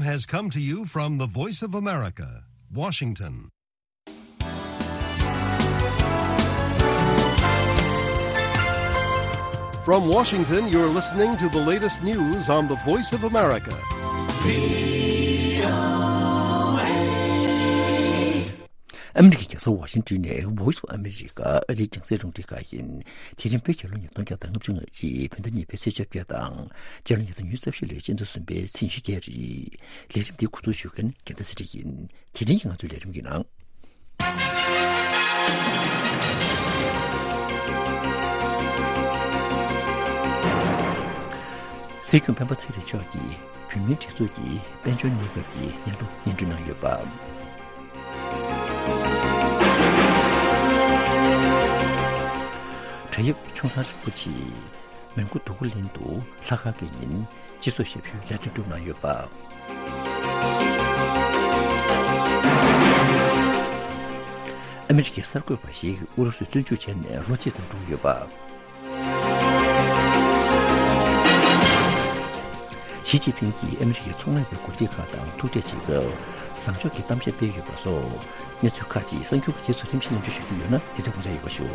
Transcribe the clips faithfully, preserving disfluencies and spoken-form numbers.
Has come to you from the Voice of America, Washington. From Washington, you're listening to the latest news on the Voice of America. ཨ་མི་རི་ཀའི་རྒྱལ་ས་ཝ་ཤིང་ཏོན་ནས་Voice of America ཨ་རིའི་རྒྱང་སྲིང་རླུང་འཕྲིན་ཁང་ཡིན། དེ་རིང་བོད་རྒྱལ་ལོ་ཉིས་སྟོང་བརྒྱ་དང་ལྔ་བཅུ་ང་གཅིག་བོད་ཟླ་གཉིས་པའི་ཚེས་བཅོ་བརྒྱད་དང་། རྒྱལ་ལོ་ཉིས་སྟོང་ཉི་ཤུ་རྩ་བཞི་ལོའི་སྤྱི་ཟླ་གསུམ་པའི་ཚེས་ཉི་ཤུ་བརྒྱད་རེད། ལས་རིམ་འདི་གོ་སྒྲིག་ཞུ་མཁན་རྒྱལ་མཚན་ཚེ་རིང་ཡིན། དེ་རིང་གི་ང་ཚོའི་ལས་རིམ་གྱི་ནང་། སྲིད་སྐྱོང་སྤེན་པ་ཚེ་རིང་མཆོག་གིས་བོད་མིའི་སྒྲིག་འཛུགས་ཀྱི་དཔལ་འབྱོར་གནས་བབ་ཀྱི་སྙན་ཐོ་སྙན་སྒྲོན་གནང་ཡོད་པ། བྲག་གཡབ་ཆུང་ཚང་རིན་པོ་ཆེས་མོན་གྷོ་འདུ་ཁུ་གླིང་དུ་ལྷག་དཀར་གྱི་ཉིན་སྤྱི་ཚོགས་ཞབས་ཞུའི་ལས་དོན་བསྒྲུབས་གནང་ཡོད་པ། ཨ་མི་རི་ཀའི་གསར་འགོད་པ་ཞིག་ཨུ་རུ་སུར་བཙོན་འཇུག་བྱས་ནས་ལོ་གཅིག་ཙམ་འགྲོ་ཡོད་པ། ཞི་ཅིན་ཕིང་གིས་ཨ་མི་རི་ཀའི་ཚོང་ལས་པའི་འགོ་ཁྲིད་ཁག་དང་ཐུག་འཕྲད་བྱེད་སྐབས་བཟང་ཕྱོགས་ཀྱི་གཏམ་བཤད་སྤེལ་ཡོད་པ་སོགས་གནས་ཚུལ་ཁག་ཅིག་གསར་འགྱུར་གྱི་རྗེས་སུ་རིམ་བཞིན་སྙན་སྒྲོན་ཞུ་རྒྱུ་ཡོད་ན་དེ་དག་དགོངས་འཇགས་ཡོད་པ་ཞུ།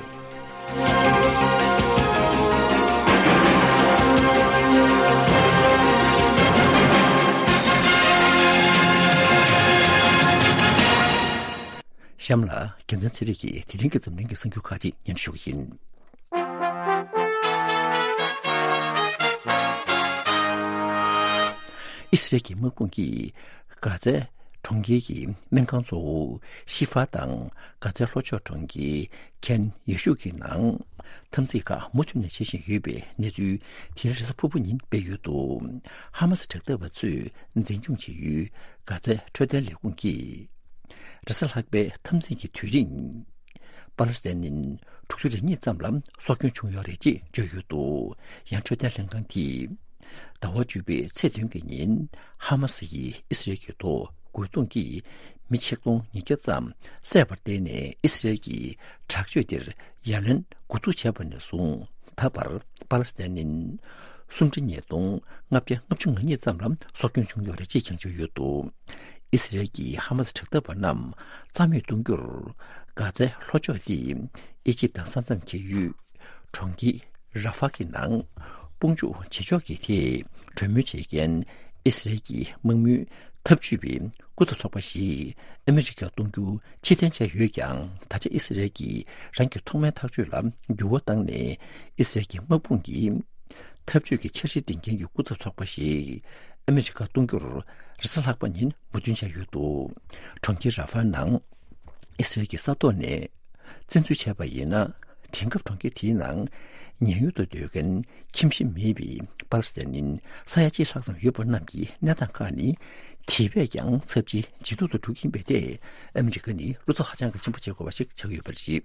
གཤམ་ལ་རྒྱལ་མཚན་ཚེ་རིང་གིས་དེ་རིང་གི་འཛམ་གླིང་གི་གསར་འགྱུར་ཁག་ཅིག་སྙན་སྒྲོན་ཞུ་གི་ཡིན། ཨི་སི་རལ་གྱི་དམག་དཔུང་གིས་གྷ་ཛའི་གྲོང་ཁྱེར་གྱི་སྨན་ཁང་གཙོ་བོ་ཤི་ཧྥ་དང་གྷ་ཛའི་ལྷོ་ཕྱོགས་གྲོང་ཁྱེར་ཁན་ཡུ་ཤུ་གི་ནང་འཐབ་འཛིང་ཁག་མུ་མཐུད་ནས་བྱེད་བཞིན་ཡོད་པའི་གནས་ཚུལ་དེ་རིང་རེས་གཟའ་ཕུར་བུ་ཉིན་སྤེལ་ཡོད་འདུག་ཧ་མ་སི་དྲག་འཐབ་པ་ཚོས་འཛིན་སྐྱོང་བྱེད་ཡུལ་གྷ་ཛའི་འཕྲོད་བསྟེན་ལས་ཁུངས་ཀྱིས། རེས་གཟའ་ལྷག་པའི་འཐབ་འཛིང་གི་དུས་རིང་། པ་ལི་སི་ཐན་ནི་དྲུག་ཅུ་རེ་གཉིས་ཙམ་ལ་སྲོག་སྐྱོན་བྱུང་ཡོད་རེད་ཅེས་བརྗོད་ཡོད་འདུག་ཡང་འཕྲོད་བསྟེན་ལྷན་ཁང་གིས། ཟླ་བ་བཅུ་པའི་ཚེས་བདུན་གྱི་ཉིན་ཧ་མ་སི་ཡིས་ཨི་སི་རལ་གྱི་ཐོག་རྒོལ་རྡུང་གིས་མི་ཆིག་སྟོང་ཉིས་བརྒྱ་ཙམ་བསད་པར་བརྟེན་ནས་ཨི་སི་རལ་གྱིས་དྲག་སྤྱོད་དེར་ཡ་ལན་འགོ་འཛུགས་བྱས་པ་ནས་བཟུང་ད་བར་པ་ལི་སི་ཐན་ནི། སུམ་ཁྲི་ཉིས་སྟོང་ལྔ་བརྒྱ་ལྔ་བཅུ་ང་གཉིས་ཙམ་ལ་སྲོག་སྐྱོན་བྱུང་ཡོད་རེད་ཅེས་བྱང་ཆུབ་ཡོད་འདུག་ཨི་སི་རལ་གྱིས་ཧ་མ་སི་དྲག་འཐབ་པ་རྣམས་རྩ་མེད་གཏོང་རྒྱུར། གྷ་ཛའི་ལྷོ་ཕྱོགས་ལི་ཨི་ཇིབ་དང་ས་མཚམས་འཁེལ་ཡུལ་གྲོང་ཁྱེར་ར་ཧྥ་གི་ནང་དཔུང་འཇུག་བྱེད་ཕྱོགས་ཀྱི་ཐད་གྲོས་མོལ་བྱེད་མཁན་ཨི་སི་རལ་གྱི་དམག་མིའི་འཐབ་ཇུས་པའི་སྐུ་ཚབ་ཚོགས་པ་ཞིག་ཨ་མི་རི་ཀར་གཏོང་རྒྱུ་ཕྱིར་འཐེན་བྱས་ཡོད་ཀྱང་། ད་ཆ་ཨི་སི་རལ་གྱིས་རང་གི་ཐོག་མའི་ཐག་གཅོད་ལ་འགྱུར་བ་བཏང་ནས། ཨི་སི་རལ་གྱི་དམག་དཔུང་གིས་འཐབ་ཇུས་ཀྱི་འཆར་གཞི་འདིང་མཁན་གྱི་སྐུ་ཚབ་ཚོགས་པ་ཞིག་ཨ་མི་རི་ཀར་གཏོང་རྒྱུར་རེས་གཟའ་ལྷག་པ་ཉིན་མོས་མཐུན་བྱས་ཡོད་འདུག་གྲོང་ཁྱེར་ར་ཧྥ་ནང་ཨི་སི་རལ་གྱི་ས་ཐོག་ནས་བཙན་འཛུལ་བྱས་པ་ཡིན་ན། དེང་སྐབས་གྲོང་ཁྱེར་དེའི་ནང་ཉེན་གཡོལ་དུ་སྡོད་མཁན་ཁྱིམ་གཞིས་མེད་པའི་པ་ལི་སི་ཐན་ནི་ས་ཡ་གཅིག་ལྷག་ཙམ་ཡོད་པ་རྣམས་ཀྱི་གནས་སྟངས་ཁག་ནི། དེ་བས་ཀྱང་ཚབས་ཆེའི་ཇེ་སྡུག་ཏུ་འགྲོ་གི་ཡིན་པས། ཏེ་ཨ་མི་རི་ཀ་ནི་བློ་འཚབ་ཧ་ཅང་གི་ཆེན་པོ་བྱེད་དགོས་པ་ཞིག་ཆགས་ཀྱི་ཡོད་པ་རེད།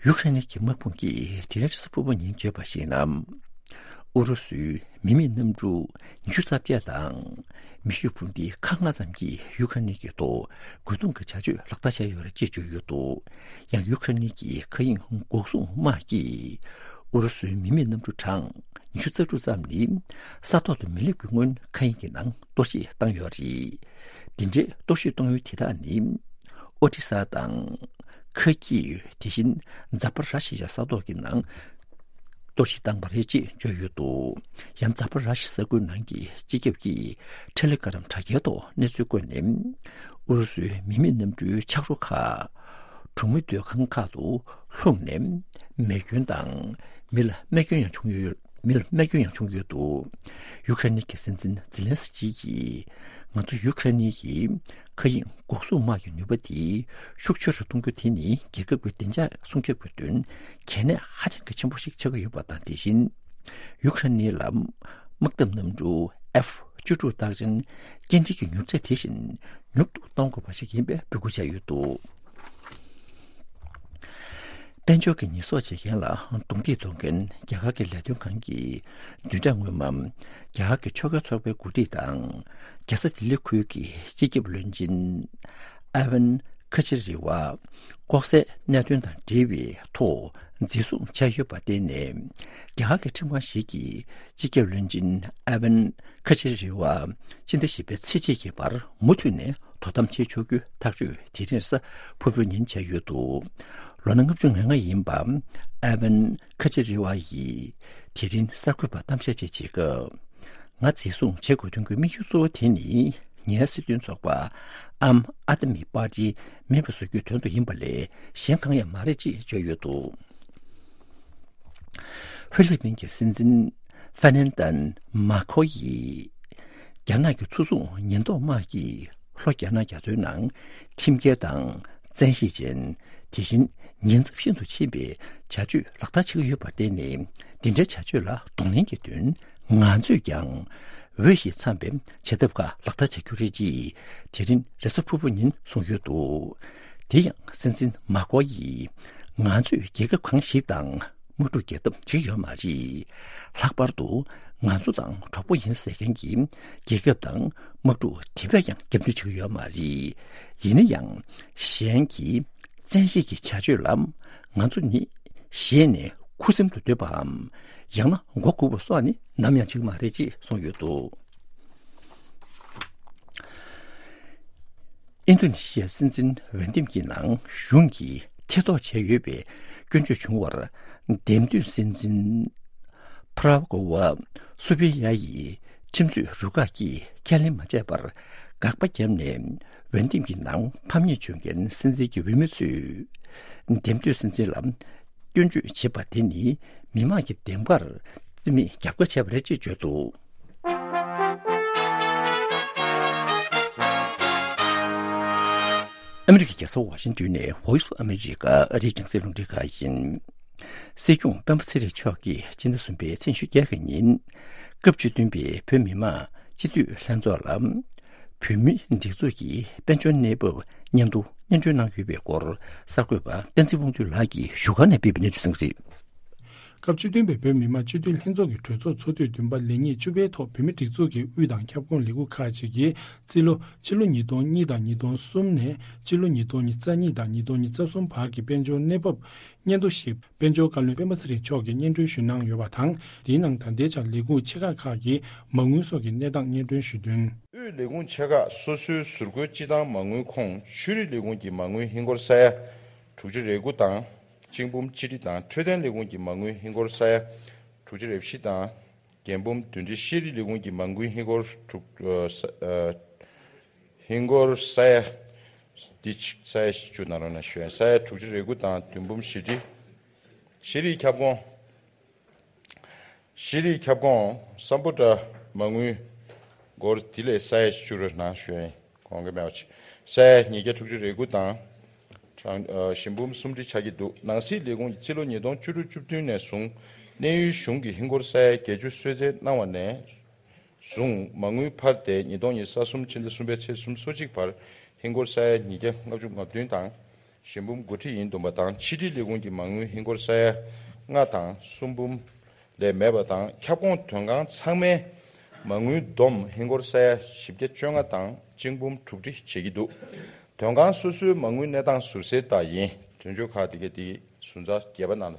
ཡུ་ཁ་རེན་གྱི་དམག་དཔུང་གིས་དེ་རིང་རེས་གཟའ་ཕུར་བུ་ཉིན་བརྗོད་པར་གཞིགས་ན། ཨུ་རུ་སུའི་མི་མེད་གནམ་གྲུ་ཉི་ཤུ་རྩ་བརྒྱད་དང་མེ་ཤུགས་འཕུར་མདེལ་ཁག་ལྔ་ཙམ་གྱིས་ཡུ་ཁ་རེན་གྱི་ཐོག་རྒོལ་རྡུང་གི་བྱ་སྤྱོད་ལག་བསྟར་བྱས་ཡོད་རེད་ཅེས་བརྗོད་ཡོད་འདུག་ཡང་ཡུ་ཁ་རེན་གྱི་མཁའ་དབྱིངས་འགོག་སྲུང་དམག་གིས་ཨུ་རུ་སུའི་མི་མེད་གནམ་གྲུ་གྲངས་ཉི་ཤུ་རྩ་དྲུག་ཙམ་ནི་ས་ཐོག་ཏུ་མི་སླེབས་ཀྱི་སྔོན་མཁའ་དབྱིངས་ཀྱི་ནང་གཏོར་བཤིག་བཏང་ཡོད་རེད། འདི་འདྲའི་གཏོར་བཤིག་གཏོང་ཡུལ་དེ་དག་ནི་ཨོ་ཏི་ས་དང་། ཁ་ཀི། དེ་བཞིན་ཛ་པ་ར་ཤི་ཡ་ས་ཐོག་གི་ནང་གཏོར་བཤིག་བཏང་བ་རེད་ཅེས་བརྗོད་ཡོད་འདུག་ཡང་ཛ་པ་ར་ཤི་ས་ཁུལ་ནང་གི་སྤྱི་ཁྱབ་ཀྱིས་ཐེ་ལེ་གྷ་རམ་དྲ་རྒྱའི་ཐོག་གནས་ཚུལ་བཀོད་ནས། ཨུ་རུ་སུའི་མི་མེད་གནམ་གྲུའི་ཆག་རོ་ཁག་གྲོང་མི་སྡོད་ཁང་ཁག་ཏུ་ལྷུང་ནས་མེ་སྐྱོན་དང་མི་ལ་རྨས་སྐྱོན་ཡང་བྱུང་ཡོད། མི་ལ་རྨས་སྐྱོན་ཡང་བྱུང་ཡོད་འདུག་ཡུ་ཁ་རེན་གྱི་སྲིད་འཛིན་ཛི་ལན་སི་ཀི་ཡིས། ང་ཚོ་ཡུ་ཁ་རེན་གྱི་མཁའ་དབྱིངས་འགོག་སྲུང་དམག་གི་ནུས་པ་དེ་ཤུགས་ཆེ་རུ་གཏོང་རྒྱུ་དེ་ནི་རྒྱལ་ཁབ་ཀྱི་བདེ་འཇགས་སྲུང་སྐྱོབ་ཀྱི་དོན་གལ་གནད་ཧ་ཅང་གི་ཆེན་པོ་ཞིག་ཆགས་ཀྱི་ཡོད་པ་དང་། དེ་བཞིན་ཡུ་ཁ་རེན་ལ་དམག་འཐབ་གནམ་གྲུ་ཨེཕ་བཅུ་དྲུག་རྟགས་ཅན་སྐྱེལ་འདྲེན་གྱི་མྱུར་ཚད་དེ་བཞིན་མྱུར་དུ་གཏོང་དགོས་པ་ཞིག་ཡིན་པའི་འབོད་སྐུལ་བྱས་ཡོད་འདུག་དཔལ་འབྱོར་གྱི་ཉེས་གསོག་བྱེད་མཁན་ལ་རྡུང་རྡེག་གཏོང་མཁན་རྒྱ་གར་གྱི་ལས་དོན་ཁང་གི་བདུན་ཕྲག་སྔོན་མ། རྒྱ་གར་གྱི་ཕྱོགས་འགལ་ཚོགས་པའི་འགོ་ཁྲིད་དང་། རྒྱལ་ས་ལྡི་ལི་ཁུལ་གྱི་སྤྱི་ཁྱབ་བློན་ཆེན་ཨ་ཝན་ ཁ་ཆེ་རི་བ་ལྐོག་ཟའི་གནད་དོན་དང་འབྲེལ་བའི་ཐོག་འཛིན་བཟུང་བྱས་ཡོད་པར་བརྟེན་ནས། རྒྱ་གར་གྱི་ཁྲིམས་ཁང་ཞིག་གིས་སྤྱི་ཁྱབ་བློན་ཆེན་ཨ་ཝན་ཁ་ཆེ་རི་བ་སྤྱི་ཟླ་བཞི་པའི་ཚེས་གཅིག་གི་བར་མུ་མཐུད་ནས་དོ་དམ་བྱེད་ཆོག་རྒྱུའི་ཐག་གཅོད་དེ་རིང་གཟའ་ཕུར་བུ་ཉིན་བྱས་ཡོད་འདུག་ལོ་ན་ལྔ་བཅུ་ང་ལྔ་ཡིན་པ་ཨ་ཝན་ཁ་ཆེ་རི་བ་ཡིས་དེ་རིང་གསར་འགོད་པར་གཏམ་བཤད་ཅིག་བྱེད་སྐབས། ང་འཛིན་བཟུང་བྱེད་དགོས་དོན་གྱི་དམིགས་ཡུལ་གཙོ་བོ་དེ་ནི། ངའི་སྲིད་དོན་ཚོགས་པ་ཨམ་ཨ་ད་མི་པར་ཏི་མེད་པར་བཟོ་རྒྱུའི་དོན་དུ་ཡིན་པ་ལས་གཞན་གང་ཡང་མ་རེད་ཅེས་བརྗོད་ཡོད་འདུག་ཧྥི་ལི་པིན་གྱི་སྲིད་འཛིན་ཧྥེ་ནན་ཏན་མཱ་ཁོ་ཡིས། རྒྱ་ནག་གི་ཚུར་བཙོང་ཉེན་རྟོག་དམག་གིས་ལྷོ་རྒྱ་ནག་རྒྱ་མཚོའི་ནང་ཁྲིམས་འགལ་དང་། བཙན་ཤེད་ཅན། དེ་བཞིན་ཉེན་ཚབས་ཤིན་ཏུ་ཆེན་པའི་བྱ་སྤྱོད་ལག་བསྟར་བྱེད་ཀྱི་ཡོད་པར་བརྟེན་ནས། འདི་འདྲའི་བྱ་སྤྱོད་ལ་གདོང་ལེན་གྱི་དོན། ང་ཚོས་ཀྱང་འོས་ཤིང་འཚམས་པའི་བྱེད་ཐབས་ཁག་ལག་བསྟར་བྱ་རྒྱུ་རེད་ཅེས་དེ་རིང་རེས་གཟའ་ཕུར་བུ་ཉིན་གསུངས་ཡོད་འདུག་དེ་ཡང་སྲིད་འཛིན་མཱ་ཀོ་ཡིས། ང་ཚོས་རྒྱལ་ཁབ་གང་ཞིག་དང་དམག་འཁྲུག་རྒྱག་ཐབས་བྱེད་ཀྱི་ཡོད་མ་རེད། ལྷག་པར་དུ་ང་ཚོ་དང་གྲོགས་པོ་ཡིན་ཟེར་མཁན་གྱི་རྒྱལ་ཁབ་དང་དམག་འཁྲུག་དེ་བས་ཀྱང་རྒྱབ་མདུན་བྱེད་ཀྱི་ཡོད་མ་རེད། ཡིན་ན་ཡང་། གཞན་གྱི་བཙན་ཤེད་ཀྱི་བྱ་སྤྱོད་ལ་ང་ཚོ་ནི་ཞེད་ནས་ཁུ་སིམ་དུ་སྡོད་པའམ། ཡང་ན་མགོ་སྒུར་བ་སོགས་ནི་ནམ་ཡང་བྱེད་ཀྱི་མ་རེད་ཅེས་གསུངས་ཡོད་འདུག་ཨིན་རྡུ་ནི་ཤི་ཡའི་སྲིད་འཛིན་འོས་འདེམས་ཀྱི་ནང་གཞུང་གིས་ཐེ་གཏོགས་བྱས་ཡོད་པའི་སྐྱོན་བརྗོད་བྱུང་བར། འདེམས་ཐོན་སྲིད་འཛིན་པྲ་བྷ་གོ་བ་སུ་བི་ཡ་ཡིས་ཁྲིམས་རྩོད་རུ་ཁག་གིས་ཁས་ལེན་མ་བྱས་པར་དགག་པ་བརྒྱབ་ནས། འོས་འདེམས་ཀྱི་ནང་ཕམ་ཉེས་བྱུང་མཁན་སྲིད་འཛིན་གྱི་འོས་མི་ཚོས་འདེམས་ཐོན་སྲིད་འཛིན་ལ་སྐྱོན་བརྗོད་བྱེད་པ་དེ་ནི་མི་མང་གི་འདེམས་ཀར་རྩིས་མེད་རྒྱབ་ཁ་བྱས་པ་རེད་ཅེས་བརྗོད་འདུག་ཨ་མི་རི་ཀའི་རྒྱལ་ས་ཝ་ཤིང་ཏོན་ནས་Voice of America ཨ་རིའི་རྒྱང་སྲིང་རླུང་འཕྲིན་ཁང་ཡིན། སྲིད་སྐྱོང་སྤེན་པ་ཚེ་རིང་མཆོག་གིས་སྤྱི་ཟླ་གསུམ་པའི་ཚེས་ཉི་ཤུ་རྩ་བཞི་ཉིན། སྐབས་བཅུ་བདུན་པའི་བོད་མི་མང་སྤྱི་འཐུས་ལྷན་ཚོགས་ལ། བོད་མིའི་སྒྲིག་འཛུགས་ཀྱི་དཔལ་འབྱོར་གནས་བབ་སྙན་ཐོ་སྙན་སྒྲོན་གནང་ཡོད་པའི་སྐོར་གསར་འགོད་པ་བསྟན་འཛིན་དབང་འདུས་ལགས་ཀྱིས་བཞུགས་སྒར་ནས་སྤེལ་བའི་གནས་ཚུལ་ཟིན་གྱི་རེད། སྐབས་བཅུ་བདུན་པའི་བོད་མི་མང་སྤྱི་འཐུས་ལྷན་ཚོགས་ཀྱི་གྲོས་ཚོགས་ཚོགས་དུས་བདུན་པ་ལས་ཉིན་བཅུ་པའི་ཐོག་བོད་མིའི་སྒྲིག་འཛུགས་ཀྱི་དབུས་དང་ཁྱབ་ཁོངས་ལས་ཁུངས་ཁག་ཅིག་གིས་རྩིས་ལོ་ཕྱི་ལོ་ཉིས་སྟོང་གཉིས་དང་ཉིས་སྟོང་གསུམ་ནས་ཕྱི་ལོ་ཉིས་སྟོང་ཉི་ཤུ་རྩ་གཉིས་དང་ཉིས་སྟོང་ཉི་ཤུ་རྩ་གསུམ་བར་གྱི་དཔལ་འབྱོར་གནས་བབ་སྙན་ཐོ་ཞིག་དཔལ་འབྱོར་བཀའ་བློན་སྤེན་པ་ཚེ་རིང་མཆོག་གིས་སྙན་སྒྲོན་ཞུ་གནང་ཡོད་པ་དང་། དེའི་ནང་ད་ལྟའི་ཆར་ལས་ཁུངས་ཆེ་ཁག་ཁག་གི་མ་དངུལ་སོགས་ཀྱི་གནས་སྟངས་སྙན་སྒྲོན་ཞུས་དོན། དབུས་ལས་ཁུངས་ཆེ་ཁག་སོ་སོའི་ཟུར་བཀོལ་སྤྱི་བཏང་མ་དངུལ་ཁོངས་ཆོས་རིག་ལས་ཁུངས་ཀྱི་མ་དངུལ་ཧིན་སྒོར་ས་ཡ་དྲུག་ཅུ་རེ་དགུ་དང་། གཅིག་འབུམ་ཆིག་ཁྲི་དང་འཕྲོད་བསྟེན་ལས་ཁུངས་ཀྱི་མ་དངུལ་ཧིན་སྒོར་ས་ཡ་དྲུག་ཅུ་རེ་བཞི་དང་། རྒྱལ་འབུམ་བདུན་ཁྲི། ཤེས་རིག་ལས་ཁུངས་ཀྱི་མ་དངུལ་ཧིན་སྒོར་དྲུག་ཨ་ས་ཨ་ཧིན་སྒོར་ས་ཡ་འདི་ཆ་ས་ཡ་བཞི་བཅུ་ནང་ལོགས་ན་ཤོད། ས་ཡ་དྲུག་ཅུ་རེ་དགུ་དང་བདུན་འབུམ་བཞི་ཁྲི། ཤེས་རིག་ཁྱབ་ཁོངས། ཤེས་རིག་ཁྱབ་ཁོངས་སམ་བྷོ་ཊ་མ་དངུལ་སྒོར་དེ་ལས་ས་ཡ་བཅུ་རེ་ནང་ཞོན་གོང་གི་མེད་པ་ཆེ། ས་ཡ་ཉིས་བརྒྱ་དྲུག་ཅུ་རེ་དགུ་དང་། གྲངས་ཨ་ཞེ་འབུམ་སུམ་ཁྲི་ཆགས་ཀྱི་འདུག་ནང་སྲིད་ལས་ཁུངས་ཀྱི་རྩིས་ལོ་ཉིས་སྟོང་བཅུ་དྲུག་བཅུ་བདུན་ནས་བཟུང་གནས་ཡུལ་གཞུང་གིས་ཧིན་སྒོར་ས་ཡ་བརྒྱད་ཅུ་གསོལ་སྩལ་གནང་བ་ནས་བཟུང་མ་དངུལ་འཕར་ཏེ་ཉིས་སྟོང་ཉི་ཤུ་རྩ་གསུམ་ཕྱི་ཟླ་གསུམ་པའི་ཚེས་སུམ་ཅུ་སོ་གཅིག་བར་ཧིན་སྒོར་ས་ཡ་ཉིས་བརྒྱ་ལྔ་བཅུ་ང་བདུན་དང་། ཞེ་འབུམ་དགུ་ཁྲི་ཡིན་འདུག་པ་དང་། ཕྱི་དྲིལ་ལས་ཁུངས་ཀྱི་མ་དངུལ་ཧིན་སྒོར་ས་ཡ་ལྔ་དང་གསུམ་འབུམ་ལས་མེད་པ་དང་། ཁྱབ་ཁོངས་དོན་ཁང་ཚང་མའི་མ་དངུལ་བསྡོམས་ཧིན་སྒོར་ས་ཡ་བཞི་བརྒྱ་བཅོ་ལྔ་དང་གཅིག་འབུམ་དྲུག་ཁྲི་བྱེད་ཀྱི་འདུག་དོན་ཁང་སོ་སོའི་མ་དངུལ་གནས་སྟངས་ཟུར་གསལ་ལྟར་ཡིན། དོན་གཅོད་ཁག་དེ་གའི་དེའི་ཟུར་ཚགས་བརྒྱད་པ་ནང་ལ་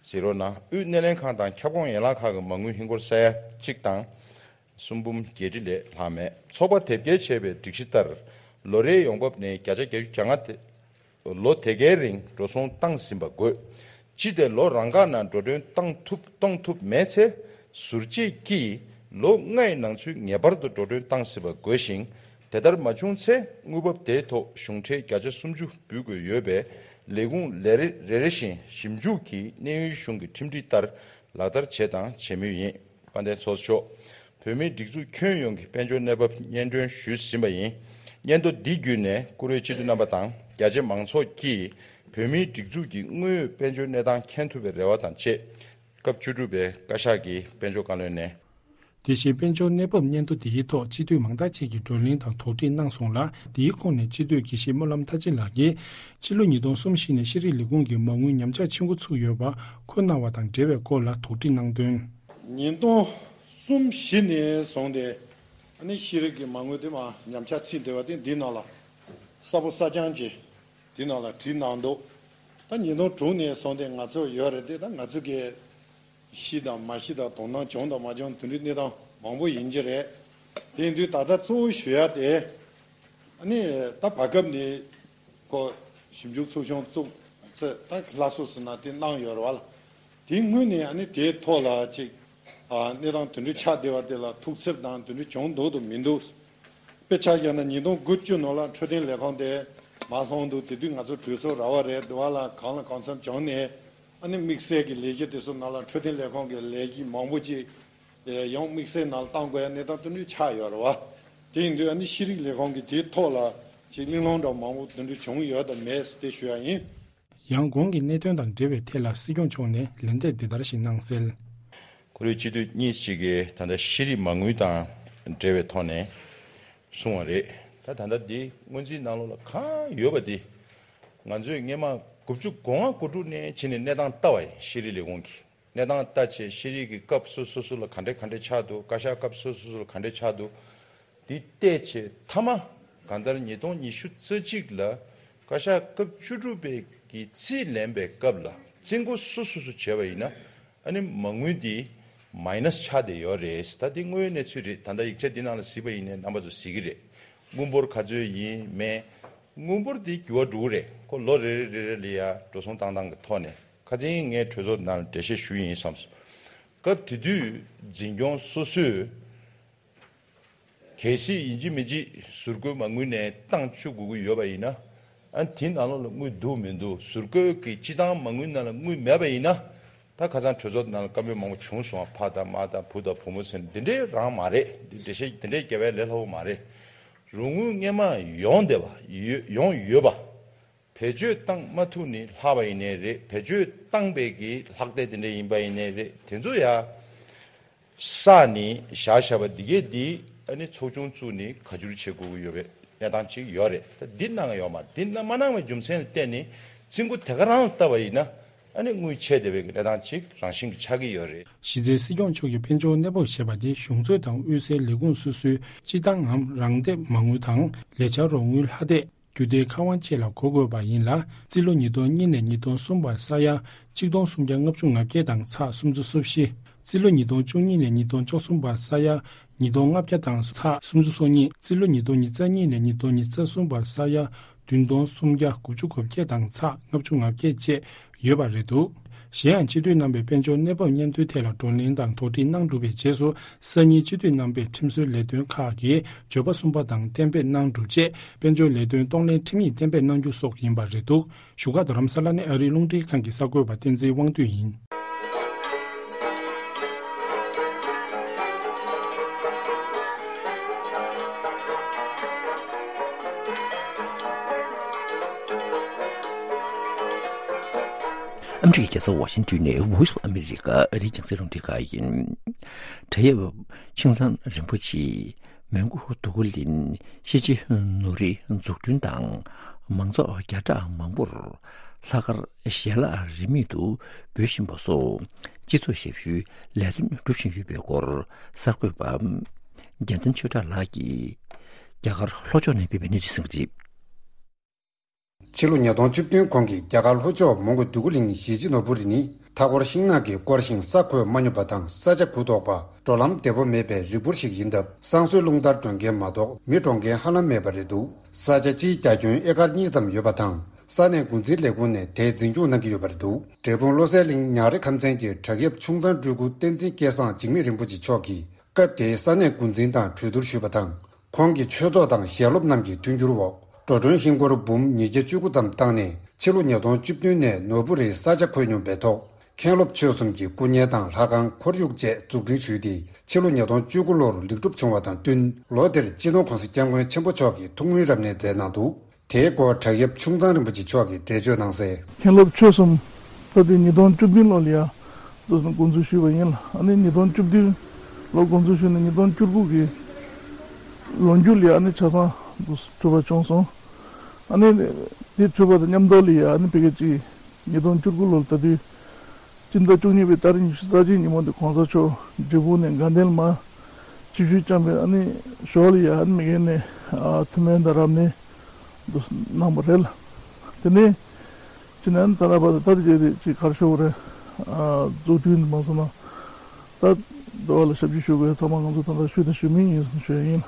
གཟིགས་རོགས་གནང་། དབུས་སྣེ་ལེན་ཁང་དང་ཁྱབ་ཁོངས་ཡན་ལག་ཁག་གི་མ་དངུལ་ཧིན་སྒོར་ས་ཡ་གཅིག་དང་། གསུམ་འབུམ་བརྒྱད་ཁྲི་ལས་ལྷག་མེད། ཚོགས་པ་དེབ་སྐྱེལ་བྱས་པའི་སྒྲིག་གཞི་ལྟར། ལོ་རེའི་ཡོང་འབབ་ནས་བརྒྱ་ཆ་བརྒྱད་ཅུ་གྱ་ལྔ་དེ། ལོ་དེ་གའི་རིང་འགྲོ་སོང་བཏང་ཟིན་པ་དགོས། སྤྱི་དེ་ལོ་རང་འགག་ནང་འགྲོ་གྲོན་བཏང་ཐུབ་གཏོང་ཐུབ་མེད་ཚེ། ཟུར་བཅད་ཀྱིས་ལོ་ལྔའི་ནང་ཚུད་ངེས་པར་དུ་འགྲོ་གྲོན་བཏང་ཟིན་པ་དགོས་ཤིང་། དེ་ལྟར་མ་བྱུང་ཚེ་དངུལ་འབབ་དེའི་ཐོག་གཞུང་ཁྲལ་བརྒྱ་ཆ་སུམ་ཅུ་འབུལ་དགོས་ཡོད་པས། ལས་ཁུངས་ལས་རེ་རེ་བཞིན་ཞིབ་འཇུག་གིས་གནས་ཡུལ་གཞུང་གི་ཁྲིམས་སྒྲིག་ལྟར་ལག་བསྟར་བྱས་དང་བྱེད་མུས་ཡིན། དཔལ་ལྡན་ཚོགས་གཙོ་མཆོག་བོད་མིའི་སྒྲིག་འཛུགས་ཁྱོན་ཡོངས་ཀྱི་དཔལ་འབྱོར་གནས་བབ་སྙན་སྒྲོན་ཞུས་ཟིན་པ་ཡིན། སྙན་ཐོ་འདི་བརྒྱུད་ནས་བཀུར་འོས་སྤྱི་འཐུས་རྣམ་པ་དང་རྒྱ་ཆེ་མང་ཚོགས་ཀྱིས་བོད་མིའི་སྒྲིག་འཛུགས་ཀྱི་དངོས་ཡོད་དཔལ་འབྱོར་གནས་སྟངས་མཁྱེན་ཐུབ་པའི་རེ་བ་དང་བཅས། སྐབས་བཅུ་དྲུག་པའི་བཀའ་ཤག་གི་དཔལ་འབྱོར་བཀའ་བློན་ནས། དེ་བཞིན་དཔལ་འབྱོར་གནས་བབ་སྙན་ཐོ་འདིའི་ཐོག་སྤྱི་འཐུས་མང་དག་ཅིག་གིས་བགྲོ་གླེང་དང་དོགས་འདྲི་གནང་སོང་ལ། འདིའི་ཁོངས་ནས་སྤྱི་འཐུས་དགེ་བཤེས་སྨོན་ལམ་མཐར་ཕྱིན་ལགས་ཀྱིས་ཕྱི་ལོ་ཉིས་སྟོང་གསུམ་བཞི་ནས་ཤེས་རིག་ལས་ཁུངས་ཀྱི་མ་དངུལ་ཉམས་ཆག་ཕྱིན་འགོ་ཚུགས་ཡོད་པ་ཁོ་གནང་བ་དང་འབྲེལ་བའི་སྐོར་ལ་དོགས་འདྲི་གནང་དོན། ཉིས་སྟོང་གསུམ་བཞི་ནས་བཟུང་སྟེ་ཨ་ནི་ཤེས་རིག་གི་མ་དངུལ་དེ་མར་ཉམས་ཆག་ཕྱིན་བསྡད་པ་དེ་འདི་ནང་ལ་གསལ་པོ་གསལ་རྐྱང་གྱིས་ དེ་ནང་ལ་བྲིས་གནང་འདུག་ད་ཉིས་སྟོང་དྲུག་ནས་བཟུང་སྟེ་ང་ཚོ་ཡོད་རེད་དེ། ད་ང་ཚོ་གི་ཤི་དང་མ་ཤི་དང་དོ་སྣང་བྱུང་དང་མ་བྱུང་དེ་འདྲའི་གནས་སྟངས་མང་པོ་ཡིན་གྱི་རེད། དེ་ཡིན་དུས་ད་ལྟ་གཙོ་བོ་ཞུ་ཡ་དེ། ཨ་ནི་ད་བར་སྐབས་ནས་ཁོ་ཞིབ་འཇུག་ཚོགས་ཆུང་བཙུགས་ཚེ་ད་ལྷ་སོ་ཟེར་ན་དེ་གནང་ཡོད་རེད་བ་ལ། དེའི་སྔོན་ནས་ཨ་ནི་དེའི་ཐོག་ལ་ཅིག་ཨ་གནས་སྟངས་དེ་འདྲ་ཆགས་བསྡད་པ་དེ་ལ་ཐུགས་འཚབ་དང་དེ་འདྲ་བྱུང་འདུག་དང་མི་འདུག་དཔེ་ཆ་བཞག་ན་ཉིས་སྟོང་དགུ་བཅུ་ནང་ལ་འཕྲོད་བསྟེན་ལས་ཁུངས་དེ་མར་ལྷུང་འདུག་དེ་དུས་ང་ཚོ་གྲོས་ཚོགས་ར་བ་རེད་འདུག་བ་ལ། གང་ལ་གང་འཚམ་བྱུང་ནས་ཨ་ནི་དམིགས་བསལ་གྱི་ལས་གཞི་དེ་ཚོ་ནང་ལ་འཕྲོད་བསྟེན་ལས་ཁུངས་ཀྱི་ལས་གཞི་མང་པོ་ཅིག་ཡང་དམིགས་བསལ་ནང་ལ་བཏང་དགོས་ཡ་གནས་སྟངས་དེ་འདྲ་ཆགས་ཡོད་རེད་བ། དེ་ཡིན་དུས་ཨ་ནི་ཤེས་རིག་ལས་ཁུངས་ཀྱི་དེའི་ཐོག་ལ་ཅིག་གླེང་སློང་འདྲ་མང་པོ་དེ་འདྲ་བྱུང་ཡོད་དམ་མེད་དེ་ཞུ་ཡ་ཡིན། ཡང་གོང་གི་གནད་དོན་དང་འབྲེལ་བའི་ཐད་ལ་སྲིད་སྐྱོང་མཆོག་ནས་ལན་འདེབས་འདི་ལྟར་ཞིག་གནང་གསལ། ཁོ་རའི་སྤྱི་འཐུས་གཉིས་ཅིག་གིས་ད་ལྟ་ཤེས་རིག་མ་དངུལ་དང་འབྲེལ་བའི་ཐོག་ནས་གསུངས་པ་རེད། ད་ད་ལྟ་འདི་སྔོན་རྩིས་ནང་ལོགས་ལ་གང་ཡོད་པ་འདི། ང་ཚོས་སྔས་མ་དགུ་བཅུ་གོ་ལྔ་གོ་དྲུག་ནས་ཕྱིན་ནས་གནས་སྟངས་ལྟ་བ་ཡིན། ཤེས་རིག་ལས་ཁུངས་ཀྱི་གནས་སྟངས་ལྟ་བྱས། ཤེས་རིག་གི་སྐབས་སོ་སོ་སོ་ལ་ག་འདྲས་ག་འདྲས་ཆགས་འདུག་བཀའ་ཤག་སྐབས་སོ་སོ་སོ་ལ་ག་འདྲས་ཆགས་འདུག་འདི་བལྟས་བྱས་མཐའ་མ་གང་ལྟར་ཉིས་སྟོང་ཉི་ཤུ་རྩ་གཅིག་ལ་བཀའ་ཤག་སྐབས་བཅུ་དྲུག་པའི་གི་རྩིས་ལེན་པའི་སྐབས་ལ་རྩིས་འགོ་སོ་སོ་སོ་བྱས་པ་ཡིན་ན། ཨ་ནི་མ་དངུལ་འདི་མའི་ནས་ཆགས་བསྡད་ཡོད་རེད། ད་འདི་དངོས་ཡོད་གནས་ཚུལ་རེད། ད་ལྟ་ཡིག་ཆ་འདི་ནང་ལ་གཟིགས་པ་ཡིན་ནའི་རྣམ་པ་ཚོ་གཟིགས་ཀྱི་རེད། དངུལ་འབོར་ག་ཚོད་ཡིན་མེད། དངུལ་འབོར་འདི་འགྱུར་བ་འགྲོ་གི་རེད། ཁོ་ལོ་རེ་རེ་རེ་རེ་ལ་ཡ་འགྲོ་སོང་བཏང་སྟངས་ཀྱི་ཐོག་ནས། ཁ་སང་ངས་གྲོས་ཚོགས་ནང་ལ་འགྲེལ་བཤད་ཞུས་ཡིན་བསམས་སོང་། སྐབས་དེ་དུས་འཛིན་སྐྱོང་སོ་སོས་གལ་སྲིད་ཡིན་གཅིག་མིན་གཅིག་ཟུར་བཀོལ་མ་དངུལ་ནས་བཏང་བཅུག་དགོས་ཀྱི་ཡོད་པ་ཡིན་ན། ཨ་དེའི་ནང་ལོགས་ལ་དངུལ་འདུག་མི་འདུག་ཟུར་བཀོལ་གྱི་སྤྱི་བཏང་མ་དངུལ་ནང་ལ་དངུལ་མེད་པ་ཡིན་ན། ད་ཁ་སང་གྲོས་ཚོགས་ནང་ལ་བཀའ་མོལ་མང་པོ་བྱུང་སོང་། ཕ་དང་མ་དང་བུ་དང་བུ་མོ་ཟེར་ནས་འདི་འདྲའི་རང་མ་རེད། འདི་འགྲེལ་བཤད་འདི་འདྲའི་རྒྱབ་པ་ལས་སླ་པོ་མ་རེད། རོགས་དངུལ་སྔས་མ་ཡོང་བསྡད་པ་ཡོད་ཡོང་ཡོད་པ། བེད་སྤྱོད་བཏང་མ་ཐུབ་ནི་ལྷག་པ་ཡིན་ནའི་རེད། བེད་སྤྱོད་བཏང་པའི་གི་ལྷག་བསྡད་དེ་འདྲ་ཡིན་པ་ཡིན་ནའི་རེད། དེ་ཚོ་ཡ་བསགས་ནི་བཞག་བཞག་པ་འདི་གས་འདི་ཨ་ནི་ཚོགས་ཆུང་བཙུགས་ནི་བཀའ་འགྱུར་བྱེད་དགོས་ཀྱི་ཡོད་པའི་གནས་སྟངས་ཅིག་ཡོད་རེད། ད་འདི་གནང་ཡོད་མ་འདི་གནང་མ་གནང་བའི་རྒྱུ་མཚན་ལ་བརྟེན་ནས་རྩིས་འགོ་དེ་ག་རང་ལ་བལྟ་བ་ཡིན་ན། ཨ་ནི་དངུལ་ཆད་བསྡད་པའི་གནས་སྟངས་ཅིག་རང་བཞིན་གྱི་ཆགས་ཀྱི་ཡོད་རེད། གཞི་རྩའི་སྲིད་སྐྱོང་མཆོག་གིས་དཔལ་འབྱོར་གནས་སྤོ་བྱས་པ་དེ་གཞུང་རྩོད་དང་དབུས་སའི་ལས་ཁུངས་སོ་སོའི་སྤྱི་བཏང་ངམ་རང་འདེམས་མ་དངུལ་དང་ལས་འཆར་རོགས་དངུལ་ལྷག་བསྡད། རྒྱུ་དེ་ཁ་དབང་བཅས་ལ་གོ་དགོས་པ་ཡིན་ལ། རྩིས་ལོ་ཉིས་སྟོང་གཉིས་ནས་ཉིས་སྟོང་གསུམ་བར་ས་ཡ་གཅིག་སྟོང་སུམ་བརྒྱ་ལྔ་བཅུ་ང་བརྒྱད་དང་ཚེག་སུམ་ཅུ་སོ་བཞི། རྩིས་ལོ་ཉིས་སྟོང་བཅུ་གཉིས་ནས་ཉིས་སྟོང་བཅུ་གསུམ་བར་ས་ཡ་ཉིས་སྟོང་ལྔ་བརྒྱ་དང་ཚེག་སུམ་ཅུ་སོ་གཉིས། རྩིས་ལོ་ཉིས་སྟོང་ཉེར་གཉིས་ནས་ཉིས་སྟོང་ཉེར་གསུམ་བར་ས་ཡ་བདུན་སྟོང་སུམ་བརྒྱ་དགུ་བཅུ་གོ་བརྒྱད་དང་ཚེག་ལྔ་བཅུ་ང་བརྒྱད་བཅས་ཡོད་པ་རེད་འདུག་གཞན་ཡང་སྤྱི་འཐུས་རྣམ་པས་དཔལ་འབྱོར་གནས་བབ་སྙན་ཐོའི་ཐད་ལ་བགྲོ་གླེང་དང་དོགས་འདྲི་གནང་གྲུབ་པའི་རྗེས་སུ། སང་ཉིན་སྤྱི་འཐུས་རྣམ་པས་ཁྲིམས་བཟོའི་ལས་དོན་ཁག་གི་བརྗོད་པ་གསུམ་པ་དང་གཏན་འབེབས་གནང་གྲུབ་རྗེས། དཔལ་འབྱོར་ལས་དོན་གཏོང་ལེན་ཁྲིམས་ཡིག་གཏན་འབེབས་གནང་རྒྱུ་སོགས་ཡིན་པ་རེད་འདུག་བཞུགས་སྒར་རྡ་རམ་ས་ལ་ནས་ཨ་རིའི་རླུང་འཕྲིན་ཁང་གི་གསར་འགོད་པ་བསྟན་འཛིན་དབང་འདུས་ཡིན། ཨ་མི་རི་ཀའི་རྒྱལ་ས་ཝ་ཤིང་ཏོན་ནས་Voice of America ཨ་རིའི་རྒྱང་སྲིང་རླུང་འཕྲིན་ཁང་ཡིན། བགྲེས་ཡབ་ཆིང་ཚང་རིན་པོ་ཆེ། མོན་གྷོ་འདུ་ཁ་གླིང་གཤིན་རྗེ་ནོར་བུའི་འཛུགས་སྐྲུན་དང་མང་ཚོགས་བརྒྱ་ཕྲག་མང་པོར་ལྷག་དཀར་ཞལ་ལག་རིན་མེད་དུ་འབུལ་བཞིན་པ་སོགས་སྤྱི་ཚོགས་ཞབས་ཞུའི་ལས་དོན་སྒྲུབ་བཞིན་ཡོད་པའི་སྐོར་གསར་འགོད་པ་རྒྱལ་མཚན་ཆོས་གྲགས་ལགས་ཀྱིས་རྒྱ་གར་ལྷོ་ཕྱོགས་ནས་སྤེལ་བའི་གནས་ཚུལ་གསན་གྱི་རེད། ཕྱི་ལོ་ཉིས་སྟོང་བཅུ་བདུན་གོང་གི་རྒྱ་གར་ལྷོ་ཕྱོགས་མོན་གྷོ་འདུ་ཁ་གླིང་གཞིས་བྱེས་ནོར་བུ་རི་ནི་མཐའ་འཁོར་ཤིང་ནགས་ཀྱིས་བསྐོར་ཞིང་ས་གོས་མ་སྙོམས་པ་དང་ས་ཆ་གུ་དོག་པ། འགྲོ་ལམ་བདེ་པོ་མེད་པའི་རི་སྦུག་ཞིག་ཡིན་སྟབས་བསང་གསོལ་རླུང་རྟར་འགྲོ་མཁན་མ་གཏོགས་མི་འགྲོ་མཁན་ཧ་ལམ་མེད་པ་རེད་འདུག་ས་ཆ་སྤྱིའི་རྒྱ་ཁྱོན་ཨེ་ཀར་གཉིས་ཙམ་ཡོད་པ་དང་ས་གནས་འགོ་འཛིན་ལས་ཁུངས་ནས་དེ་འཛིན་སྐྱོང་གནང་གི་ཡོད་པ་རེད་འདུག་འབྲས་སྤུངས་བློ་གསལ་གླིང་ཉག་རི་ཁམས་ཚན་གྱི་བྲག་གཡབ་ཆུང་ཚང་སྤྲུལ་སྐུ་བསྟན་འཛིན་སྐལ་བཟང་འཇིགས་མེད་རིན་པོ་ཆེ་མཆོག་གིས། སྐབས་དེའི་ས་གནས་འགོ་འཛིན་དང་གྲོས་བསྡུར་ཞུས་པ་དང་། ཁོང་གི་ཆོས་ཚོགས་དང་ཞལ་སློབ་རྣམས་ཀྱི་མཐུན་འགྱུར་འོག་འགྲོ་གྲོན་ཧིན་སྒོར་འབུམ་ཉིས་བརྒྱ་བཅུ་དགུ་ཙམ་བཏང་ནས་ཕྱི་ལོ་ཉིས་སྟོང་བཅུ་བདུན་ནས་ནོར་བུ་རིར་ས་ཆ་ཁོད་སྙོམས་པའི་ཐོག་མཁན་སློབ་ཆོས་གསུམ་གྱི་སྐུ་བརྙན་དང་ལྷ་ཁང་ཁོར་ཡུག་བཅས་འཛུགས་སྐྲུན་ཞུས་ཏེ་ཕྱི་ལོ་ཉིས་སྟོང་བཅུ་དགུ་ལོར་ལེགས་གྲུབ་བྱུང་བ་དང་བསྟུན་ལོ་དེར་སྤྱི་ནོར་༸གོང་ས་༸སྐྱབས་མགོན་ཆེན་པོ་མཆོག་གིས་ཐུགས་སྨོན་རབ་གནས་མཛད་གནང་འདུག་དེའི་སྐོར་བྲག་གཡབ་ཆུང་ཚང་རིན་པོ་ཆེ་མཆོག་གིས་འགྲེལ་བརྗོད་གནང་གསལ། མཁན་སློབ་ཆོས་གསུམ་ད་ལྟའི་ཉིས་སྟོང་བཅུ་བདུན་ལོ་ལ་ཡ་འདུག་སེ་འགོ་འཛུགས་ཞུས་པ་ཡིན་ལ། ཨ་ནི་ཉིས་སྟོང་བཅུ་བདུན་ལོ་འགོ་འཛུགས་ཞུས་ནས་ཉིས་སྟོང་བཅུ་དགུ་གི་ལོ་མཇུག་ལ་ཡ་ཨ་ནི་ཆ་ཚང་འདུག་སེ་གྲུབ་པ་བྱུང་སོང་། ཨ་ནི་དེ་གྲུབ་པ་དང་མཉམ་དུ་ལ་ཡ་ཨ་ནི་ཕ་གི་ཅིག་ཉིས་སྟོང་བཅུ་དགུ་ལོ་ལ་ད་དུས་སྤྱི་ཟླ་བཅུ་གཉིས་པའི་ཏ་རིག་ཉི་ཤུ་རྩ་གཅིག་ཉིན་མོ་དེ་༸གོང་ས་མཆོག་འབྲས་སྤུངས་ནས་དགའ་ལྡན་མར་ཆིབས་བསྒྱུར་བསྐྱངས་པའི་ཨ་ནི་ཞོར་ལ་ཡ་ཨ་ནི་མི་རྒན་ནས་ཨ་ཐུགས་སྨོན་དང་རབ་གནས་འདུག་གནང་བ་རེད་ལ། དེ་ནས་ཅི་ནན་ད་ལྟ་བར་དུ་ད་དེ་རྗེས་དེ་ཅིག་གར་ཤོག་རེད། འཛུགས་སྐྲུན་མ་སོང་ན་ད་འགྲོ་བ་ལ་ཞབས་ཕྱི་ཞུ་དགོས་ཚང་མ་ང་ཚོ་ད་ལྟ་ཞུ་དང་ཞུ་མིན་ཡིན་ཞུ་ཡ་ཡིན།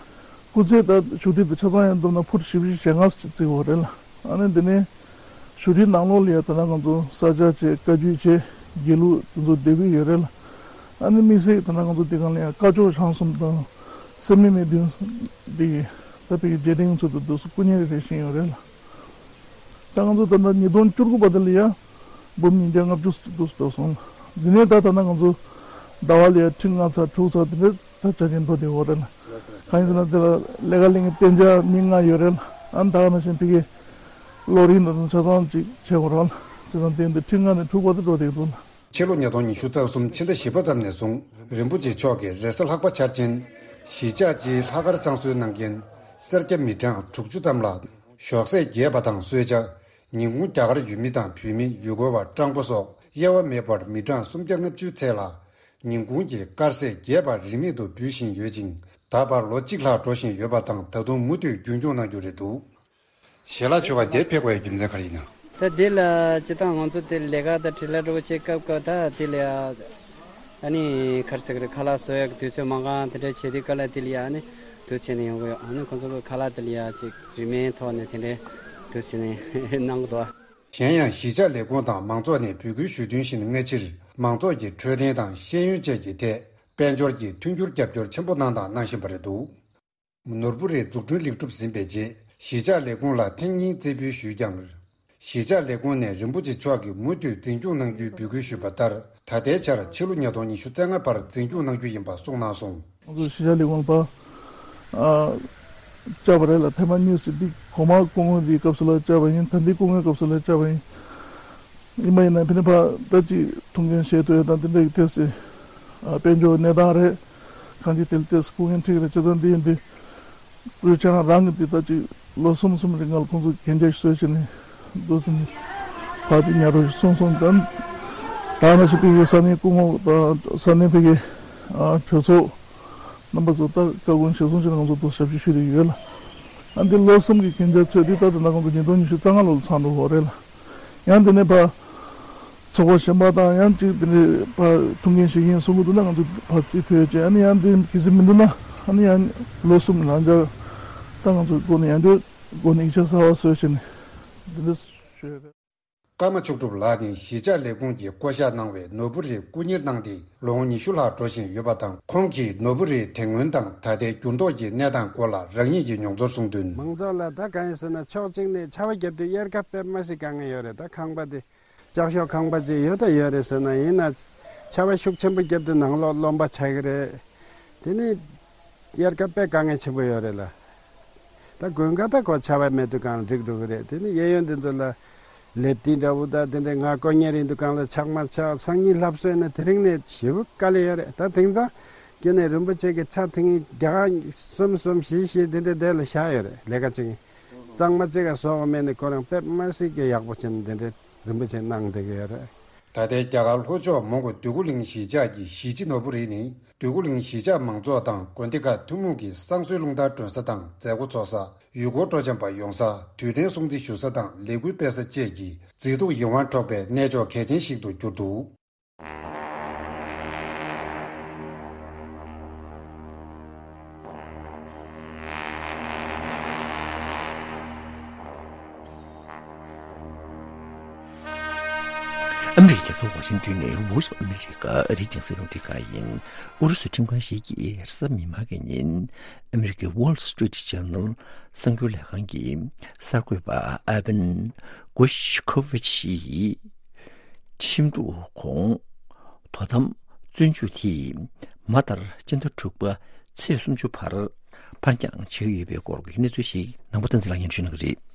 སྐུ་ཚེ་ད་བཞུགས་ཁྲི་དེ་ཆ་ཚང་ཡང་བསྡོམས་ན་ཕུཊ་བཞི་བཅུ་ཞེ་ལྔ་བརྩིས་ཡོད་རེད་ལ། ཨ་ནི་འདི་ནས་བཞུགས་ཁྲིའི་ནང་ལོགས་ལ་ཡ་ད་ལྟ་ང་ཚོ་ས་ཆ་བྱས་བཀའ་བརྒྱུད་བྱས་དགེ་ལུགས་དེ་ཚོ་སྡོད་ཀྱི་ཡོད་རེད་ལ། ཨ་ནི་དམིགས་བསལ་ད་ལྟ་ང་ཚོ་འདི་གང་ལ་ཡ་སྐ་ཅོག་ཆང་གསུམ་དང་སེམས་མེད་མི་བདུན་འདི་ད་བོད་ཀྱི་རྗེས་དྲན་ཚོ་དུ་དུ་སུ་སྐུ་ཉེ་རེ་རེ་བཞེངས་ཡོད་རེད་ལ། ད་ང་ཚོ་ད་ལྟ་ཉིས་སྟོང་བཅུ་དགུ་བར་དུ་ལ་ཡ་འབུམ་ཉིས་བརྒྱ་ལྔ་བཅུ་ཙམ་འདུག་འགྲོ་སོང་། འདི་ནས་ད་ད་ལྟ་ང་ཚོ་ཟླ་བ་ལ་ཡ་ཁྲི་ལྔ་ཚར་དྲུག་ཚར་དེ་འདྲ་ད་ཆ་ཆེན་མཐོ་དེ་འོ་རེད་ལ། གང་ཡིན་ཟེར་ན་དེ་ལ་ལས་ཀ་ལས་ངན་གཏན་འཇགས་མི་ལྔ་ཡོད་རེད་ལ། ཨ་ནི་ད་ག་ནང་བཞིན་ཕ་གི་གློག་རིན་དང་ཆ་ཚང་ཅིག་བྱེད་དགོས་རེད་ལ། བྱས་ཙང་དེ་འདི་ཁྲི་ལྔ་ནས་དྲུག་བར་དུ་འགྲོ་བསྡད་འདུག་ལ། ཕྱི་ལོ་ཉིས་སྟོང་ཉི་ཤུ་རྩ་གསུམ་ཕྱི་ཟླ་བཞི་པ་ཙམ་ནས་བཟུང་རིན་པོ་ཆེ་མཆོག་གིས་རེས་གཟའ་ལྷག་པ་འཆར་ཅན་གཞིས་ཆགས་སྤྱིའི་ལྷག་དཀར་བསང་གསོལ་གནང་མཁན་སེར་སྐྱ་མི་གྲངས་དྲུག་ཅུ་ཙམ་ལ་ཞོགས་ཟས་རྒྱས་པ་དང་གསོལ་ཇ། ཉིན་གུང་རྒྱ་གར་ཡུལ་མི་དང་བོད་མི། ཡུལ་སྐོར་བ། སྤྲང་པོ་སོགས་དབྱེ་བ་མེད་པར་མི་གྲངས་སུམ་བརྒྱ་ལྔ་བཅུའི་ཚད་ལ་ཉིན་གུང་གི་དཀར་ཟས་རྒྱས་པ་རིན་མེད་དུ་འབུལ་བཞིན་ཡོད་ཅིང་། ད་བར་ལོ་གཅིག་ལྷག་འགྲོ་བཞིན་ཡོད་པ་དང་། ད་དུང་མུ་མཐུད་རྒྱུན་སྐྱོང་གནང་རྒྱུ་རེད་འདུག་ཞལ་ལག་མཆོད་ཁང་དེར་ཕེབས་དགོས་པའི་རྒྱུ་མཚན་ག་རེ་ཡིན་ན། ད་འདི་ལ་སྤྱིར་བཏང་ང་ཚོ་དེ་ལས་ཀ་དང་འཕྲིན་ལས་འདྲ་པོ་བྱེད་སྐབས་སྐབས་ད་དེ་ལ་ཡ་ཨ་ནི་ག་རེ་ཟེར་གི་རེད། ཁ་ལག་བཟོ་ཡག་གི་དུས་ཚོད་མ་འགའ་དེ་འདྲ་བྱེད་དུས་སྐབས་ལ་དེ་ལ་ཡ་ཨ་ནི་དུས་ཚོད་ནས་ཡོང་གི་ཡོད། ཨ་ནི་ཁོང་ཚོ་གི་ཁ་ལག་དེ་ལ་ཡ་ཅིག་རིན་མེད་ཐོག་ནས་དེ་འདྲ་དུས་ཚོད་ནས་གནང་གི་འདུག་གཞན་ཡང་གཞིས་ཆགས་ལས་ཁུངས་དང་མང་ཚོགས་ནས་འབོད་སྐུལ་ཞུ་དོན་བཞིན་སྔ་ཕྱིར་མང་ཚོགས་ཀྱི་འཕྲོད་བསྟེན་དང་ཤེས་ཡོན་བཅས་ཀྱི་ཐད་དཔལ་འབྱོར་གྱི་མཐུན་འགྱུར་རྒྱབ་སྐྱོར་ཆེན་པོ་གནང་དང་གནང་བཞིན་པ་རེད་འདུག་ནོར་བུ་རའི་འཛུགས་སྐྲུན་ལེགས་གྲུབ་ཟིན་པའི་རྗེས་གཞིས་ཆགས་ལས་ཁུངས་ལ་ཐེངས་གཉིས་རྩེ་ཕུལ་ཞུས་ཀྱང་། གཞིས་ཆགས་ལས་ཁུངས་ནས་རིན་པོ་ཆེ་མཆོག་གིས་མུ་མཐུད་འཛིན་སྐྱོང་གནང་རྒྱུའི་འབོད་སྐུལ་ཞུས་པ་ལྟར། ད་ལྟའི་ཆར་ཕྱི་ལོ་ཉིས་སྟོང་ཉི་ཤུ་རྩ་ལྔ་བར་འཛིན་སྐྱོང་གནང་རྒྱུ་ཡིན་པ་གསུངས་གནང་སོང་། ང་ཚོ་གཞིས་ཆགས་ལས་ཁུངས་ལ་ཕར་ཨ་བཅར་བ་རེད་ལ། ཐེངས་མ་གཉིས་ཙམ་འདི་གོང་མ་སྐུ་ངོ་འདིའི་སྐབས་སུ་ལ་བཅར་བ་ཡིན། ད་འདི་སྐུ་ངོའི་སྐབས་སུ་ལ་བཅར་བ་ཡིན། ཡིན་པ་ཡིན་ན་ཕ་གི་ནས་ཕར་ད་ཅིག་ཐུགས་འགན་བཞེས་ཐུབ་ཡ་དང་དེ་འདྲ་གི་ཏོག་ཙམ་ཨ་དཔལ་འབྱོར་གནས་སྟངས་རེད། གང་ཅི་དེ་ལ་ཏོག་ཙམ་སྐུ་ངལ་འཕྲད་ཀྱི་རེད། བྱས་ཙང་འདི་ཡིན་དུས་སྐུ་ཞབས་ཁྱེད་རང་རང་གི་འདི་ད་ཅིག་ལོ་གསུམ་གསུམ་རིང་ལ་ཁོང་ཚོ་གན་རྒྱ་ཞིག་བཟོས་བྱས་ནས་འདུག་སེ་ནས་ཕར་འདི་ཉར་རོགས་ཞིག་གསུངས་སོང་། ད་ད་ནང་བཞིན་ཕ་གི་ས་གནས་སྐུ་ངོ་དང་ས་གནས་ཕ་གི་ཨ་གྲོས་ཚོགས་རྣམ་པ་ཚོ་ད་བཀའ་དགོངས་གཞིར་བཟུང་བྱས་ནས་ང་ཚོ་འདུག་ཞབས་ཕྱི་ཞུས་བསྡད་ཡོད་ལ། ཨ་འདི་ལོ་གསུམ་གྱི་གན་རྒྱ་ཚོད་འདི་ད་ད་ལྟ་ང་ཚོ་ཉིས་སྟོང་ཉི་ཤུ་རྩ་ལྔ་ལོ་ལ་ཚང་འགྲོ་གི་རེད་ལ། ཡང་འདི་ནས་ཕར་ཚོགས་པ་གཞན་པ་དང་ཡང་གཅིག་འདི་ནས་ཕར་ཐུགས་འགན་བཞེས་ཀྱི་ཡིན་གསུང་གི་འདུག་ན། ང་ཚོ་ཕར་རྩིས་ཕུལ་བྱས། ཨ་ནི་ཡང་འདི་གལ་སྲིད་མི་འདུག་ན་ཨ་ནི་ཡང་ལོ་གསུམ་ལང་འཇགས་ད་ང་ཚོ་སྒོ་ནས་ཡང་འདི་སྒོ་ནས་ཡིག་ཆ་གསར་པ་བཟོས་བྱས་ནས་འདི་འདྲ་ཞུ་ཡ་རེད། ཀརྨ་མཆོག་གྲུབ་ལགས་ནི་གཞིས་ཆགས་ལས་ཁུངས་ཀྱིས་བསྐོ་གཞག་གནང་བའི་ནོར་བུ་རའི་སྐུ་གཉེར་གནང་སྟེ་ལོ་ངོ་ཉི་ཤུ་ལྷག་འགྲོ་བཞིན་ཡོད་པ་དང་། ཁོང་གིས་ནོར་བུ་རའི་དེ་སྔོན་དང་ད་ལྟའི་འགྱུར་ལྡོག་གི་གནས་སྟངས་སྐོར་ལ་རང་ཉིད་ཀྱི་མྱོང་ཚོར་གསུངས་དོན། མང་ཚོགས་ལ་ད་གང་ཡིན་ཟེར་ན་ཕྱོགས་གཅིག་ནས་ཆར་པ་བརྒྱབ་དུས་དབྱར་ཁ་དཔེ་མ་སྲིད་དཀའ་ངལ་ཡོད་རེད། ད་ཁང་པ་དེ་ལྕགས་ཤོག་ཁང་པ་ཅིག་ཡོད་ད་ཡོད་རེད་ཟེར་ན། ཡིན་ན་ཆར་པ་ཤུགས་ཆེན་པོ་བརྒྱབ་དུས་ནང་ལོགས་རློན་པ་ཆགས་ཀྱི་རེད། དེ་ནི་དབྱར་ཁ་དཔེ་དཀའ་ངལ་ཆེན་པོ་ཡོད་རེད་ལ། ད་དགུན་ཁ་ད་ཁོ་ཆར་པ་མེད་དུས་གང་འགྲིག་འགྲོ་གི་རེད། དེ་ནི་གཡས་གཡོན་དེ་ཚོ་ལ་ལེབ་ཏི་འདྲ་བོ་ད་དེ་འདྲའི་ང་དཀོན་གཉེར་ཡིན་དུས་གང་ལ་ཆག་མ་ཆག་སང་ཉིན་ལྷབ་སོས་ན་དེ་རིང་ནས་ཞེ་པོ་དཀའ་ལས་ཡོད་རེད། ད་དེང་སང་ཁྱོན་ནས་རིན་པོ་ཆེ་གི་ཕྱག་ཐིང་རྒྱ་གར་གསུམ་གསུམ་བཞི་བཞི་དེ་འདྲའི་དེ་ལ་བཞག་ཡོད་རེད། ལས་ཀ་བྱེད་མཁན་གཙང་མ་གཅིག་ག་བཟོ་དགོས་མེད་ནི་ཁོ་རང་དཔེ་མ་སྲིད་ཀྱི་ཡག་པོ་བྱས་ནས་དེ་འདྲའི་རིན་པོ་ཆེ་གནང་བསྡད་ཀྱི་ཡོད་རེད། ད་ལྟའི་རྒྱ་གར་ལྷོ་ཕྱོགས་མོན་གྷོ་འདོད་རྒུ་གླིང་གཞིས་ཆགས་ཀྱི་གཞིས་སྤྱི་ནོར་བུ་རི་ནི་འདོད་རྒུ་གླིང་གཞིས་ཆགས་མང་ཚོགས་དང་དགོན་སྡེ་ཁག་ཐུན་མོང་གི་བསང་གསོལ་རླུང་རྟ་སྒྲོན་ས་དང་མཛད་སྒོ་འཚོགས་ས། ཡུལ་སྐོར་སྤྲོ་འཆམ་པ་ཡོང་ས། དུས་དྲན་སྲུང་བརྩི་ཞུ་ས་དང་ལས་འགུལ་སྤེལ་ས་བཅས་ཀྱི་མཛེས་སྡུག་ཡིད་དབང་འཕྲོག་པའི་གནས་མཆོག་གལ་ཆེན་ཞིག་ཏུ་གྱུར་འདུག་ཨ་མི་རི་ཀའི་རྒྱལ་ས་ཝ་ཤིང་ཏོན་ནས་Voice of America ཨ་རིའི་རྒྱང་སྲིང་རླུང་འཕྲིན་ཁང་ཡིན། ཨུ་རུ་སུའི་ཁྲིམས་ཁང་ཞིག་གིས་རེས་གཟའ་མིག་དམར་གྱི་ཉིན་ཨ་མི་རི་ཀའི་Wall Street Journal གསར་འགྱུར་ལས་ཁང་གི་གསར་འགོད་པ་Evan Gershkovich ཡིས་ཁྲིམས་གཏུག་གོང་དོ་དམ་བཙོན་འཇུག་དེས་མ་ལྟར་སྤྱི་ཟླ་དྲུག་པ་ཚེས་སུམ་ཅུ་བར་ཕར་འགྱངས་བྱས་ཡོད་པའི་སྐོར་གྱི་གནས་ཚུལ་ཞིག་ནང་པ་བསྟན་འཛིན་ལགས་སྙན་ཞུ་གནང་གི་རེད།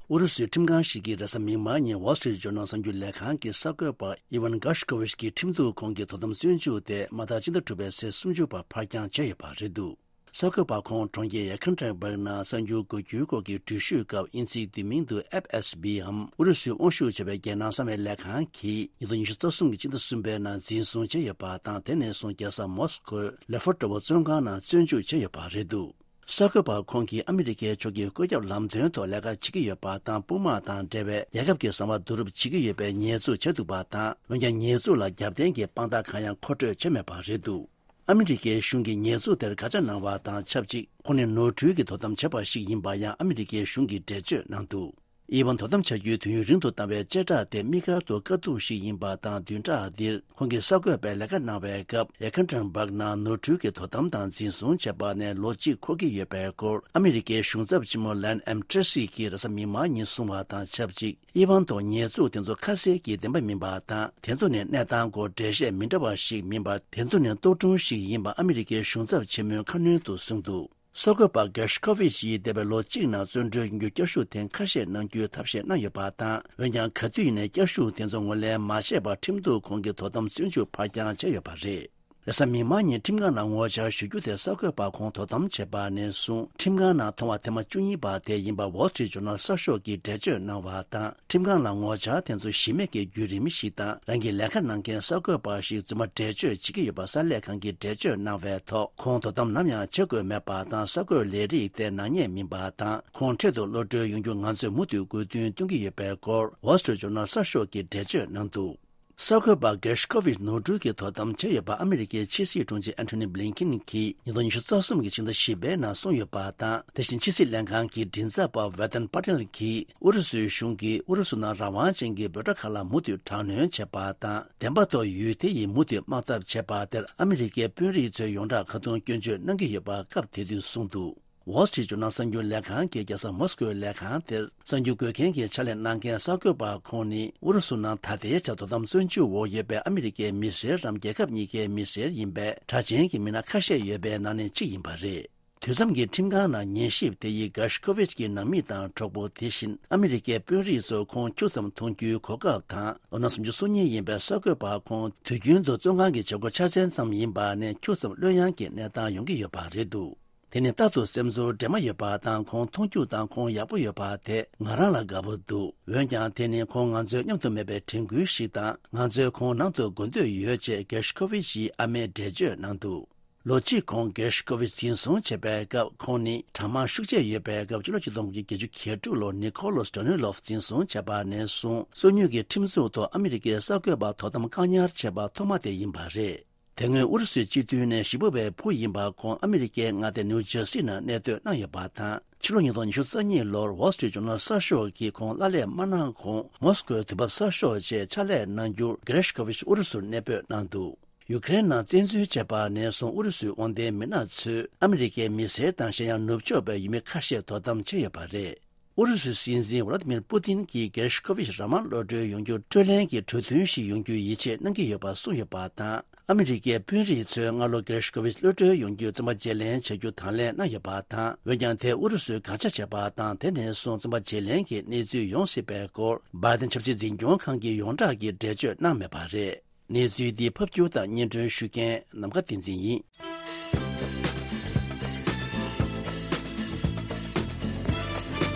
ཨུ་རུ་སུའི་ཁྲིམས་ཁང་ཞིག་གིས་རེས་གཟའ་མིག་དམར་ཉིན་Wall Street Journal གསར་འགྱུར་ལས་ཁང་གི་གསར་འགོད་པ་Evan Gershkovich གྱི་ཁྲིམས་གཏུག་གོང་གི་དོ་དམ་བཙོན་འཇུག་དེ་མ་མཐའ་སྤྱི་ཟླ་དྲུག་པའི་ཚེས་སུམ་ཅུ་བར་ཕར་འགྱངས་བྱས་ཡོད་པ་རེད་འདུག་གསར་འགོད་པ་ཁོང་གྲོང་ཁྱེར་Yekaterinburg ནང་གསར་འགྱུར་འགོད་རྒྱུའི་སྐོར་གྱི་འགྲུལ་བཞུད་སྐབས་དབྱིན་ཚིག་བསྡུས་མིང་དུ་F S B འམ་ཨུ་རུ་སུའི་དབང་ཤུགས་ཆེ་བའི་རྒྱལ་ནང་གསང་བའི་ལས་ཁང་གིས་ཉིས་སྟོང་ཉི་ཤུ་རྩ་གསུམ་གྱི་སྤྱི་ཟླ་གསུམ་པའི་ནང་འཛིན་བཟུང་བྱས་ཡོད་པ་དང་། དེ་ནས་བཟུང་རྒྱལ་ས་མོ་སི་ཀོའི་ལེ་ཧྥོར་ཏོ་བོ་བཙོན་ཁང་ནང་བཙོན་འཇུག་བྱས་ཡོད་པ་རེད་འདུག་གསར་འགོད་པ་ཁོང་གིས་ཨ་མི་རི་ཀའི་ཕྱོགས་ཀྱིས་བཀོད་ཁྱབ་ལམ་སྟོན་ཐོག་ལས་ཀ་བྱེད་ཀྱི་ཡོད་པ་དང་། དཔུང་དམག་དང་འབྲེལ་བའི་རྒྱལ་ཁབ་ཀྱི་བཟང་བ་བསྡུ་རུབ་བྱེད་ཀྱི་ཡོད་པའི་ཉེས་འཛུགས་བྱས་འདུག་པ་དང་། འོན་ཀྱང་ཉེས་འཛུགས་ལ་རྒྱབ་རྟེན་གྱི་དཔང་རྟགས་གང་ཡང་མཁོ་སྤྲོད་བྱས་མེད་པ་རེད་འདུག་ཨ་མི་རི་ཀའི་གཞུང་གིས་ཉེས་འཛུགས་དེར་དགག་བྱ་གནང་བ་དང་ཆབས་ཅིག་ཁོང་ནི་ནོར་འཁྲུལ་གྱི་དོ་དམ་བྱས་པ་ཞིག་ཡིན་པ་ཡང་ཨ་མི་རི་ཀའི་གཞུང་གིས་འགྲེལ་བརྗོད་གནང་འདུག་ཨི་ཝན་དོ་དམ་བྱ་རྒྱུའི་དུས་ཡུན་རིང་དུ་བཏང་བའི་བཅད་ཁྲ་དེ་དམིགས་བཀར་དུ་དཀའ་སྡུག་ཞིག་ཡིན་པ་དང་། བདུན་ཕྲག་འདིར་ཁོང་གིས་གསར་འགོད་པའི་ལས་ཀ་གནང་བའི་སྐབས། ཡེ་ཀན་ཀྲན་སྦག་ནང་ནོར་འཁྲུལ་གྱི་དོ་དམ་དང་འཛིན་བཟུང་བྱས་པ་ནས་ལོ་གཅིག་འཁོར་གྱི་ཡོད་པའི་སྐོར། ཨ་མི་རི་ཀའི་གཞུང་ཚབ་ཆེན་མོ་ལན་ཨེམ་ཏྲེ་སི་གིས་རེས་གཟའ་མིག་དམར་ཉིན་གསུངས་པ་དང་ཆབས་ཅིག་ཨི་ཝན་ཐོག་ཉེས་འཛུགས་དེ་ཚོ་ཁ་གསལ་གྱིས་བདེན་པ་མིན་པ་དང་། དེ་ཚོ་ནི་གནས་སྟངས་སྐོར་འགྲེལ་བཤད་མི་འདྲ་བ་ཞིག་མིན་པར། དེ་ཚོ་ནི་རྟོག་སྒྲུང་ཞིག་ཡིན་པ་ཨ་མི་རི་ཀའི་གཞུང་ཚབ་ཆེན་མོས་ཁ་སྣོན་དུ་གསུངས་འདུག་གསར་འགོད་པ་གྷེར་ཤི་ཁོ་ཝི་ཆི་ཡིས་འདས་པའི་ལོ་གཅིག་ནང་བཙོན་གྲོལ་ཡོང་རྒྱུའི་བསྐྱར་ཞུ་དེ་ཁ་ཤས་གནང་རྒྱུའི་ཐབས་ཤེས་གནང་ཡོད་པ་དང་། འོན་ཀྱང་ག་དུས་ནས་བསྐྱར་ཞུ་དེ་ཚོ་ངོས་ལེན་མ་བྱས་པར་ཁྲིམས་གཏུག་ཁང་གིས་དོ་དམ་བཙོན་འཇུག་ཕར་འགྱངས་བྱས་ཡོད་པ་རེད། རེས་གཟའ་མིག་དམར་ཉིན་ཁྲིམས་ཁང་ལ་ངོ་བཅར་ཞུ་རྒྱུ་དེ་གསར་འགོད་པ་ཁོང་དོ་དམ་བྱས་པ་ནས་བཟུང་ཁྲིམས་ཁང་ནང་མཐོང་བ་ཐེངས་མ་བཅུ་གཉིས་པ་དེ་ཡིན་པ་Wall Street Journal་གསར་ཤོག་གིས་འགྲེལ་བརྗོད་གནང་བ་དང་། ཁྲིམས་ཁང་ལ་ངོ་བཅར་དེ་ཚོ་གཞི་མེད་ཀྱི་བརྒྱུད་རིམ་ཞིག་དང་། རང་གི་ལས་ཀ་གནང་མཁན་གསར་འགོད་པ་ཞིག་རྫུན་མ་འགྲེལ་བརྗོད་བྱེད་ཀྱི་ཡོད་པ་གསར་ལས་ཁང་གིས་འགྲེལ་བརྗོད་གནང་བའི་ཐོག་ཁོང་དོ་དམ་ནམ་ཡང་བྱེད་དགོས་མེད་པ་དང་། གསར་འགོད་ལས་རིགས་དེ་ནག་ཉེས་མིན་པ་དང་། ཁོང་འཕྲལ་དུ་གློད་གྲོལ་ཡོང་རྒྱུ་ང་ཚོས་མུ་མཐུད་དགོས་འདུན་སྟོན་གྱི་ཡོད་པའི་སྐོར་Wall Street Journal་གསར་ཤོག་གིས་འགྲེལ་བརྗོད་གནང་འདུག་གསར་འགོད་པ་གྷེར་ཤི་ཁོ་ཝི་ཆི་ནོར་འཁྲུལ་གྱི་དོ་དམ་བྱས་ཡོད་པ་ཨ་མི་རི་ཀའི་ཕྱི་སྲིད་དྲུང་ཆེ་ཨན་ཐོ་ནི་བྷི་ལིན་ཀིན་གྱིས་ཉིས་སྟོང་ཉི་ཤུ་རྩ་གསུམ་གྱི་ཕྱི་ཟླ་བཞི་པའི་ནང་གསུངས་ཡོད་པ་དང་། དེ་བཞིན་ཕྱི་སྲིད་ལྷན་ཁང་གི་མགྲིན་ཚབ་པ་ཝེ་ཏན་པ་ཏེལ་གྱིས་ཨུ་རུ་སུའི་གཞུང་གིས་ཨུ་རུ་སུ་ནང་རང་དབང་ཅན་གྱི་འབོད་སྒྲ་ཁག་ལ་མུ་མཐུད་དྲག་གནོན་བྱས་པ་དང་། བདེན་པ་ཐོག་ཡུལ་དེ་ཡིས་མུ་མཐུད་དམག་འཐབ་བྱས་པ་དེར་ཨ་མི་རི་ཀའི་དཔོན་རིགས་ཚོས་ཡོངས་གྲགས་ཁ་རྡུང་སྐྱོན་བརྗོད་གནང་གི་ཡོད་པ་སྐབས་དེ་དུས་གསུངས་འདུག Wall Street Journal་གསར་འགྱུར་ལས་ཁང་གིས་རྒྱལ་ས་མོ་སི་ཀོའི་ལས་ཁང་དེར་གསར་འགྱུར་འགོད་མཁན་གྱི་ཕྱག་ལས་གནང་མཁན་གསར་འགོད་པ་ཁོང་ནི་ཨུ་རུ་སུ་ནང་ད་ལྟའི་ཆར་དོ་དམ་བཙོན་འཇུག་འོག་ཡོད་པའི་ཨ་མི་རི་ཀའི་མི་སེར་རམ། རྒྱལ་ཁབ་གཉིས་ཀའི་མི་སེར་ཡིན་པའི་གྲགས་ཅན་གྱི་མི་སྣ་ཁ་ཤས་ཡོད་པའི་ནང་ནས་གཅིག་ཡིན་པ་རེད། དུས་མཚམས་ཀྱི་ཁྲིམས་ཁང་ནང་ཉན་ཞིབ་དེ་ཡིས་གྷེར་ཤི་ཁོ་ཝི་ཆི་གི་ནང་མི་དང་གྲོགས་པོ། དེ་བཞིན་ཨ་མི་རི་ཀའི་དཔོན་རིགས་ཚོ་ཁོང་ཁྱུག་ཙམ་མཐོང་རྒྱུའི་གོ་སྐབས་དང་། ལོ་ན་སུམ་ཅུ་སོ་གཉིས་ཡིན་པའི་གསར་འགོད་པ་ཁོང་དུས་རྒྱུན་དུ་བཙོན་ཁང་གི་བྱེད་སྒོ་ཆ་ཚང་ཙམ་ཡིན་པ་ནས་ཁྱུག་ཙམ་གློད་ཡངས་ཀྱི་གནས་སྟངས་ཡོང་གི་ཡོད་པ་རེད་འདུག་དེ་ནི་རྟག་ཏུ་སེམས་ཚོར་འདྲེས་མ་ཡོད་པ་དང་། ཁོང་མཐོང་རྒྱུ་དང་ཁོང་ཡག་པོ་ཡོད་པ་དེ་ང་རང་ལ་དགའ་པོ་འདུག་འོན་ཀྱང་དེ་ནི་ཁོང་ང་ཚོའི་མཉམ་དུ་མེད་པའི་དྲན་སྐུལ་ཞིག་དང་། ང་ཚོས་ཁོང་ནང་དུ་དགོས་འདོད་ཡོད་ཅེས་གྷེར་ཤི་ཁོ་ཝི་ཆིའི་ཨ་མས་འགྲེལ་བརྗོད་གནང་འདུག་ལོ་གཅིག་གོང་གྷེར་ཤི་ཁོ་ཝི་ཆི་འཛིན་བཟུང་བྱས་པའི་སྐབས། ཁོང་ནི་དྲག་དམག་ཤུགས་ཆེ་ཡོད་པའི་སྐབས། སྤྱི་ལོ་ཆིག་སྟོང་དགུ་བརྒྱ་བརྒྱད་ཅུ་གྱ་དྲུག་ལོར་ནི་ཁོ་ལོ་སི་ཏྲོ་ནི་ལོབ་འཛིན་བཟུང་བྱས་པ་ནས་བཟུང་། སོ་ཉུལ་གྱི་ཁྲིམས་འཛུགས་ཐོག་ཨ་མི་རི་ཀའི་གསར་འགོད་པ་དོ་དམ་བཀག་ཉར་བྱས་པ་ཐོག་མ་དེ་ཡིན་པ་རེད། དེ་སྔོན་ཨུ་རུ་སུའི་སྤྱི་འཐུས་ནས་ཞེ་ཕུག་པའི་བུ་ཡིན་པ་ཁོང་ཨ་མི་རི་ཀའི་མངའ་སྡེ་ནིའུ་ཇར་སི་ནང་གནས་སྡོད་གནང་ཡོད་པ་དང་། ཕྱི་ལོ་ཉིས་སྟོང་ཉི་ཤུ་རྩ་གཉིས་ལོར་Wall Street Journal་གསར་ཤོག་གིས་ཁོང་གླ་ལས་མ་གནང་གོང་མོ་སི་ཀོའི་དུས་བབ་གསར་ཤོག་ཅེས་ཕྱག་ལས་གནང་རྒྱུར་གྷེར་ཤི་ཁོ་ཝི་ཆི་ཨུ་རུ་སུར་གནས་སྤོས་གནང་འདུག་ཡུ་ཀེ་རེན་ནང་བཙན་འཛུལ་བྱས་པ་ནས་བཟུང་ཨུ་རུ་སུའི་དབང་ལྡན་མི་སྣ་ཚོས་ཨ་མི་རི་ཀའི་མི་སེར་དང་གཞན་ཡང་ནུབ་ཕྱོགས་པའི་ཡུལ་མི་ཁ་ཤས་དོ་དམ་བྱས་ཡོད་པ་རེད། ཨུ་རུ་སུའི་སྲིད་འཛིན་ཝ་ལ་ཏི་མིར་པུ་ཏིན་གྱིས་གྷེར་ཤི་ཁོ་ཝི་ཆི་རང་དབང་གློད་གྲོལ་ཡོང་རྒྱུར་སྤྲོད་ལེན་གྱི་གྲོས་མཐུན་ཞིག་ཡོང་རྒྱུའི་ཡིད་ཆེས་གནང་གི་ཡོད་པ་གསུངས་ཡོད་པ་དང་། ཨ་མི་རི་ཀའི་དཔོན་རིགས་ཚོས་སྔ་ལོ་གྷེར་ཤི་ཁོ་ཝི་ཆི་གློད་གྲོལ་ཡོང་རྒྱུའི་བཙོན་པ་བརྗེ་ལེན་བྱ་རྒྱུ་དང་ལེན་གནང་ཡོད་པ་དང་། འོན་ཀྱང་དེ་ཨུ་རུ་སུས་དགག་བྱ་བྱས་པ་དང་། དེ་ནས་བཟུང་བཙོན་པ་བརྗེ་ལེན་གྱི་གནས་ཚུལ་ཡོང་སྲིད་པའི་སྐོར་བྷའི་ཏིན་ཆབ་སྲིད་འཛིན་སྐྱོང་ཁང་གིས་ཡོངས་གྲགས་ཀྱི་འགྲེལ་བརྗོད་གནང་མེད་པ་རེད། གནས་ཚུལ་འདི་ཕབ་སྒྱུར་དང་སྙན་སྒྲོན་ཞུ་མཁན་ནམ་མཁའ་བསྟན་འཛིན་ཡིན།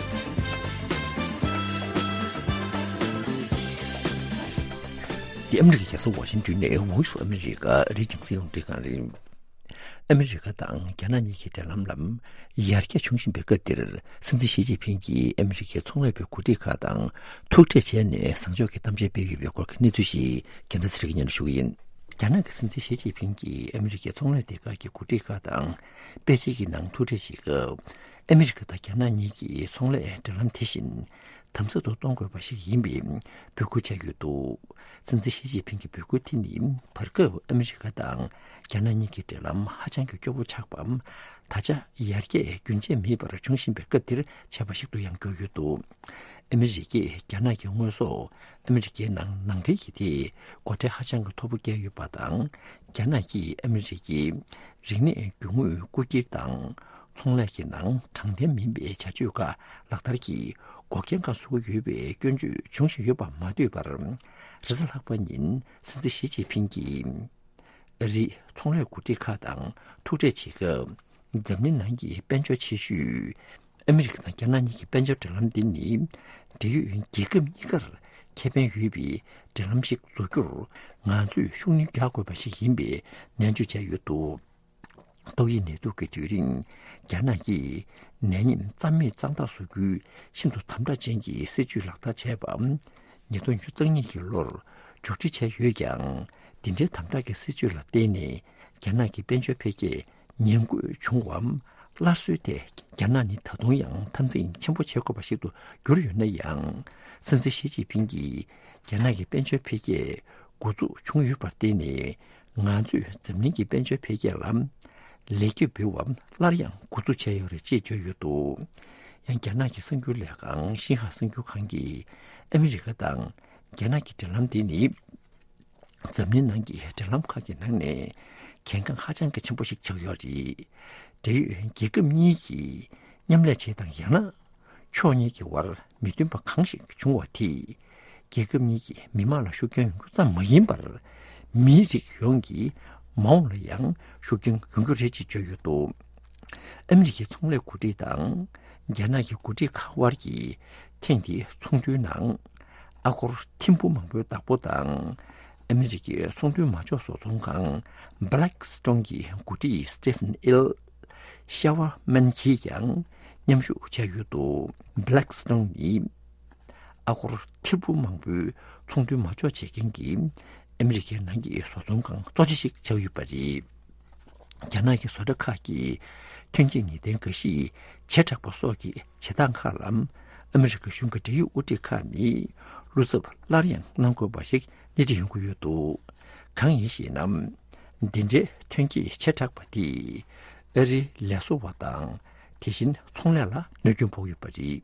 འདི་ཨ་མི་རི་ཀའི་རྒྱལ་ས་ཝ་ཤིང་ཏོན་ནས་Voice of America རེད། རྒྱང་སྲིང་རླུང་འཕྲིན་ཁང་རེད། ཨ་མི་རི་ཀ་དང་རྒྱ་ནག་གཉིས་ཀྱི་འབྲེལ་ལམ་ལ་ཡར་རྒྱས་བྱུང་བཞིན་པའི་སྐབས་འདིར། སྲིད་འཛིན་ཞི་ཅིན་ཕིང་གིས་ཨ་མི་རི་ཀའི་ཚོང་ལས་པའི་འགོ་ཁྲིད་ཁག་དང་ཐུག་འཕྲད་བྱས་ནས་བཟང་ཕྱོགས་ཀྱི་གཏམ་བཤད་སྤེལ་ཡོད་པའི་སྐོར་གྱི་གནས་ཚུལ་ཞིག་རྒྱལ་མཚན་ཚེ་རིང་གིས་སྙན་སྒྲོན་ཞུ་གི་ཡིན། རྒྱ་ནག་གི་སྲིད་འཛིན་ཞི་ཅིན་ཕིང་གིས་ཨ་མི་རི་ཀའི་ཚོང་ལས་སྡེ་ཁག་གི་འགོ་ཁྲིད་ཁག་དང་པེ་ཅིང་གི་ནང་ཐུག་འཕྲད་བྱེད་སྐབས། ཨ་མི་རི་ཀ་དང་རྒྱ་ནག་གཉིས་ཀྱི་ཚོང་ལས་འབྲེལ་ལམ་དེ་བཞིན་དམ་ཟབ་ཏུ་གཏོང་དགོས་པ་ཞིག་ཡིན་པའི་འབོད་སྐུལ་བྱས་ཡོད་འདུག་སྲིད་འཛིན་ཞི་ཅིན་ཕིང་གི་འབོད་སྐུལ་དེ་ནི་བར་སྐབས་ཨ་མི་རི་ཀ་དང་རྒྱ་ནག་གཉིས་ཀྱི་འབྲེལ་ལམ་ཧ་ཅང་གི་སྐྱོ་པོ་ཆགས་པ། ད་ཆ་ཡར་རྒྱས་རྒྱུན་ཆད་མེད་པར་འབྱུང་བཞིན་པའི་སྐབས་འདིར་བྱས་པ་ཞིག་ཏུ་ཡང་གྱུར་ཡོད་འདུག་ཨ་མི་རི་ཀས་རྒྱ་ནག་གི་དངོས་ཟོག་ཨ་མི་རི་ཀའི་ནང་ནང་འདྲེན་གྱི་ཐད་སྒོ་ཁྲལ་ཧ་ཅང་གི་མཐོ་པོ་བཀལ་ཡོད་པ་དང་། རྒྱ་ནག་གིས་ཨ་མི་རི་ཀའི་རིག་གནས་རྒྱུ་དངོས་རྐུ་འཁྱེར་དང་ཚོང་ལས་ཀྱི་ནང་དྲང་བདེན་མིན་པའི་བྱ་སྤྱོད་ཁག་ལག་བསྟར་གྱིས་འགོག་རྐྱེན་ཁག་བཟོ་གི་ཡོད་པའི་སྐྱོན་བརྗོད་འབྱུང་བཞིན་ཡོད་པ་མ་ཟད་པར། རེས་གཟའ་ལྷག་པ་ཉིན་སྲིད་འཛིན་ཞི་ཅིན་ཕིང་གིས། ཨ་རིའི་ཚོང་ལས་འགོ་ཁྲིད་ཁག་དང་ཐུག་འཕྲད་བྱེད་སྐབས། འཛམ་གླིང་ནང་གི་དཔལ་འབྱོར་ཆེ་ཤོས་ཨ་མི་རི་ཀ་དང་རྒྱ་ནག་གཉིས་ཀྱི་དཔལ་འབྱོར་འབྲེལ་ལམ་འདི་ནི། འབྲེལ་ཡོད་རྒྱལ་ཁབ་གཉིས་ཀར་ཁེ་ཕན་ཡོད་པའི་འབྲེལ་ལམ་ཞིག་བཟོ་རྒྱུར་ང་ཚོས་ཤུགས་སྣོན་རྒྱག་དགོས་པ་ཞིག་ཡིན་པའི་ནན་བརྗོད་བྱས་ཡོད་འདུག་ཏོག་དབྱིབས་ནད་དུག་གི་དུས་རིང་རྒྱ་ནག་གིས་ནད་ཉེན་རྩ་མེད་གཙང་དག་བཟོ་རྒྱུའི་ཤིན་ཏུ་དམ་དྲག་ཅན་གྱི་སྲིད་ཇུས་ལག་བསྟར་བྱས་པ། ཉིས་སྟོང་ཉི་ཤུ་རྩ་གཉིས་ཀྱི་ལོར་མཇུག་སྒྲིལ་བྱས་ཡོད་ཀྱང་། འདི་འདྲའི་དམ་དྲག་གི་སྲིད་ཇུས་ལ་བརྟེན་ནས་རྒྱ་ནག་གི་དཔལ་འབྱོར་འཕེལ་རྒྱས་ཉམས་རྒུད་བྱུང་བའམ་སླར་གསོའི་ཐད་རྒྱ་ནག་ནི་ད་དུང་ཡང་འཐབ་འཛིང་ཆེན་པོ་བྱེད་དགོས་པ་ཞིག་ཏུ་གྱུར་ཡོད་ན་ཡང་། སྲིད་འཛིན་ཞི་ཅིན་ཕིང་གིས་རྒྱ་ནག་གི་དཔལ་འབྱོར་འཕེལ་རྒྱས་འགོ་འཛུགས་བྱུང་ཡོད་པར་བརྟེན་ནས། ང་ཚོས་འཛམ་གླིང་གི་དཔལ་འབྱོར་འཕེལ་རྒྱས་ལ་ལེགས་སྐྱེས་འབུལ་བ་སླར་ཡང་འགོ་འཛུགས་བྱས་ཡོད་རེད་ཅེས་བརྗོད་ཡོད་འདུག་ཡང་རྒྱ་ནག་གི་གསར་འགྱུར་ལས་ཁང་ཤིན་ཧྭ་གསར་འགྱུར་ཁང་གིས་ཨ་མི་རི་ཀ་དང་རྒྱ་ནག་གི་འབྲེལ་ལམ་འདི་ནི་འཛམ་གླིང་ནང་གི་འབྲེལ་ལམ་ཁག་གི་ནང་ནས་གལ་འགངས་ཧ་ཅང་གི་ཆེན་པོ་ཞིག་ཆགས་ཡོད་རེད། འབྲེལ་ཡོད་རྒྱལ་ཁབ་གཉིས་ཀྱིས་མཉམ་ལས་བྱེད་དང་ཡང་ན། ཕྱོགས་གཉིས་ཀྱི་དབར་མི་མཐུན་པ་གང་ཞིག་བྱུང་བ་དེས་རྒྱལ་ཁབ་གཉིས་ཀྱི་མི་དམངས་ལ་ཤུགས་རྐྱེན་ཡོང་རྒྱུ་ཙམ་མ་ཡིན་པར། མིའི་རིགས་ཡོངས་ཀྱི་མ་འོངས་ལ་ཡང་ཤུགས་རྐྱེན་ཡོང་རྒྱུ་རེད་ཅེས་བརྗོད་ཡོད་འདུག་ཨ་མི་རི་ཀའི་ཚོང་ལས་འགོ་ཁྲིད་དང་རྒྱ་ནག་གི་འགོ་ཁྲིད་ཁག་དབར་གྱི་ཐེངས་འདིའི་ཚོགས་འདུའི་ནང་། ཨ་སྒོར་ཐེར་འབུམ་མང་པོའི་བདག་པོ་དང་། ཨ་མི་རི་ཀའི་ཚོང་དོན་མ་འཇོག་བཟོ་ཚོང་ཁང་Blackstone གྱི་འགོ་ཁྲིད་Stephen L ཤ་བ་མན་གྱིས་ཀྱང་མཉམ་ཞུགས་བྱས་ཡོད་འདུག Blackstone ནི་ཨ་སྒོར་ཐེར་འབུམ་མང་པོའི་ཚོང་དོན་མ་འཇོག་བྱེད་མཁན་གྱི་ཨ་མི་རི་ཀའི་ནང་གི་བཟོ་ཚོང་ཁང་གཙོ་ཆེ་ཞིག་ཆགས་ཡོད་པ་རེད། རྒྱ་ནག་གི་བཟོ་གྲྭ་ཁག་གིས་ཐོན་སྐྱེད་ངེས་གཏན་འགའ་ཤས་བྱེ་བྲག་པ་སོགས་ཀྱི་བྱེད་སྟངས་ཁག་ལ་ཨ་མི་རི་ཀ་གཞུང་གི་འབྲེལ་ཡོད་དབུ་ཁྲིད་ཁག་ནས་བློ་འཚབ་སླར་ཡང་གནང་དགོས་པ་ཞིག་སྣེ་ཁྲིད་ཡོང་གི་ཡོད་འདུག་གང་ཡིན་ཞེ་ན། འདི་འདྲའི་ཐོན་སྐྱེད་བྱེ་བྲག་པ་དེས་ཨ་རིའི་ལས་བཟོ་བ་དང་དེ་བཞིན་ཚོང་ལས་ལ་གནོད་སྐྱོན་ཕོག་ཡོད་པ་རེད།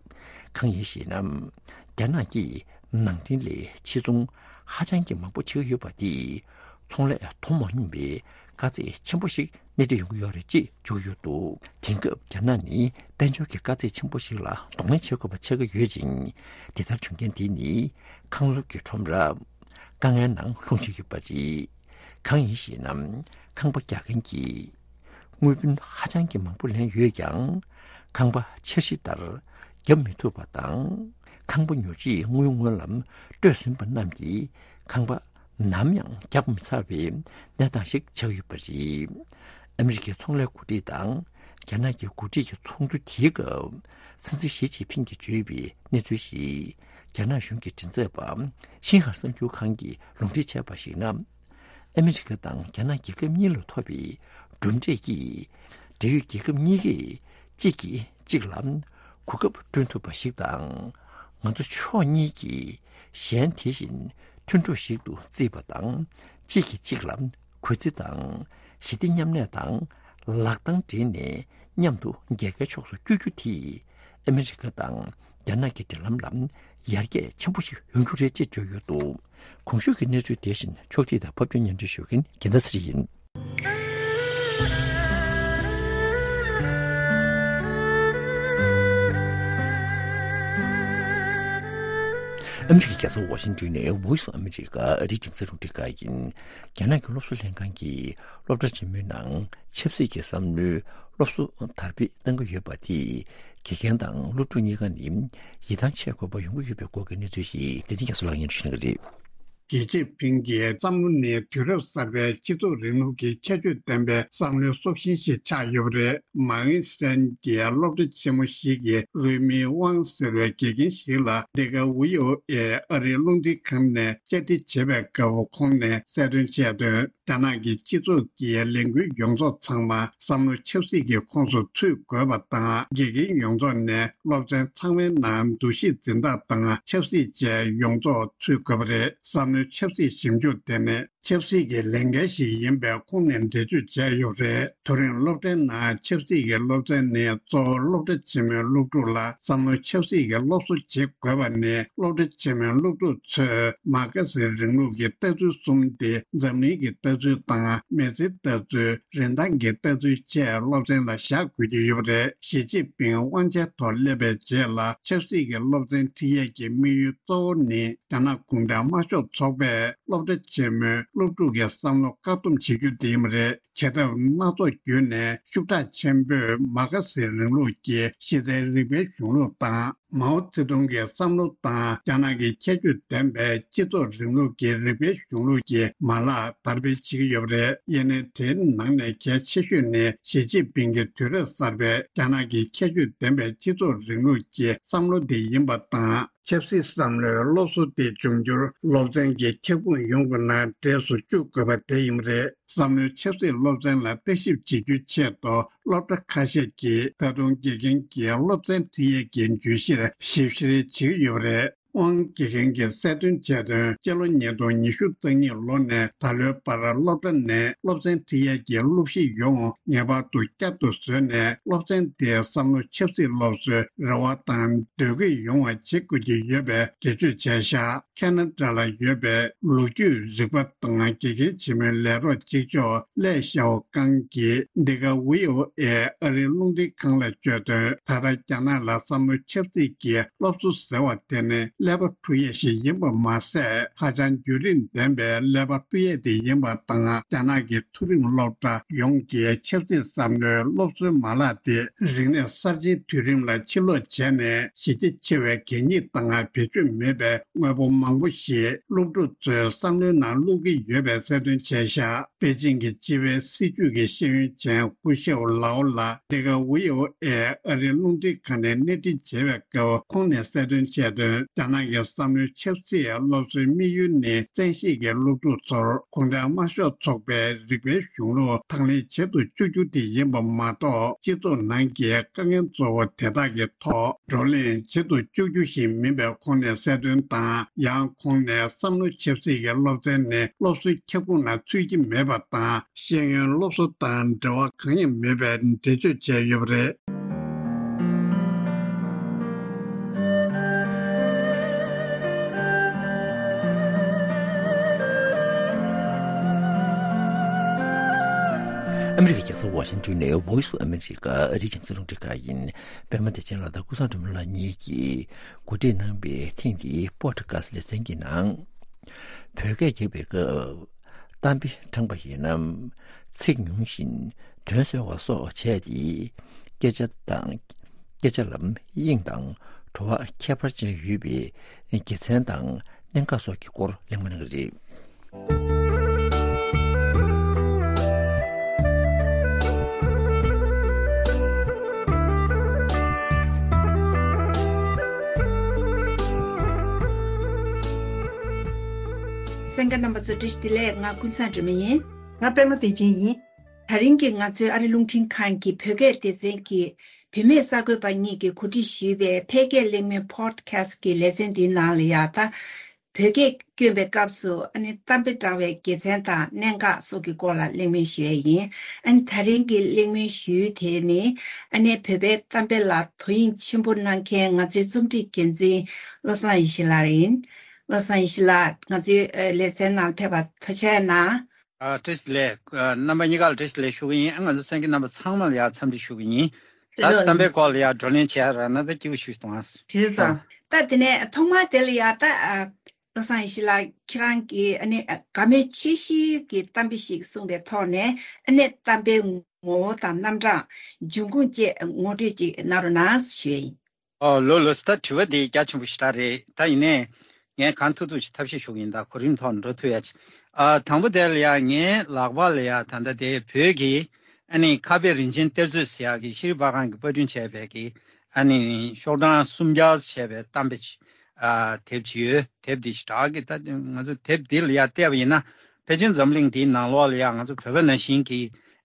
གང་ཡིན་ཞེ་ན། རྒྱ་ནག་གིས་ནང་འདྲེན་ལས་ཕྱིར་ཚོང་ཧ་ཅང་གི་མང་པོ་བྱེད་ཀྱི་ཡོད་པ་དེས་ཚོང་ལས་དོ་མ་མཉམ་པའི་དཀའ་ཚེགས་ཆེན་པོ་ཞིག་སྣེ་ཁྲིད་ཡོང་གི་ཡོད་རེད་ཅེས་བརྗོད་ཡོད་འདུག་དེང་སྐབས་རྒྱ་ནག་ནི་དཔལ་འབྱོར་གྱི་དཀའ་ཚེགས་ཆེན་པོ་ཞིག་ལ་གདོང་ལེན་བྱེད་དགོས་པ་ཆགས་ཀྱི་ཡོད་ཅིང་། དེ་ལྟར་བྱུང་རྐྱེན་དེ་ནི་ཁང་སློབ་ཀྱི་ཁྲོམ་ར་དཀའ་ངལ་ནང་ལྷུང་བཞིན་ཡོད་པ་རེད། གང་ཡིན་ཞེ་ན། ཁང་པ་རྒྱག་མཁན་གྱིས་དངུལ་བུན་ཧ་ཅང་གི་མང་པོ་ལེན་ཡོད་ཀྱང་། ཁང་པ་འཆར་གཞི་ལྟར་བརྒྱབ་མི་ཐུབ་པ་དང་། ཁང་པ་ཉོ་ཆེད་དངུལ་སྔོན་ལ་སྤྲོད་ཟིན་པ་རྣམས་ཀྱིས་ཁང་པ་ནམ་ཡང་རྒྱག་མི་ཚར་བའི་གནས་སྟངས་ཤིག་ཆགས་ཡོད་པ་རེད། ཨ་མི་རི་ཀའི་ཚོང་ལས་འགོ་ཁྲིད་དང་རྒྱ་ནག་གི་འགོ་ཁྲིད་ཀྱི་ཚོགས་འདུ་དེའི་སྐབས། སྲིད་འཛིན་ཞི་ཅིན་ཕིང་གིས་བརྗོད་པའི་གནས་ཚུལ་ཞིག་རྒྱ་ནག་གཞུང་གི་མགྲིན་ཚབ་པ་ཤིན་ཧྭ་གསར་འགྱུར་ཁང་གིས་ལུང་འདྲེན་བྱས་པར་གཞིགས་ན། ཨ་མི་རི་ཀ་དང་རྒྱ་ནག་རྒྱལ་ཁབ་གཉིས་ལ་ཐོབ་པའི་གྲུབ་འབྲས་ཀྱིས། འབྲེལ་ཡོད་རྒྱལ་ཁབ་གཉིས་ཀས་གཅིག་གིས་གཅིག་ལ་གོ་སྐབས་བསྐྲུན་ཐུབ་པ་ཞིག་དང་། ང་ཚོ་ཕྱོགས་གཉིས་ཀྱིས་གཞན་དེ་བཞིན་མཐུན་གྲོགས་ཤིག་ཏུ་བརྩིས་པ་དང་། གཅིག་གིས་གཅིག་ལ་གུས་བརྩི་དང་། ཞི་བདེ་མཉམ་གནས་དང་ལག་གདང་སྦྲེལ་ནས་མཉམ་དུ་རྒྱལ་ཁའི་ཕྱོགས་སུ་བསྐྱོད་རྒྱུ་དེས། ཨ་མི་རི་ཀ་དང་རྒྱ་ནག་གི་འབྲེལ་ལམ་ལ་ཡར་རྒྱས་ཆེན་པོ་ཞིག་ཡོང་རྒྱུ་རེད་ཅེས་བརྗོད་ཡོད་འདུག་གོང་ཞུས་ཀྱི་གནས་ཚུལ་དེ་བཞིན་ཕྱོགས་སྒྲིག་དང་ཕབ་སྒྱུར་སྙན་སྒྲོན་ཞུ་མཁན་རྒྱལ་མཚན་ཚེ་རིང་ཡིན། ཨ་མི་རི་ཀའི་རྒྱལ་ས་ཝ་ཤིང་ཏོན་ནས་Voice of America ཨ་རིའི་རྒྱང་སྲིང་རླུང་འཕྲིན་ཁང་ཡིན། རྒྱ་ནག་གི་སློབ་གསོ་ལྷན་ཁང་གིས་སློབ་གྲྭ་ཆེན་མོའི་ནང་ཆབ་སྲིད་ཀྱི་བསམ་བློའི་སློབ་གསོ་དར་སྤེལ་གཏང་གི་ཡོད་པ་དེས། དགེ་རྒན་དང་སློབ་ཕྲུག་གཉིས་ཀ་ནི་ཡིད་ཐང་ཆད་དགོས་པ་ཡོང་གི་ཡོད་པའི་སྐོར་གྱི་གནས་ཚུལ་ཞིག་བདེ་ཆེན་རྒྱ་མཚོ་ལགས་སྙན་སྒྲོན་ཞུ་གནང་གི་རེད། ཞི་ཅིན་ཕིང་གི་བསམ་བློ་ནི་དུས་རབས་གསར་པའི་སྤྱི་ཚོགས་རིང་ལུགས་ཀྱི་ཁྱད་ཆོས་ལྡན་པའི་བསམ་བློའི་སྲོག་ཤིང་ཞིག་ཆགས་ཡོད་པ་རེད། མཱ་ཨིན་སི་ཐན་གྱི་སློབ་གྲྭ་ཆེན་མོ་ཞིག་གི་རུའི་མིང་ཝང་ཟེར་བའི་དགེ་རྒན་ཞིག་ལ། འདི་ག་ཝི་ཨོ་ཨེ་ཨ་རིའི་རླུང་འཕྲིན་ཁང་ནས་བཅར་འདྲི་བྱེད་པའི་སྐབས་ཁོང་ནས་གསལ་སྟོན་བྱས་དོན། རྒྱ་ནག་གི་སྤྱི་ཚོགས་ཀྱི་ལས་འགུལ་ཡོངས་རྫོགས་ཚང་མ་བསམ་བློ་ཆབ་སྲིད་ཀྱི་ཁོངས་སུ་ཚུད་དགོས་པ་དང་། དགེ་རྒན་ཡོངས་རྫོགས་ནས་སློབ་ཚན་ཚང་མའི་ནང་འདུ་ཤེས་འཛིན་སྟངས་དང་ཆབ་སྲིད་བཅས་ཡོངས་རྫོགས་ཚུད་དགོས་པ་རེད། བསམ་བློའི་ཆབ་སྲིད་ཞིབ་འཇུག་དེ་ནི་ཆབ་སྲིད་ཀྱི་ལས་འགན་ཞིག་ཡིན་པས་ཁོང་ནས་འགྲེལ་བརྗོད་བྱས་ཡོད་པ་རེད། དེ་རིང་སློབ་གྲྭའི་ནང་ཆབ་སྲིད་ཀྱི་སློབ་ཚན་ནི་གཙོ་བོ་སློབ་གྲྭ་ཆེན་མོའི་སློབ་ཕྲུག་ལ་བསམ་བློ་ཆབ་སྲིད་ཀྱི་སློབ་གསོ་བྱེད་དགོས་པ་ནི། སློབ་གྲྭ་ཆེན་མོའི་སློབ་ཕྲུག་ཚོས་མར་ཁེ་སིའི་རིང་ལུགས་ཀྱི་ལྟ་ཚུལ་གསུམ་སྟེ། འཛམ་གླིང་གི་ལྟ་ཚུལ་དང་། མི་ཚེའི་ལྟ་ཚུལ། རིན་ཐང་གི་ལྟ་ཚུལ་བཅས་སློབ་ཚན་ལ་བཞག་དགོས་ཀྱི་ཡོད་པ་རེད། ཞི་ཅིན་ཕིང་དབང་ཆའི་ཐོག་སླེབས་པའི་རྗེས་ལ། ཆབ་སྲིད་ཀྱི་སློབ་ཚན་ཁྲིད་ཡས་ཀྱི་དམིགས་ཡུལ་གཙོ་བོ་ནི། རྒྱ་ནག་གུང་ཁྲན་དམར་ཤོག་ཚོགས་པས་སློབ་གྲྭ་ཆེན་མོའི་སློབ་ཕྲུག་གི་བསམ་བློ་བཀག་སྡོམ་བྱེད་རྒྱུ་དེ་ཡིན་པ་རེད། བྱེད་ཐབས་སྣ་ཚོགས་བརྒྱུད་ནས་ཤུགས་དྲག་ཆེན་པོས་མར་ཁེ་སིའི་རིང་ལུགས་ཀྱི་གཞི་རྩའི་རིག་པའི་གཞུང་ལུགས་དང་ མའོ་ཙེ་ཏུང་གི་བསམ་བློ་དང་རྒྱ་ནག་གི་ཁྱད་ཆོས་ལྡན་པའི་སྤྱི་ཚོགས་རིང་ལུགས་ཀྱི་རིགས་པའི་གཞུང་ལུགས་ཀྱི་མ་ལག་དར་སྤེལ་བྱེད་ཀྱི་ཡོད་པ་རེད། ཡིན་ནའི་དེའི་ནང་ནས་གལ་ཆེ་ཤོས་ནི་ཞི་ཅིན་ཕིང་གི་དུས་རབས་གསར་པའི་རྒྱ་ནག་གི་ཁྱད་ཆོས་ལྡན་པའི་སྤྱི་ཚོགས་རིང་ལུགས་ཀྱི་བསམ་བློ་དེ་ཡིན་པ་དང་། ཆབ་སྲིད་བསམ་བློའི་སློབ་གསོ་དེ་འབྱུང་འགྱུར་སློབ་ཚན་གྱི་ཁྱབ་ཁོངས་ཡོངས་ཀྱི་ནང་འདྲེས་སུ་བཅུག་དགོས་པ་དེ་ཡིན་པ་རེད། བསམ་བློའི་ཆབ་སྲིད་སློབ་ཚན་ལ་ལྟ་ཞིབ་བྱེད་རྒྱུའི་ཆེད་དུ་སློབ་གྲྭ་ཁ་ཤས་ཀྱིས་ད་དུང་དགེ་རྒན་གྱི་སློབ་ཚན་ཁྲིད་ཡས་ཀྱི་བརྗོད་གཞིར་ཞིབ་བཤེར་བྱེད་ཀྱི་ཡོད་པ་རེད། ཝང་དགེ་རྒན་གྱིས་གསལ་སྟོན་བྱས་དོན། སྤྱི་ལོ་ཉིས་སྟོང་ཉི་ཤུ་རྩ་གཉིས་ལོ་ནས་ད་ལོའི་བར་སློབ་གྲྭ་ནས་སློབ་ཚན་ཁྲིད་ཡས་ཀྱི་སློབ་གཞི་ཡོངས་ངེས་པར་དུ་བསྐྱར་དུ་བཟོས་ནས། སློབ་ཚན་དེའི་བསམ་བློ་ཆབ་སྲིད་སློབ་གསོའི་རེ་བ་དང་འདོད་ཀྱི་ཡོང་བ་བྱེད་དགོས་ཀྱི་ཡོད་པའི་འགྲེལ་བརྗོད་བྱས་བཞག་ཁེ་ན་ཌ་ལ་ཡོད་པའི་ལོ་རྒྱུས་རིག་པ་དང་དགེ་རྒན་ཆེན་མོའི་ལས་རོགས་གཅིག་ལྕོགས་ལེ་ཞའོ་ཀང་གིས་འདི་ག་ཝི་ཨོ་ཨེ་ཨ་རིའི་རླུང་འཕྲིན་ཁང་ལ་བརྗོད་དོན། ད་ལྟ་རྒྱ་ནག་ལ་བསམ་བློ་ཆབ་སྲིད་ཀྱི་སློབ་གསོ་ཟེར་བ་དེ་ནི་ཀླད་པ་འཁྲུ་ཡས་ཤིག་ཡིན་པ་མ་ཟད། ཧ་ཅང་བརྒྱུད་རིམ་ལྡན་པའི་ཀླད་པ་འཁྲུ་ཡས་དེ་ཡིན་པ་དང་། རྒྱ་ནག་གི་མཐོ་རིམ་སློབ་གྲྭ་ཡོངས་ཀྱི་ཆབ་སྲིད་བསམ་བློའི་སློབ་གསོའི་མ་ལག་དེ་རིག་གནས་གསར་བརྗེའི་དུས་རིམ་ལ་ཕྱིར་ལོག་བྱས་ནས། གཞི་རྒྱ་ཆེ་བའི་གད་སྙིགས་དང་བེད་སྤྱོད་མེད་པའི་དངོས་པོ་མང་པོ་ཞིག་སློབ་ཕྲུག་ཚོའི་བསམ་བློའི་ནང་བླུག་གི་ཡོད་པའི་གསལ་སྟོན་བྱས་བཞག་པེ་ཅིང་གི་སྤྱི་པའི་སྲིད་བྱུས་ཀྱི་ཤེས་ཡོན་ཅན་སྐུ་ཞབས་ལའོ་ལགས་འདི་ག་ཝི་ཨོ་ཨེ་ཨ་རིའི་རླུང་འཕྲིན་ཁང་ནས་གནས་འདྲི་བྱས་པའི་སྐབས། ཁོང་ནས་གསལ་སྟོན་བྱས་དོན། རྒྱ་ནག་གི་བསམ་བློའི་ཆབ་སྲིད་སློབ་གསོའི་དམིགས་ཡུལ་ནི། བཙན་ཤེད་ཀྱིས་སློབ་ཕྲུག་ཚོར་གུང་ཁྲན་དམར་ཤོག་ཚོགས་པའི་རིགས་པའི་གཞུང་ལུགས་དང་ལེན་བྱེད་དུ་བཅུག་རྒྱུ་དེ་ཡིན་པ་མ་གཏོགས། སྤྱི་ཚོགས་ནང་གི་དཀའ་ངལ་གཙོ་བོ་དེ་དག་གི་ཐོག་བགྲོ་གླེང་བྱེད་དུ་བཅུག་རྒྱུ་ཞིག་མིན་པའི་ཁོང་ནས་གསལ་སྟོན་དང་། ཡང་ཁོང་ནས་བསམ་བློ་ཆབ་སྲིད་ཀྱི་སློབ་ཚན་ནི་སློབ་གསོའི་ཁྱབ་ཁོངས་ནང་ཚུད་ཀྱི་མེད་པ་དང་། ཤེས་ཡོན་སློབ་གསོ་དང་འབྲེལ་བ་གང་ཡང་མེད་པའི་འགྲེལ་བརྗོད་བྱས་ཡོད་པ་རེད། ཨ་མི་རི་ཀའི་རྒྱལ་ས་ཝ་ཤིང་ཊོན་ནས་Voice of America ཨ་རིའི་རྒྱང་སྲིང་རླུང་འཕྲིན་ཁང་ཡིན། པད་མ་བདེ་ཆེན་ལགས་དང་ཀུན་བཟང་སྒྲོལ་མ་ལགས་གཉིས་ཀྱིས་གོ་སྒྲིག་གནང་བའི་ཐེངས་འདིའི་པོ་ཌི་ཁ་སི་ལེ་ཚན་གྱི་ནང་། བོད་སྐད་རྒྱག་པའི་སྐབས་གཏམ་དཔེ་བགྲངས་པ་ཡིན་ན། ཚིག་ཉུང་ཞིང་དོན་གསལ་བ་སོགས་བྱས་ཏེ། སྐད་ཆ་དང་། སྐད་ཆ་ལ་དབྱིངས་དང་བྲོ་བ་ཁྱད་པར་ཅན་ཡོད་པའི་དགེ་མཚན་དང་གནད་འགག་སོགས་ཀྱི་སྐོར་གླེང་མོལ་གནང་གི་རེད། གསན་མཁན་རྣམ་པ་ཚོ་བཀྲ་ཤིས་བདེ་ལེགས། ང་ཀུན་བཟང་སྒྲོལ་མ་ཡིན། ང་པད་མ་བདེ་ཆེན་ཡིན། དེ་རིང་གི་ང་ཚོའི་ཨ་རི་རླུང་འཕྲིན་ཁང་གི་བོད་སྐད་སྡེ་ཚན་གྱི་བུད་མེད་གསར་འགོད་པ་གཉིས་ཀྱིས་གོ་སྒྲིག་ཞུས་པའི་ཕལ་སྐད་གླེང་མོལ་པོ་ཌི་ཁ་སི་ཊི་གི་ལེ་ཚན་འདིའི་ནང་ལ་ཡ་ད། བོད་སྐད་བསྐྱོན་པའི་སྐབས་སུ་ཨ་ནི་གཏམ་དཔེ་བགྲང་བའི་དགེ་མཚན་དང་གནད་འགག་སོགས་ཀྱི་སྐོར་ལ་གླེང་མོལ་ཞུ་ཡས་ཡིན། ཨ་ནི་དེ་རིང་གི་གླེང་མོལ་ཞུ་ཡུལ་དེ་ནི་ཨ་ནི་བོད་པའི་གཏམ་དཔེ་ལ་དོ་དབྱིངས་ཆེན་པོ་གནང་མཁན་ང་ཚོའི་རྩོམ་སྒྲིག་འགན་འཛིན་བློ་བཟང་ཡེ་ཤེས་ལགས་ཡིན། བློ་བཟང་ཡེ་ཤེས་ལགས། ང་ཚོའི་ཨ་ལེ་ཚན་ནང་ཕེབས་པར་ཐུགས་རྗེ་གནང་། ཨ། བཀྲ་ཤིས་བདེ་ལེགས། ཨ། རྣམ་པ་གཉིས་ཀ་ལ་བཀྲ་ཤིས་བདེ་ལེགས་ཞུ་གི་ཡིན། ཨ། ང་ཚོ་གསན་མཁན་རྣམ་པ་ཚང་མ་ལ་ཡང་འཚམས་འདྲི་ཞུ་གི་ཡིན། ད་ལོ་གཏམ་དཔེའི་སྐོར་ལ་ཡང་བགྲོ་གླེང་བྱས་ར་ན་ད་སྐྱིད་པོ་ཞིག་གཏོང་ཨ། བྱས་ཙང་ད་དེ་ནས་ཐོག་མར་དེ་ལ་ཡང་ད་ཨ། བློ་བཟང་ཡེ་ཤེས་ལགས་ཁྱེད་རང་གིས་ཨ་ནི་དགའ་མོས་ཆེ་ཤོས་ཀྱི་གཏམ་དཔེ་ཞིག་གསུངས་པའི་ཐོག་ནས་ཨ་ནི་གཏམ་དཔེའི་ངོ་བོ་དང་རྣམ་གྲངས་འབྱུང་ཁུངས་བཅས་ངོ་སྤྲོད་ཅིག་གནང་རོགས་གནང་ཞུ་ཡ་ཡིན། ཨོ་ལོས་ལོས། ད་དྲི་བ་འདི་རྒྱ་ཆེན་པོ་ཞེ་དྲག་རེད། ད་ཡིན་ནའི་ངས་གང་ཐུབ་ཐུབ་ཞིག་ཐབས་ཤེས་ཞུ་གི་ཡིན། ད་གོ་རིམ་ཐོག་ནས་འགྲོ་ཐུབ་ཡ་ཅིག་ཨ། དང་པོ་དེ་ལ་ཡ་ངའི་ལག་པ་ལ་ཡ་ད་ལྟ་དེ་བོད་ཀྱི་ཨ་ནི་ཁ་དཔེ་རིན་ཆེན་གཏེར་མཛོད་ཟེར་ཡག་གི་ཤེས་རིག་པར་ཁང་གིས་པར་སྐྲུན་བྱས་པའི་གི་ཨ་ནི་ཤོག་གྲངས་སུམ་བརྒྱ་བྱས་པའི་གཏམ་དཔེ་ཅིག་ཨ། དེབ་ཅིག་ཡོད། དེབ་འདི་ཞེ་དྲག་གི་ད་ང་ཚོ་དེབ་འདི་ལ་ཡ་བལྟས་པ་ཡིན་ན་ཕལ་ཆེར་འཛམ་གླིང་འདིའི་ནང་ལོགས་ལ་ཡ་ང་ཚོ་བོད་པ་ནང་བཞིན་གྱི་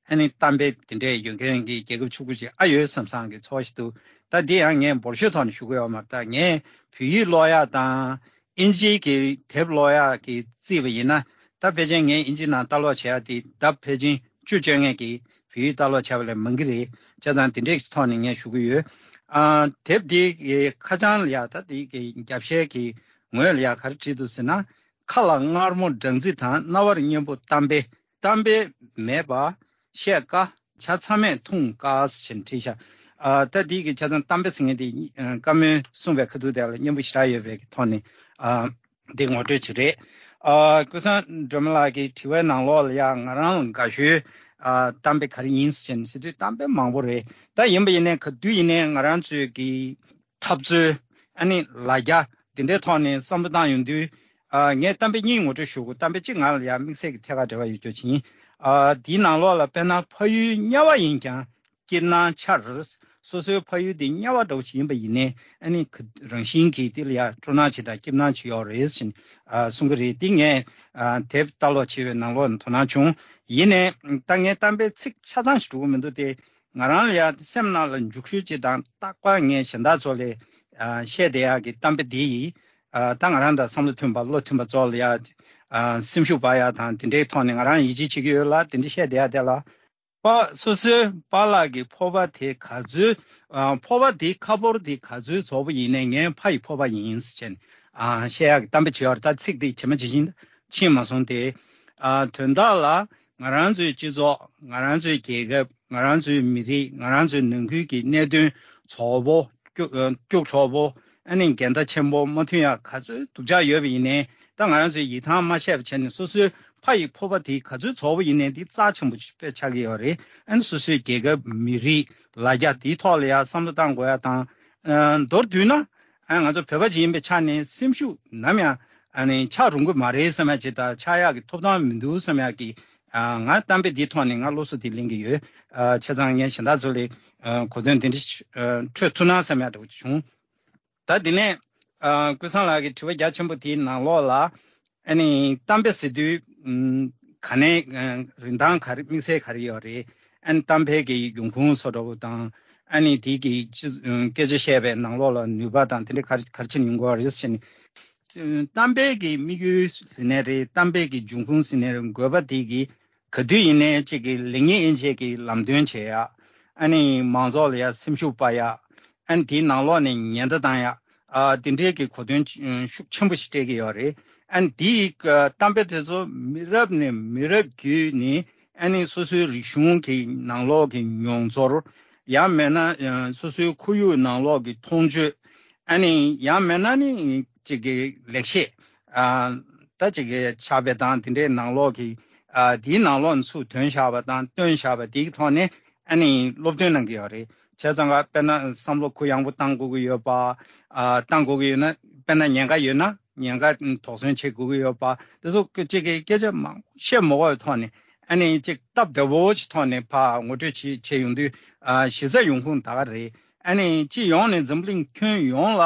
ཨ་ནི་གཏམ་དཔེ་དེ་འདྲས་ཡོད་མཁན་གྱི་རྒྱལ་ཁབ་ཕྱུག་པོ་ཅིག་ཨ་ཡོད་བསམ་བསམ་གྱི་ཚོར་བ་ཞིག་འདུག་ད་འདི་ཡང་ངས་འབོར་ཤོག་ཐོག་ནས་ཞུ་གི་ཡོད་མ་རེད། ད་ངས་བོད་ཡིག་ཀློག་ཡག་དང་ཨིན་ཇིའི་གི་དེབ་ཀློག་ཡག་གི་བརྩིས་པ་ཡིན་ན་ད་ཕལ་ཆེར་ངས་ཨིན་ཇི་ནང་ལྟ་ཀློག་བྱེད་ཡག་དེ་ལྡབ་ཕལ་ཆེར་བཅུ་བཅོ་ལྔ་གི་བོད་ཡིག་ལྟ་ཀློག་བྱས་པ་ལས་མང་གི་རེད། བྱས་ཙང་དེ་འདྲའི་ཐོག་ནས་ངས་ཞུ་གི་ཡོད། ཨ། དེབ་འདིའི་ཁ་བྱང་ལ་ཡ་ད་དེ་གི་རྒྱབ་ཤའི་གི་ངོས་ལ་ཡ་ག་རེ་བྲིས་འདུག་ཟེར་ན། ཁ་ལ་མངར་མོ་སྦྲང་རྩི་དང་། རྣ་བར་སྙན་པོ་གཏམ་དཔེ། གཏམ་དཔེ་མེད་པ་བཤད་དཀའ། བྱ་ཚ་མེད་འཐུང་དཀའ་ཟེར་བྲིས་ཤག་ཨ། ད་འདི་གི་ཆ་ཚང་གཏམ་དཔེ་ཟེར་མཁན་དེ་ཨ། བཀའ་མོལ་གསུངས་པའི་ཁ་ཐུག་དེ་ལ་སྙན་པོ་ཞེ་དྲག་ཡོད་པའི་ཐོག་ནས་ཨ། འདི་ངོ་སྤྲོད་ཅིག་རེད། ཨ། ཀུན་བཟང་སྒྲོལ་མ་ལགས་ཀྱི་དྲི་བའི་ནང་ལོགས་ལ་ཡ་ང་རང་ལ་དགའ་ཤོས་ཨ། གཏམ་དཔེ་ག་རེ་ཡིན་ཟེར་ནས་ཟེར་དུས་གཏམ་དཔེ་མང་པོ་རེད། ད་ཡིན་པ་ཡིན་ནའི་ག་དུས་ཡིན་ནའི་ང་རང་ཚོའི་གི་འཐབ་རྩོད་ ཨ་ནི་ལ་རྒྱ་འདི་འདྲའི་ཐོག་ནས་བསམ་བློ་བཏང་ཡོང་དུས། ཨ་ངས་གཏམ་དཔེ་གཉིས་ངོ་སྤྲོད་ཞུ་དགོས། གཏམ་དཔེ་གཅིག་ང་ལ་ཡང་དམིགས་བསལ་གྱི་ཐད་ཀར་འབྲེལ་བ་ཡོད་རྒྱུ་ཅིག་ཡིན། ཨ་དེའི་ནང་ལོགས་ལ་དཔེར་ན་ཕ་ཡུལ་དམྱལ་བ་ཡིན་ཀྱང་སྐྱིད་སྣང་འཆར། སོ་སོའི་ཕ་ཡུལ་དེ་དམྱལ་བ་འདྲ་བོ་ཞིག་ཡིན་པ་ཡིན་ནའི་ཨ་ནི་ག་རང་བཞིན་གྱིས་དེ་ལ་ཡང་སྤྲོ་སྣང་ཅིག་དང་སྐྱིད་སྣང་ཅིག་ཡོད་རེད་ཟེར་ནས་ཨ་གསུང་གི་རེད། དེ་ངས་ཨ་དེབ་ལྟ་ཀློག་བྱས་པའི་ནང་ལོགས་ནས་དོ་སྣང་བྱུང་། ཡིན་ནའི་ད་ངས་གཏམ་དཔེ་ཚིག་ཆ་ཚང་ཞིག་འགྲོ་གི་མི་འདུག་སྟེ། ང་རང་ལ་ཡང་སེམས་ནང་ལ་འཇུག་ཤོས་ཅིག་དང་རྟག་པར་ངས་གཞན་དག་ཚོ་ལ་ཨ་བཤད་བསྡད་ཡག་གི་གཏམ་དཔེ་འདི་ཡིས། ཨ་ད་ང་རང་དང་བསམ་བློ་མཐུན་པ་བློ་མཐུན་པ་ཚོ་ལ་ཡང་ཨ་སེམས་ཤུགས་སྤར་ཡག་དང་དེ་འདྲའི་ཐོག་ནས་ང་རང་ཡིད་ཆེས་བྱེད་ཀྱི་ཡོད་ལ། དེ་འདྲ་བཤད་བསྡད་ཡག་དེ་ལ། པ་སོ་སོའི་པཱ་ལགས་ཀྱི་ཕོར་པ་དེ་ག་ཚོད། ཨ་ཕོར་པ་དེའི་ཁ་ཕོར་དེ་ག་ཚོད་རྫོགས་པ་ཡིན་ནའི་ངའི་ཕ་ཡི་ཕོར་པ་ཡིན་ཟེར་བྱས་ནས་ཨ་བཤད་ཡག་གི་གཏམ་དཔེ་ཅིག་ཡོད་རེད། ད་ཚིག་དེ་ཇི་མ་ཇི་བཞིན་ཕྱིན་མ་སོང་སྟེ། ཨ་དོན་དག་ལ་ང་རང་ཚོའི་སྤྱི་ཚོགས། ང་རང་ཚོའི་རྒྱལ་ཁབ། ང་རང་ཚོའི་མི་རིགས། ང་རང་ཚོའི་ནང་ཁུལ་གྱི་གནད་དོན་རྫོགས་པོ། སྐྱུག་ཨ་སྐྱུག་བྲོ་པོ། ཨ་ནི་འགལ་ཟླ་ཆེན་པོ་མ་མཐུན་ཡག་ག་ཚོད་སྡུག་ཅག་ཡོད་པ་ཡིན་ནའི་ད་ང་རང་ཚོས་ཡིད་ཐང་མ་ཆད་པ་བྱས་ནས་སོ་སོའི་ཕ་ཡི་ཕོར་པ་དེ་ག་ཚོད་རྫོགས་པ་ཡིན་ནའི་འདི་རྩ་ཆེན་པོ་དཔེ་ཆགས་ཀྱི་ཡོད་རེད། ཨ་ནི་སོ་སོའི་རྒྱལ་ཁབ། མི་རིགས། ལ་རྒྱ་དེའི་ཐོག་ལ་ཡང་བསམ་བློ་བཏང་དགོས་ཡག་དང་། ཨ་མདོར་བསྡུས་ན། ཨ་ང་ཚོ་བོད་པ་ཅིག་ཡིན་པའི་ཆ་ནས་སེམས་ཤུགས་ནམ་ཡང་ཨ་ནི་ཆག་རུང་གི་མ་རེད་བསམ་ཡག་ཅིག་དང་ཆག་ཡག་གི་ཐོབ་ཐང་མི་འདུག་བསམ་ཡག་གི། ཨ་ང་གཏམ་དཔེ་འདིའི་ཐོག་ནས་ང་སློབ་གསོ་དེ་ལེན་གྱི་ཡོད། ཨ་བྱས་ཙང་ངས་གཞན་དག་ཚོ་ལ་ཨ་གོ་དོན་དེ་འདྲ་ཨ་འཕྲོད་ཐུབ་ན་བསམ་ཡག་འདྲ་བོ་བྱུང་། ད་དེ་ནས་ཨ་ཀུན་བཟང་ལགས་ཀྱི་དྲི་བ་རྒྱ་ཆེན་པོ་དེའི་ནང་ལོགས་ལ་ཨ་ནི་གཏམ་དཔེ་ཟེར་དུས་ཨམ་ག་ནས་ཨ་རིན་ཐང་ག་རེ། དམིགས་བསལ་ག་རེ་ཡོད་རེད། ཨ་ནི་གཏམ་དཔེ་གི་འབྱུང་ཁུངས་སོགས་འདྲ་བོ་དང་། ཨ་ནི་དེ་གི་སྤྱི་ཨ་སྐད་ཆ་བཤད་པའི་ནང་ལོགས་ལ་ནུས་པ་དང་དེ་འདྲ་ག་རེ་ག་རེ་བྱས་ནས་ཡོང་གི་ཡོད་རེད་ཟེར་ནས། གཏམ་དཔེ་གི་དམིགས་ཡུལ་ཟེར་ནའི་རེད། གཏམ་དཔེ་གི་འབྱུང་ཁུངས་ཟེར་ནའི་རེད། དགོས་པ་དེ་གི་ག་དུས་ཡིན་ནའི་གཅིག་གི་ལེགས་ཉེས་དབྱེ་འབྱེད་ཀྱི་ལམ་སྟོན་བྱེད་ཡག་ཨ་ནི་མང་ཚོགས་ལ་ཡ་སེམས་ཤུགས་སྤར་ཡག་ཨ་ནི་དེའི་ནང་ལོགས་ནས་ཉེན་བརྡ་བཏང་ཡག་ཨ་དེ་འདྲའི་གི་གོ་དོན་ཤུགས་ཆེན་པོ་ཞིག་སྤྲད་ཀྱི་ཡོད་རེད། ཨ་ནི་དེའི་གཏམ་དཔེ་དེ་ཚོ་མི་རབས་ནས་མི་རབས་བརྒྱུད་ནས་ཨ་ནི་སོ་སོའི་རིག་གཞུང་གི་ནང་ལོགས་ཀྱི་མྱོང་ཚོར། ཡང་མིན་ན་སོ་སོའི་ཁོར་ཡུག་ནང་ལོགས་ཀྱི་མཐོང་ཆོས། ཨ་ནི་ཡང་མིན་ན་ནི་གཅིག་གི་ལེགས་བཤད། ཨ་ད་གཅིག་གི་ཕྱག་དཔེ་དང་དེ་འདྲའི་ནང་ལོགས་ཀྱི། ཨ་དེའི་ནང་ལོགས་ནས་ཚུར་ཐོན་བཞག་པ་དང་བཏོན་བཞག་པ་དེའི་ཐོག་ནས་ཨ་ནི་སློབ་སྟོན་གནང་གི་ཡོད་རེད། བྱས་ཙང་ཀ་དཔེར་ན་བསམ་བློ་གུ་ཡངས་པོ་བཏང་དགོས་ཀྱི་ཡོད་པ། ཨ་བཏང་དགོས་ཀྱི་ཡོད་ན། དཔེར་ན་ཉེན་ཁ་ཡོད་ན་ཉེན་ཁ་དོགས་ཟོན་བྱེད་དགོས་ཀྱི་ཡོད་པ། དེ་ཚོ་གཅིག་གི་སྐད་ཆ་མང་པོ་བཤད་མ་དགོས་པའི་ཐོག་ནས་ཨ་ནི་གཅིག་སྟབས་བདེ་བོ་ཞིག་ཐོག་ནས་ཕར་ངོ་སྤྲོད་བྱེད་བྱེད་ཡོང་དུས། ཨ་གཞི་རྩ་ཡོང་ཁུངས་ད་ག་རེད། ཨ་ནི་སྤྱི་ཡོངས་ནས་འཛམ་གླིང་ཁྱོན་ཡོངས་ལ་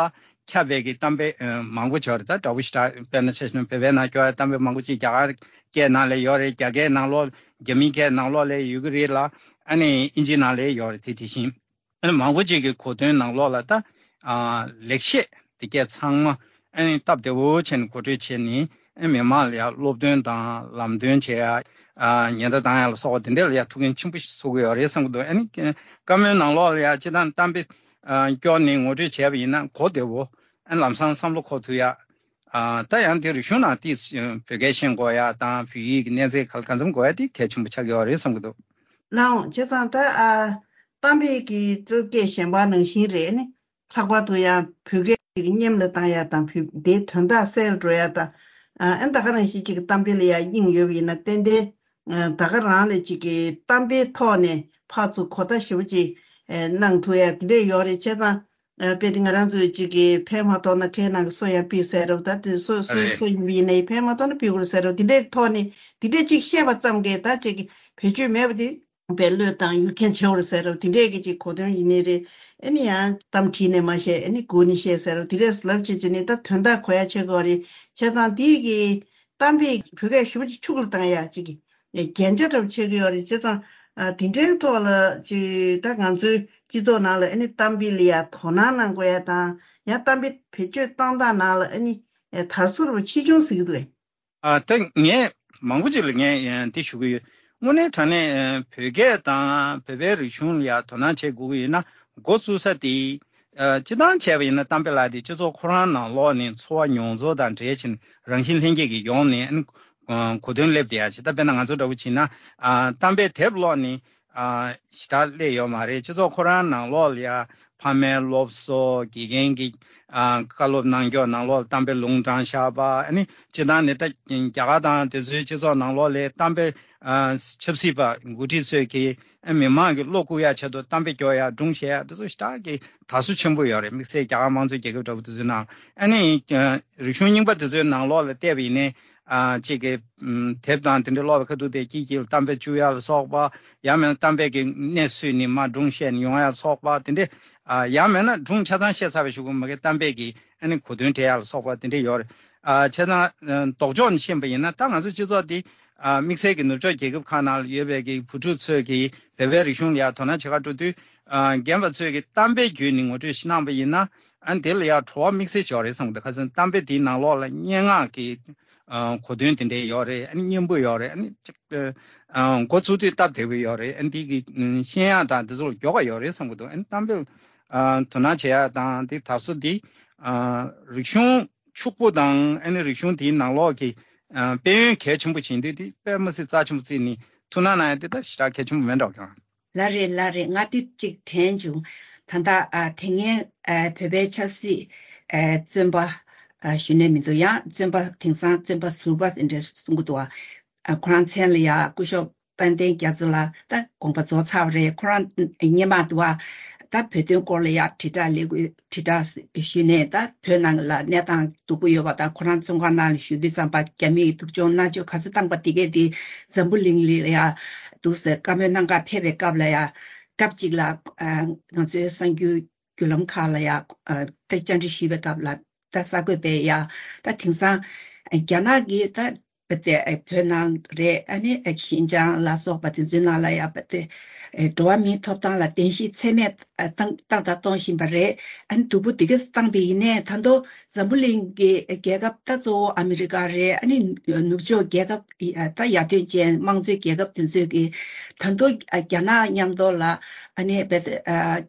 ཁྱབ་པའི་གི་གཏམ་དཔེ་ཨ་མང་པོ་ཅིག་ཡོད་རེད། ད་འདྲ་བོ་ཞིག་ད་དཔེར་ན་ཆ་བཞག་ན་བོད་པའི་ནང་སྐྱོ་བའི་གཏམ་དཔེ་མང་པོ་ཅིག་རྒྱ་གར་སྐད་ནང་ལ་ཡོད་རེད། རྒྱ་སྐད་ནང་ལོགས། རྒྱ་མིའི་སྐད་ནང་ལོགས་ལ་ཡོད་ཀྱི་རེད་ལ། ཨ་ནི་ཨིན་ཇིའི་ནང་ལ་ཡོད་རེད། དེ་དེ་བཞིན་ཨ་ནི་མང་པོ་ཅིག་གི་གོ་དོན་ནང་ལོགས་ལ་ད་ཨ་ལེགས་བཤད་དེ་གས་ཚང་མ་ཨ་ནི་སྟབས་བདེ་བོ་བྱས་ནས་གོ་སྒྲིག་བྱས་ནས། ཨ་མི་མང་ལ་ཡང་སློབ་སྟོན་དང་ལམ་སྟོན་བྱེད་ཡ། ཨ་ཉེན་བརྡ་བཏང་ཡ་ལ་སོགས་པ་དེ་འདྲ་ལ་ཡང་ཐུགས་འགན་ཆེན་པོ་ཞིག་གསོ་གི་ཡོད་རེད་བསམ་གི་འདུག་ཨ་ནི་བཀའ་མོལ་ནང་ལོགས་ལ་ཡང་སྤྱིར་བཏང་གཏམ་དཔེ་ཨ་སྐྱོར་ནས་ངོ་སྤྲོད་བྱས་པ་ཡིན་ན་གོ་བདེ་བོ། ཨ་ལམ་སང་བསམ་བློ་འཁོར་ཐུབ་ཡ། ཨ་ད་ཡང་དེ་རིག་གཞུང་ནང་ཏིས་བོད་སྐད་ཤེས་དགོས་ཡ་དང་བོད་ཡིག་གི་གནས་ཚད་ག་ལ་གང་འཚམ་དགོས་ཡ་དེ་གལ་ཆེན་པོ་ཆགས་ཀྱི་ཡོད་རེད་བསམ་གི་འདུག་ལགས་འོང་། བྱས་ཙང་ད་ཨ་གཏམ་དཔེ་གི་གཙོ་སྐད་གཞན་པ་ནང་བཞིན་རེད། ཨ་ནི་ལྷག་པར་དུ་ཡང་བོད་སྐད་ཅིག་སྙེམས་ལ་བཏང་ཡ་དང་བོད་དེའི་དོན་དག་གསལ་འགྲོ་ཡ་དང་། ཨ་ཨ་ད་ག་རང་བཞིན་ཅིག་གི་གཏམ་དཔེ་ལ་ཡ་དབྱིངས་ཡོད་པ་ཡིན་ན་ཏན་ཏན་ཨ་ད་ག་རང་ལ་ཅིག་གི་གཏམ་དཔེའི་ཐོག་ནས་ཕར་ཚུར་གོ་བརྡ་ཞེ་པོ་ཅིག་ཨ་གནང་ཐུབ་ཡ་དེ་འདྲས་ཡོད་རེད། བྱས་ཙང་ཨ་དཔེ་དེ་ང་རང་ཚོས་ཅིག་གི་ཕན་མ་ཐོགས་ན་ཁའི་ནང་གི་སོ་ཡ་ཕུད་ཟེར་རབས། ད་དེ་སོ་སོ་རེད། སོ་ཡིན་པ་ཡིན་ནའི་ཕན་མ་ཐོགས་ན་ཕུད་དགོས་རེད་ཟེར་རབས། དེ་འདྲས་ཐོག་ནས་དེ་འདྲས་ཅིག་བཤད་པ་ཙམ་གྱིས་ད་ཅིག་གི་བེད་སྤྱོད་མེད་པ་དེ། པའི་བློས་བཏང་ཡུལ་མཁན་བྱེད་འོར་ཟེར་རོ། དེ་འདྲས་ཀྱི་ཅིག་གོ་དོན་ཡིན་ནི་རེད། ཨ་ནི་ཡང་གཏམ་བྲིས་ནས་མ་བཤད། ཨ་ནི་སྒུག་ནས་བཤད་ཟེར་རོ། དེ་འདྲས་ལབ་བྱེད་ཅིག་ནི་ད་དོན་དག་གོ་ཡ་ཆེ་གི་ཡོད་རེད། བྱས་ཙང་དེའི་གི་གཏམ་དཔེ་བོད་སྐད་ཞུ་ཅིག་ཕྱུག་ལ་བཏང་ཡ་ཅིག་གི་རྒྱན་ཆ་འདྲ་པོ་ཆགས་ཀྱི་ཡོད་རེད། བྱས་ཙང་ཨ་དེ་འདྲའི་ཐོག་ལ་ཅིག་ད་ང་ཚོའི་སྤྱི་ཚོགས་ནང་ལ་ཨ་ནི་གཏམ་དཔེ་ལ་ཡ་དོ་སྣང་གནང་དགོས་ཡ་དང་། ཡང་གཏམ་དཔེ་བེད་སྤྱོད་གཏོང་སྟངས་ནང་ལ་ཨ་ནི་དར་སྲོལ་པོ་ཆེ་ཆུང་ཟེར་གི་འདུག་གས། ཨ་ད་ངས་མང་པོ་ཅིག་ལ་ངས་ཨ་འདི་ཞུ་གི་ཡོད། དངོས་གནས་དྲང་གནས་ཨ་བོད་སྐད་དང་བོད་པའི་རིག་གཞུང་ལ་ཡང་དོ་སྣང་བྱེད་དགོས་ཀྱི་ཡོད་ན། འགོ་བཙུགས་ས་དེ་ཨ་སྤྱིར་བཏང་བྱས་པ་ཡིན་ན་གཏམ་དཔེ་ལ་དེ་སྤྱི་ཚོགས་ཁོ་རང་ནང་ལོགས་ནས་འཚོ་བ་མྱོང་ཚོར་དང་འབྲེལ་ཕྱིན་རང་བཞིན་ལྷན་སྐྱེས་ཀྱི་ཡོང་ནས་ཨ་གོ་དོན་སླེབས་བསྡད་ཡ་ཅིག་ད་དཔེར་ན་ང་ཚོ་འདྲ་བོ་བྱས་ན་ཨ་གཏམ་དཔེ་དེབ་ཀློག་ནས། ཨ་ཞེ་དྲག་སླེབས་ཡོད་མ་རེད། སྤྱི་ཚོགས་ཁོ་རང་ནང་ལོགས་ལ་ཡ་ཕ་མའི་སློབ་གསོ། དགེ་རྒན་གྱི་ཨ་བཀའ་སློབ་གནང་ཕྱོགས། ནང་ལོགས་ལ་གཏམ་དཔེ་ལུང་དྲངས་བཞག་པ། ཨ་ནི་སྤྱིར་བཏང་ནི་ད་རྒྱ་གར་དང་དེ་ཚོའི་སྤྱི་ཚོགས་ནང་ལོགས་ལ་གཏམ་དཔེ་ཨ་ཆབ་སྲིད་པ་འགོ་ཁྲིད་ཚོས་ཀྱིས་ཨ་མི་མང་གི་བློ་བཀུག་ཡ་ཆེད་དུ་གཏམ་དཔེ་སྐྱོར་ཡ། སྒྲུང་བཤད་ཡ། དེ་ཚོ་ཞེ་དྲག་གི་དར་སོ་ཆེན་པོ་ཡོད་རེད། དམིགས་བསལ་རྒྱ་གར་དམངས་གཙོའི་རྒྱལ་ཁབ་འདྲ་པོ་དེ་ཚོའི་ནང་། ཨ་ནི་ཨ་རིག་གཞུང་རྙིང་པ་དེ་ཚོའི་ནང་ལོགས་ལ་བལྟས་པ་ཡིན་ནའི། ཨ་གཅིག་གི་ཨམ་དེབ་དང་དེ་འདྲ་ཀློག་པའི་ཁ་ཐུག་དེ་སྐྱིད་སྐྱིད་ལ་གཏམ་དཔེ་བཅུག་ཡ་ལ་སོགས་པ། ཡང་མིན་ན་གཏམ་དཔེ་གི་གནས་ཚུལ་ནི་མར་སྒྲུང་བཤད་ནས་ཡོང་ཡ་ལ་སོགས་པ་དེ་འདྲ། ཨ་ཡང་མིན་ན་སྒྲུང་ཆ་ཚང་བཤད་ཚར་བའི་གཞུག་གུ་མ་གི་གཏམ་དཔེ་གི་ཨ་ནི་གོ་དོན་འགྲེལ་ཡ་ལ་སོགས་པ་དེ་འདྲ་ཡོད་རེད། ཨ་བྱས་ཙང་ཨ་ལྡོག་ཕྱོགས་ནས་ཕྱིན་པ་ཡིན་ན། ད་ང་ཚོ་སྤྱི་ཚོགས་འདི་ཨ་དམིགས་བསལ་གྱི་ནུབ་ཕྱོགས་རྒྱལ་ཁབ་ཁག་ནང་ལ་ཡོད་པའི་གི་བུ་ཕྲུག་ཚོས་ཀྱིས་བོད་པའི་རིག་གཞུང་ལ་ཡ་དོ་སྣང་བྱེད་ག་འགྲོ་དུས། ཨ་རྒན་པ་ཚོས་ཀྱིས་གཏམ་དཔེ་བརྒྱུད་ནས་ངོ་སྤྲོད་ཞིག་གནང་པ་ཡིན་ན། ཨ་ནི་དེ་ལ་ཡ་བྲོ་བ་དམིགས་བསལ་ཅིག་ཡོད་རེད་བསམ་གི་འདུག་ཁ་སང་གཏམ་དཔེ་དེའི་ནང་ལོགས་ལ་སྙན་ངག་གི་ཨ་གོ་དོན་དེ་འདྲ་ཡོད་རེད། ཨ་ནི་སྙན་པོ་ཡོད་རེད། ཨ་ནི་ཅིག་ཨ་འགོ་ཚུགས་དུས་སྟབས་བདེ་པོ་ཡོད་རེད། ཨ་ནི་དེ་གི་ཨ་ཤེས་ཡག་དང་དེ་ཚོ་ལ་མགྱོགས་པ་ཡོད་རེད་བསམ་གི་འདུག་ཨ་ནི་གཏམ་དཔེ་ཨ་དོ་སྣང་བྱེད་ཡག་དང་དེ་དར་སྲོལ་འདི་ཨ་རིག་གཞུང་ཕྱུག་པོ་དང་། ཨ་ནི་རིག་གཞུང་དེའི་ནང་ལོགས་ཀྱི་ཨ་དཔལ་ཡོན་གལ་ཆེན་པོ་བྱེད་འདོད་དེ་དཔེ་མི་སྲིད་རྩ་ཆེན་པོ་བརྩིས་ནས་ཐུགས་སྣང་གནང་ཡ་དེ་ད་ཞེ་དྲག་གལ་ཆེན་པོ་མེད་འགྲོ་ཀྱང་། ལགས་རེད། ལགས་རེད། ང་དེབ་ཅིག་དྲན་བྱུང་། ད་ལྟ་ཨ་དེ་སྔའི་ཨ་བོད་པའི་ཆབ་སྲིད་ཨ་བཙོན་པ་ཨ་ཞུ་ནས་མི་འདུག་ཡང་བཙོན་པ་དེང་སང་བཙོན་པ་ཟུར་པ་དེ་འདྲ་གསུང་གི་འདུག་ཨ་ཁོ་རང་མཚན་ལ་ཡ་སྐུ་ཞབས་དཔལ་ལྡན་རྒྱ་མཚོ་ལགས། ད་དགོངས་པ་རྫོགས་ཚར་བ་རེད། ཁོ་རང་སྔོན་མ་དུ་བ་ད་བོད་དོན་སྐོར་ལ་ཡ་དྲིལ་བསྒྲགས་ལས་འགུལ་དྲིལ་བསྒྲགས་ཞུས་ནས། ད་བོད་ནང་ལ་གནས་སྟངས་སྡུག་པོ་ཡོད་པ་དང་། ཁོ་རང་བཙོན་ཁང་ནང་ལ་བཞུགས་དུས་ཙམ་པ་རྒྱ་མིས་སྡུག་སྦྱོང་མནར་གཅོད་ག་ཚོད་བཏང་པ་དེ་གས་དེ་འཛམ་བུ་གླིང་ལ་ཡ་འདུག་སེ་བཀའ་མོལ་གནང་གར་ཕེབས་པའི་སྐབས་ལ་ཡ། སྐབས་གཅིག་ལ་ཨ་ང་ཚོའི་གསར་འགྱུར་བརྒྱུད་ལམ་ཁག་ལ་ཡ་ཨ་ད་བཅར་འདྲི་ཞུས་པའི་སྐབས་ལ། ད་གསར་འགོད་པས་ཡ་ད་དེང་སང་རྒྱ་ནག་གིས་ད་བོད་དེ་བོད་ནང་རེད། ཨ་ནི་ཤིན་ཅང་ལ་སོགས་པ་དེ་ཚོའི་ནང་ལ་ཡ་བོད་དེ་འགྲོ་བ་མིའི་ཐོབ་ཐང་ལ་གདན་ཞུ་ཚད་མེད་བཏང་བཏང་དང་གཏོང་བཞིན་པ་རེད། ཨ་ནི་སྡུག་པོ་དེ་གས་བཏང་པ་ཡིན་ནའི། ད་དུང་འཛམ་བུ་གླིང་གི་རྒྱལ་ཁབ་ད་གཙོ་བོ་ཨ་མི་རི་ཀ་རེད། ཨ་ནི་ནུབ་ཕྱོགས་རྒྱལ་ཁབ་ད་ཡར་ཐོན་ཅན་དམངས་གཙོའི་རྒྱལ་ཁབ་དེ་ཚོས་ཀྱིས་ད་དུང་རྒྱ་ནག་མཉམ་དུ་ལ་ཨ་ནི་བོད་དེ་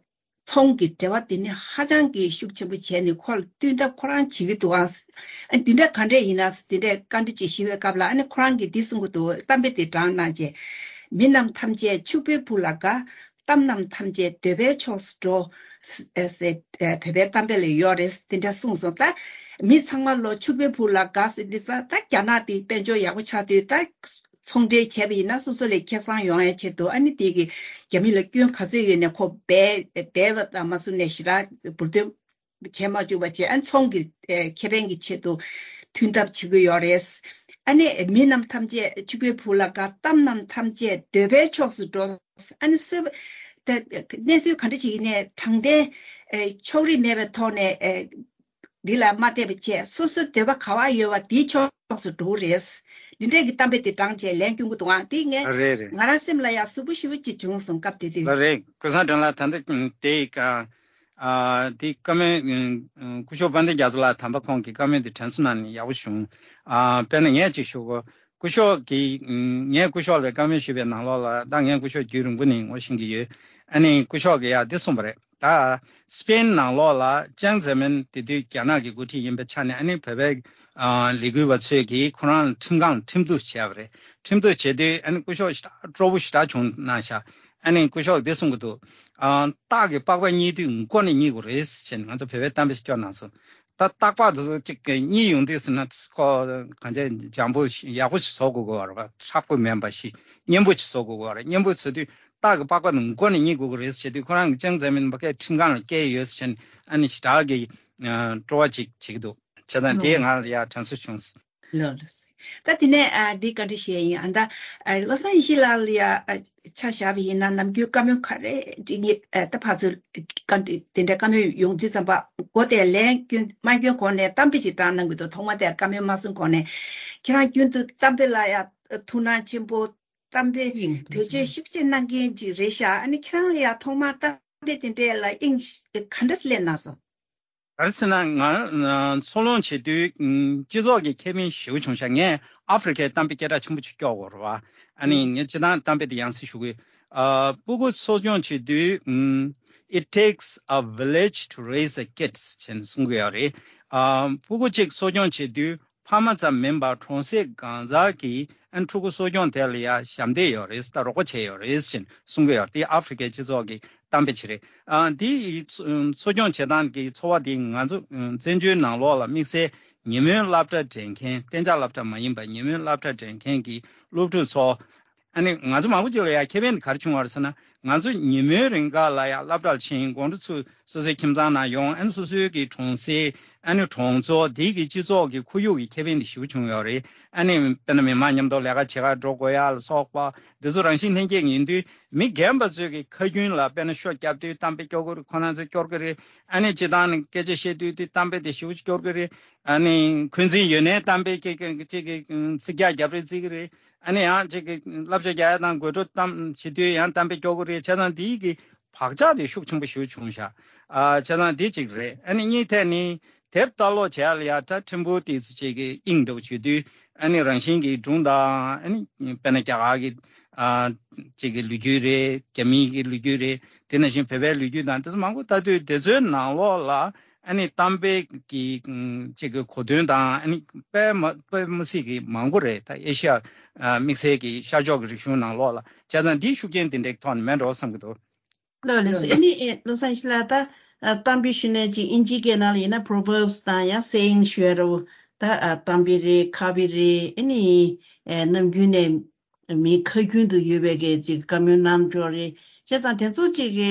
ཚོང་གི་འབྲེལ་བ་དེ་ནི་ཧ་ཅང་གི་ཤུགས་ཆེན་པོ་བྱས་ནས་ཁོ་ལ་བསྟུན་ཐབས་ཁོ་རང་བྱེད་ཀྱི་འདུག་ཨང་། ཨ་འདི་འདྲ་ག་འདྲས་ཡིན་ན་འདི་འདྲས་བཀའ་འདྲི་ཅིག་ཞུ་བའི་སྐབས་ལ། ཨ་ནི་ཁོ་རང་གིས་འདི་གསུང་གི་འདུག་གཏམ་དཔེ་དེ་དྲངས་གནང་རྗེས། མི་རྣམས་ཐམས་ཅད་ཕྱུག་པོའི་བུ་ལ་དགའ། གཏམ་རྣམས་ཐམས་ཅད་འདོད་པའི་ཕྱོགས་སུ་འགྲོ། ཨེ་ཟེར་ཨེ་བོད་པའི་གཏམ་དཔེ་ལ་ཡོད་རེད། འདི་འདྲ་གསུངས་སོང་། ད་མི་ཚང་མ་ལོ་ཕྱུག་པོའི་བུ་ལ་དགའ་ཟེར་འདི་ས། ད་རྒྱ་ནག་དེ་དཔལ་འབྱོར་ཡག་པོ་ཆགས་དུས་ད། ཚོང་འབྲེལ་བྱས་པ་ཡིན་ན་སོ་སོ་ལ་ཁེ་བཟང་ཡོང་ཡ་ཆེད་དུ། ཨ་ནི་དེ་གི་རྒྱ་མི་ལ་སྐྱོན་ག་ཚོད་ཡོད་ནས་ཁོ་སྦས་སྦས་པ་དང་མ་སུ་ནས་ཞེ་དྲག་འབུར་འདོན་བྱས་མ་བཅུག་པ་བྱས། ཨ་ནི་ཚོང་གི་ཨེ་ཁེ་ཕན་གྱི་ཆེད་དུ་མཐུན་ཐབས་བྱེད་ཀྱི་ཡོད་རེད། ཨ་ནི་མི་རྣམས་ཐམས་ཅད་ཕྱུག་པོའི་བུ་ལ་དགའ། གཏམ་རྣམས་ཐམས་ཅད་འདོད་པའི་ཕྱོགས་སུ་འགྲོ། ཨ་ནི་སོས་པ་ད་གནས་ཚུལ་ག་འདྲ་ཞིག་ཡིན་ནའི་དྲང་བདེན་ཨེ་ཕྱོགས་རིས་མེད་པའི་ཐོག་ནས་ཨེ། འདི་ལ་མ་བལྟས་པ་བྱས། སོ་སོའི་འདོད་པ་ག་བ་ཡོད་པ་དེའི་ཕྱོགས་སུ་འགྲོ་གི་རེད། འདི་འདྲས་ཀྱི་གཏམ་དཔེ་དེ་དྲངས་བྱས་ལན་སྐྱོན་གྱི་འདུག་ཨང་། དེ་ངས་རེད་རེད། ང་རང་སེམས་ལ་ཡང་ཟུག་པོ་ཞེ་པོ་ཅིག་བྱུང་སོང་། སྐབས་དེ་དུས། ལགས་རེད། ཀུན་བཟང་སྒྲོན་ལགས། ད་ལྟ་དེ་ཨ་དེ་བཀའ་མོལ་སྐུ་ཞབས་དཔལ་ལྡན་རྒྱ་མཚོ་ལགས་དམ་པ་ཁོང་གི་བཀའ་མོལ་དེ་དྲན་གསོ་གནང་ནས་ཡག་པོ་བྱུང་། ཨ་དཔེར་ན་ངས་ཅིག་ཞུ་གོ། སྐུ་ཞབས་ཀྱིས་ངས་སྐུ་ཞབས་ལ་བཀའ་མོལ་ཞུས་པའི་ནང་ལོགས་ལ། ད་ངས་སྐུ་ཞབས་རྒྱུན་རིང་པོ་ནས་ངོ་ཤེས་ཀྱི་ཡོད། ཨ་ནི་སྐུ་ཞབས་ཀྱིས་ཡང་འདི་གསུངས་པ་རེད། ད་སི་པེན་ནང་ལོགས་ལ་ཅང་ཛེ་མིན་དེ་དུས་རྒྱ་ནག་གི་འགོ་ཁྲིད་ཡིན་པའི་ཆ་ནས། ཨ་ནི་བོད་པའི་ཨ་ལས་འགུལ་བ་ཚོས་ཀྱིས་ཁོ་རང་ལ་ཁྲིམས་ཁང་ལ་ཁྲིམས་གཏུག་བྱས་པ་རེད། ཁྲིམས་གཏུག་བྱས་དུས་ཨ་ནི་སྐུ་ཞབས་ཞེ་དྲག་སྤྲོ་པོ་ཞེ་དྲག་བྱུང་གནང་ཤག་ཨ་ནི་སྐུ་ཞབས་འདི་གསུང་གི་འདུག་ཨ་སྟག་གི་པགས་པ་རྙེད་དུས་མགོ་ནས་རྙེད་དགོས་རེད་ཟེར་ནས། ང་ཚོ་བོད་པའི་གཏམ་དཔེ་སྐྱོར་གནང་སོང་། ད་སྟག་པགས་དེ་ཚོ་གཅིག་རྙེད་ཡོང་དུས་ཟེར་ན། ཁོ་གང་ཅི་འཇམ་པོ་ཞིག་ཡག་པོ་ཞིག་བཟོ་དགོས་ཀྱི་ཡོད་རེད་པ། ཧྲག་པོ་མིན་པ་ཞིག་སྙན་པོ་ཞིག་བཟོ་དགོས་ཀྱི་ཡོད་རེད། སྙན་པོ་བཟོ་དུས་སྟག་གི་པགས་པ་ནི་མགོ་ནས་རྙེད་དགོས་ཀྱི་རེད་ཟེར་དུས། ཁོ་རང་གིས་ཅང་ཙེ་མིན་ཕ་གིར་ཁྲིམས་ཁང་ལ་བསྐྱལ་ཡོད་ཟེར་ནས། ཨ་ནི་ཞེ་དྲག་གི་སྤྲོ་བ་ཅིག་བྱེད་ཀྱི་འདུག་བྱས་ཙང་དེ་ང་ལ་ཡང་དྲན་གསོ་བྱུང་སོང་། ལགས་ལགས་སོ། ད་དེ་ནས་ཨ་འདི་བཀའ་འདྲི་ཞུ་ཡ་ཡིན། ཨ་ད་ཨ་བློ་བཟང་ཡེ་ཤེས་ལགས་ལ་ཡ་ཨ་ཆ་བཞག་པ་ཡིན་ན། ནམ་རྒྱུན་བཀའ་མོལ་ག་རེ་འདྲི་ངེས་ཨ་ད་ཕར་ཚུར་བཀའ་འདྲི་དེ་འདྲ་བཀའ་མོལ་ཡོང་དུས་ཙམ་པ། མགོ་དེ་ལན་སྐྱོན་མ་སྐྱོན་གོང་ནས་གཏམ་དཔེ་ཅིག་དྲངས་གནང་གི་འདུག་ཐོག་མ་དེར་བཀའ་མོལ་མ་གསུང་གོང་ནས། ཁྱེད་རང་རྒྱུན་དུ་གཏམ་དཔེ་ལ་ཡ་ཐུགས་སྣང་ཆེན་པོ། གཏམ་དཔེ་ཡིན། བེད་སྤྱོད་ཤུགས་ཆེ་གནང་མཁན་ཅིག་རེད་ཤག་ཨ་ནི་ཁྱེད་རང་ལ་ཡ་ཐོག་མར་གཏམ་དཔེ་དེ་འདྲས་ལ་དབྱིངས་ག་འདྲ་སླེབས་གནང་སོང་། ག་རེ་ཟེར་ན། ང་ཚོགས་ལངས་བྱེད་དུས་སྤྱི་ཚོགས་ཀྱི་ཁེ་ཕན་ཞེ་པོ་བྱུང་ཤག་ངས་ཨ་ཧྥེ་རི་ཁའི་གཏམ་དཔེ་སྐད་གྲགས་ཆེན་པོ་ཅིག་སྐྱོར་དགོས་རེད་པ། ཨ་ནི་ངས་སྤྱིར་བཏང་གཏམ་དཔེ་དེ་ཡང་སེ་ཞུ་གི། ཨ་སྤུ་གུ་གསོ་སྐྱོང་བྱེད་དུས། ཨམ། It takes a village to raise a kid ཟེར་ནས་གསུང་གི་ཡོད་རེད། ཨ་སྤུ་གུ་གཅིག་གསོ་སྐྱོང་བྱེད་དུས་ ཕ་མ་ཙམ་མིན་པར་གྲོང་གསེབ་གང་ཟག་གི་ཨ་ཕྲུ་གུ་གསོ་སྐྱོང་དེ་ལ་ཡང་ཞབས་འདེགས་ཡོད་རེད། ད་རོགས་པ་བྱས་ཡོད་རེད་ཅེས་གསུང་གི་ཡོད་རེད། དེ་ཨ་ཧྥེ་རི་ཁའི་སྤྱི་ཚོགས་ཀྱི་གཏམ་དཔེ་ཅིག་རེད། ཨ་འདི་གསོ་སྐྱོང་བྱེད་སྟངས་ཀྱི་འཚོ་བ་འདི་ང་ཚོ་བཙན་བྱོལ་ནང་ལོགས་ལ་དམིགས་བསལ་ཉིན་མོའི་སློབ་གྲྭ་འགྲིམ་མཁན། གཏན་འཇགས་སློབ་གྲྭ་མ་ཡིན་པ་ཉིན་མོའི་སློབ་གྲྭ་འགྲིམ་མཁན་གྱི་སློབ་ཕྲུག་ཚོ། ཨ་ནི་ང་ཚོ་མང་པོ་ཅིག་ལ་ཡང་ཁེ་ཕན་དེ་ག་རེ་བྱུང་བ་རེད་ཟེར་ན། ང་ཚོ་ཉིན་མོའི་རིང་ག་ལ་ཡང་སློབ་གྲྭར་ཕྱིན། དགོང་དྲོ་ཚུར་སོ་སོའི་ཁྱིམ་ཚང་ནང་ཡོང་། ཨ་ནི་སོ་སོའི་གི་གྲོང་གསེབ། ཨ་ནི་གྲོང་ཚོ་དེའི་གི་སྤྱི་ཚོགས་ཀྱི་ཁོར་ཡུག་གི་ཁེ་ཕན་དེ་ཞེ་པོ་བྱུང་ཡོད་རེད། ཨ་ནི་དཔེར་ན་མི་མང་མཉམ་དུ་ལས་ཀ་བྱེད་གར་འགྲོ་དགོས་ཡ་ལ་སོགས་པ་འདི་ཚོ་རང་བཞིན་ལྷན་སྐྱེས་ཡིན་དུས། མི་རྒན་པ་ཚོས་ཀྱི་ཁ་རྒྱུན་ལ་དཔེར་ན་ཤོ་བརྒྱབ་དུས་གཏམ་དཔེ་སྐྱོར་གི་རེད། ཁོ་རང་ཚོས་སྐྱོར་གི་རེད། ཨ་ནི་སྤྱིར་བཏང་ནས་སྐད་ཆ་བཤད་དུས་དེ་གཏམ་དཔེ་དེ་ཞེ་པོ་ཅིག་སྐྱོར་གི་རེད། ཨ་ནི་འཁོན་འཛིན་ཡོད་ནའི་གཏམ་དཔེ་ཅིག་གི་ཅིག་གི་ཚིག་རྒྱག་རྒྱབ་རེས་བརྩི་གི་རེད། ཨ་ནི་ཡང་ཅིག་གི་བསླབ་བྱ་རྒྱག་ཡ་དང་དགོད་བྲོ་གཏམ་བྱེད་དུས་ཡང་གཏམ་དཔེ་སྐྱོར་གི་རེད། བྱས་ཙང་དེའི་གི་བག་ཆགས་དེ་ཤུགས་ཆེན་པོ་ཞེ་པོ་བྱུང་ཤག་ཨ་བྱས་ཙང་དེ་གཅིག་རེད། ཨ་ནི་གཉིས་ཐད་ནི། དེབ་ལྟ་ཀློག་བྱེད་ཡ་ལ་ཡ་ད་ཕྲན་བུ་ཏོག་ཙམ་ཅིག་གི་དབྱིངས་འདྲ་བོ་བྱེད་དུས། ཨ་ནི་རང་བཞིན་གྱི་སྒྲུང་དང་། ཨ་ནི་དཔེར་ན་རྒྱ་གར་གྱི་ཨ་ཅིག་གི་ལོ་རྒྱུས་རེད། རྒྱ་མིའི་གི་ལོ་རྒྱུས་རེད། དེ་ནང་བཞིན་བོད་པའི་ལོ་རྒྱུས་དང་དེ་ཚོ་མང་པོ་ལྟ་དུས་དེ་ཚོའི་ནང་ལོགས་ལ་ཨ་ནི་གཏམ་དཔེ་གི་ཨ་ཅིག་གི་གོ་དོན་དང་། ཨ་ནི་དཔེ་མ་དཔེ་མི་སྲིད་ཀྱི་མང་པོ་རེད། ད་ཨེ་ཤི་ཡ་ཨ་དམིགས་བསལ་གྱི་ཤར་ཕྱོགས་ཀྱི་རིག་གཞུང་ནང་ལོགས་ལ། བྱས་ཙང་འདིའི་ཤུགས་རྐྱེན་དེ་འདྲའི་ཐོག་ནས་མེད་འགྲོ་བསམ་གྱི་འདུག་ལགས་ལགས་སོ། ཨ་ནི་ཨེ་བློ་བཟང་ཞི་ལགས། ད་ཨ་གཏམ་དཔེ་ཞུས་ནས་ཅིག་ཨིན་ཇིའི་སྐད་ནང་ལ་ཡིན་ན་Proverbs དང་ཡང་Saying ཞུ་ཡ་ར་བོ། ད་ཨ་གཏམ་དཔེ་རེད། ཁ་དཔེ་རེད། ཨ་ནི་ཨེ་ནམ་རྒྱུན་ནས་མིའི་ཁ་རྒྱུན་དུ་ཡོད་པའི་གི་ཅིག་བཀའ་མོལ་གནང་འཇོག་རེད། བྱས་ཙང་དེ་ཚོ་ཅིག་གི་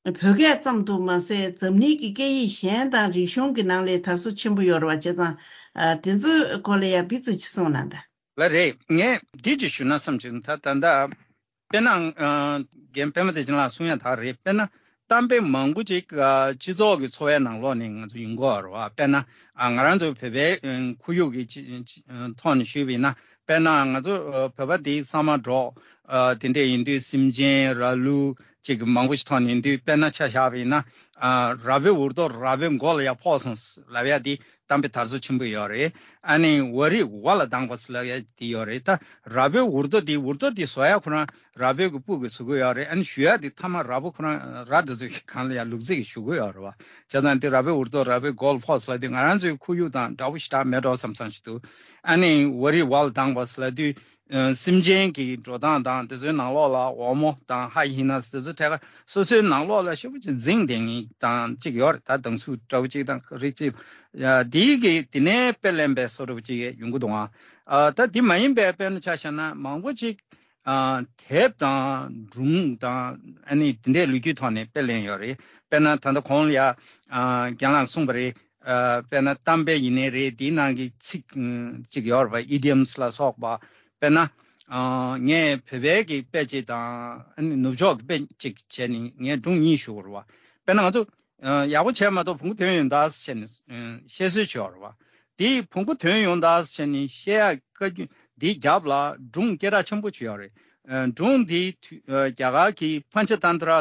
བོད་སྐད་ཙམ་དུ་མ་ཟད་འཛམ་གླིང་གི་སྐད་ཡིག་གཞན་དང་རིག་གཞུང་གི་ནང་ལ་དར་སྲོལ་ཆེན་པོ་ཡོད་རེད་བ། བྱས་ཙང་ཨ་དེ་ཚོའི་སྐོར་ལ་ཡང་ཕར་ཚུར་ཅིག་གསུངས་གནང་དང་། ལགས་རེད། ངས་འདི་ཅིག་ཞུ་ན་བསམ་བྱུང་། ད་ད་ལྟ་དཔེར་ན་ཨ་རྒན་པད་མ་བདེ་ཆེན་ལགས་གསུང་ཡ་དག་རེད། དཔེར་ན་གཏམ་དཔེ་མང་པོ་ཅིག་ཨ་སྤྱི་ཚོགས་ཀྱི་འཚོ་བའི་ནང་ལོགས་ནས་ང་ཚོ་ཡོང་གི་ཡོད་རེད་བ། དཔེར་ན་ཨ་ང་རང་ཚོ་བོད་པའི་ཨ་ཁོར་ཡུག་གི་ཅི་ཅི་ཨ་ཐོག་ནས་ཞུས་པ་ཡིན་ན། དཔེར་ན་ང་ཚོ་ཨ་བོད་པ་དེ་ས་མ་འབྲོག་ཨ་དེ་འདྲ་ཡིན་དུས་སེམས་ཅན་ར་ལུག་ཅིག་མང་པོ་ཞིག་ཐོག་ནས་ཡིན་དུས། དཔེར་ན་ཆ་བཞག་པ་ཡིན་ན་ཨ་ར་བོའི་འུར་རྡོ་ར་བོའི་མགོ་ལ་ཡར་ཕོག་སོང་ལབ་ཡ་དེ་གཏམ་དཔེ་དར་སྲོལ་ཆེན་པོ་ཡོད་རེད། ཨ་ནི་ཝ་རི་ཝ་ལ་ལྡང་བ་ཟེར་ལབ་ཡ་དེ་ཡོད་རེད། ད་ར་བོའི་འུར་རྡོ་དེ། འུར་རྡོ་དེ་བཟོ་ཡ་ཁོ་རང་ར་བོའི་གི་སྤུ་གིས་བཟོ་གི་ཡོད་རེད། ཨ་ནི་གཞུ་ཡ་དེ་མཐའ་མ་ར་བོ་ཁོ་རང་ར་དེ་ཚོའི་གི་སྒང་ལ་ཡར་ལུག་རྫི་གིས་གཞུ་གི་ཡོད་རེད་བ། བྱས་ཙང་དེ་ར་བོའི་འུར་རྡོ་ར་བོའི་མགོ་ལ་ཕོག་ཟེར་ལབ་དེ་ང་རང་ཚོའི་ཁོར་ཡུག་དང་འདྲ་བོ་ཞེ་དྲག་མེད་འགྲོ་བསམ་བསམ་ཞིག་འདུག་ཨ་ནི་ཝ་རི་ཝ་ལ་ལྡང་བ་ཟེར་ལབ་དུས། ཨ་སེམས་ཅན་གྱི་འགྲོ་སྟངས་དང་དེ་ཚོའི་ནང་ལོགས་ལ་འོལ་མོ་དང་ཧ་ཡི་ན་དེ་ཚོ་ཐད་ཀར་སོ་སོའི་ནང་ལོགས་ལ་ཞེ་པོ་ཅིག་འཛིང་བསྡད་མཁན་དང་ཅིག་ཡོད་རེད། ད་སྡང་ཟུག་འདྲ་བོ་ཅིག་དང་རིགས་ཅིག་ཡ་དེའི་གི་དེ་ནས་དཔེ་ལེན་པའི་བཟོ་འདྲ་བོ་ཅིག་ཡོང་གི་འདུག་ཨ་ད་དེ་མ་ཡིན་པའི་དཔེར་ན་ཆ་བཞག་ན་མང་པོ་ཅིག་ཨ་དེབ་དང་སྒྲུང་དང་ཨ་ནི་དེ་འདྲའི་ལོ་རྒྱུས་ཐོག་ནས་དཔེ་ལེན་ཡོད་རེད། དཔེར་ན་ད་ལྟ་གོང་ལ་ཡ་ཨ་རྒན་ལགས་གསུངས་པ་རེད། ཨ་དཔེར་ན་གཏམ་དཔེ་ཡིན་ནའི་རེད། དེའི་ནང་གི་ཚིག་ཨ་ཅིག་ཡོད་རེད་པ། ཨི་ཌི་ཡམ་སི་ལ་སོགས་པ། དཔེར་ན་ཨ་ངས་བོད་པའི་གི་དཔེ་ཅིག་དང་ཨ་ནི་ནུབ་ཕྱོགས་ཀྱི་དཔེ་ཅིག་བྱས་ནས་ངས་སྒྲུང་གཉིས་ཞུ་དགོས་རེད་པ། དཔེར་ན་ང་ཚོ་ཨ་ཡག་པོ་བྱས་མ་གཏོགས་བོང་གུ་ཐོན་ཡོང་ད་ཟེར་བྱས་ནས་ཨ་བཤད་སྲོལ་ཅིག་ཡོད་རེད་པ། དེ་བོང་གུ་ཐོན་ཡོང་ད་ཟེར་བྱས་ནས་བཤད་ཡ་བཀའ་བཀྱོན་འདིའི་རྒྱབ་ལ་སྒྲུང་སྐད་གྲགས་ཆེན་པོ་ཅིག་ཡོད་རེད། ཨ་སྒྲུང་འདི་དུས་ཨ་རྒྱ་གར་གྱི་པན་ཆ་ཏན་ཏྲ་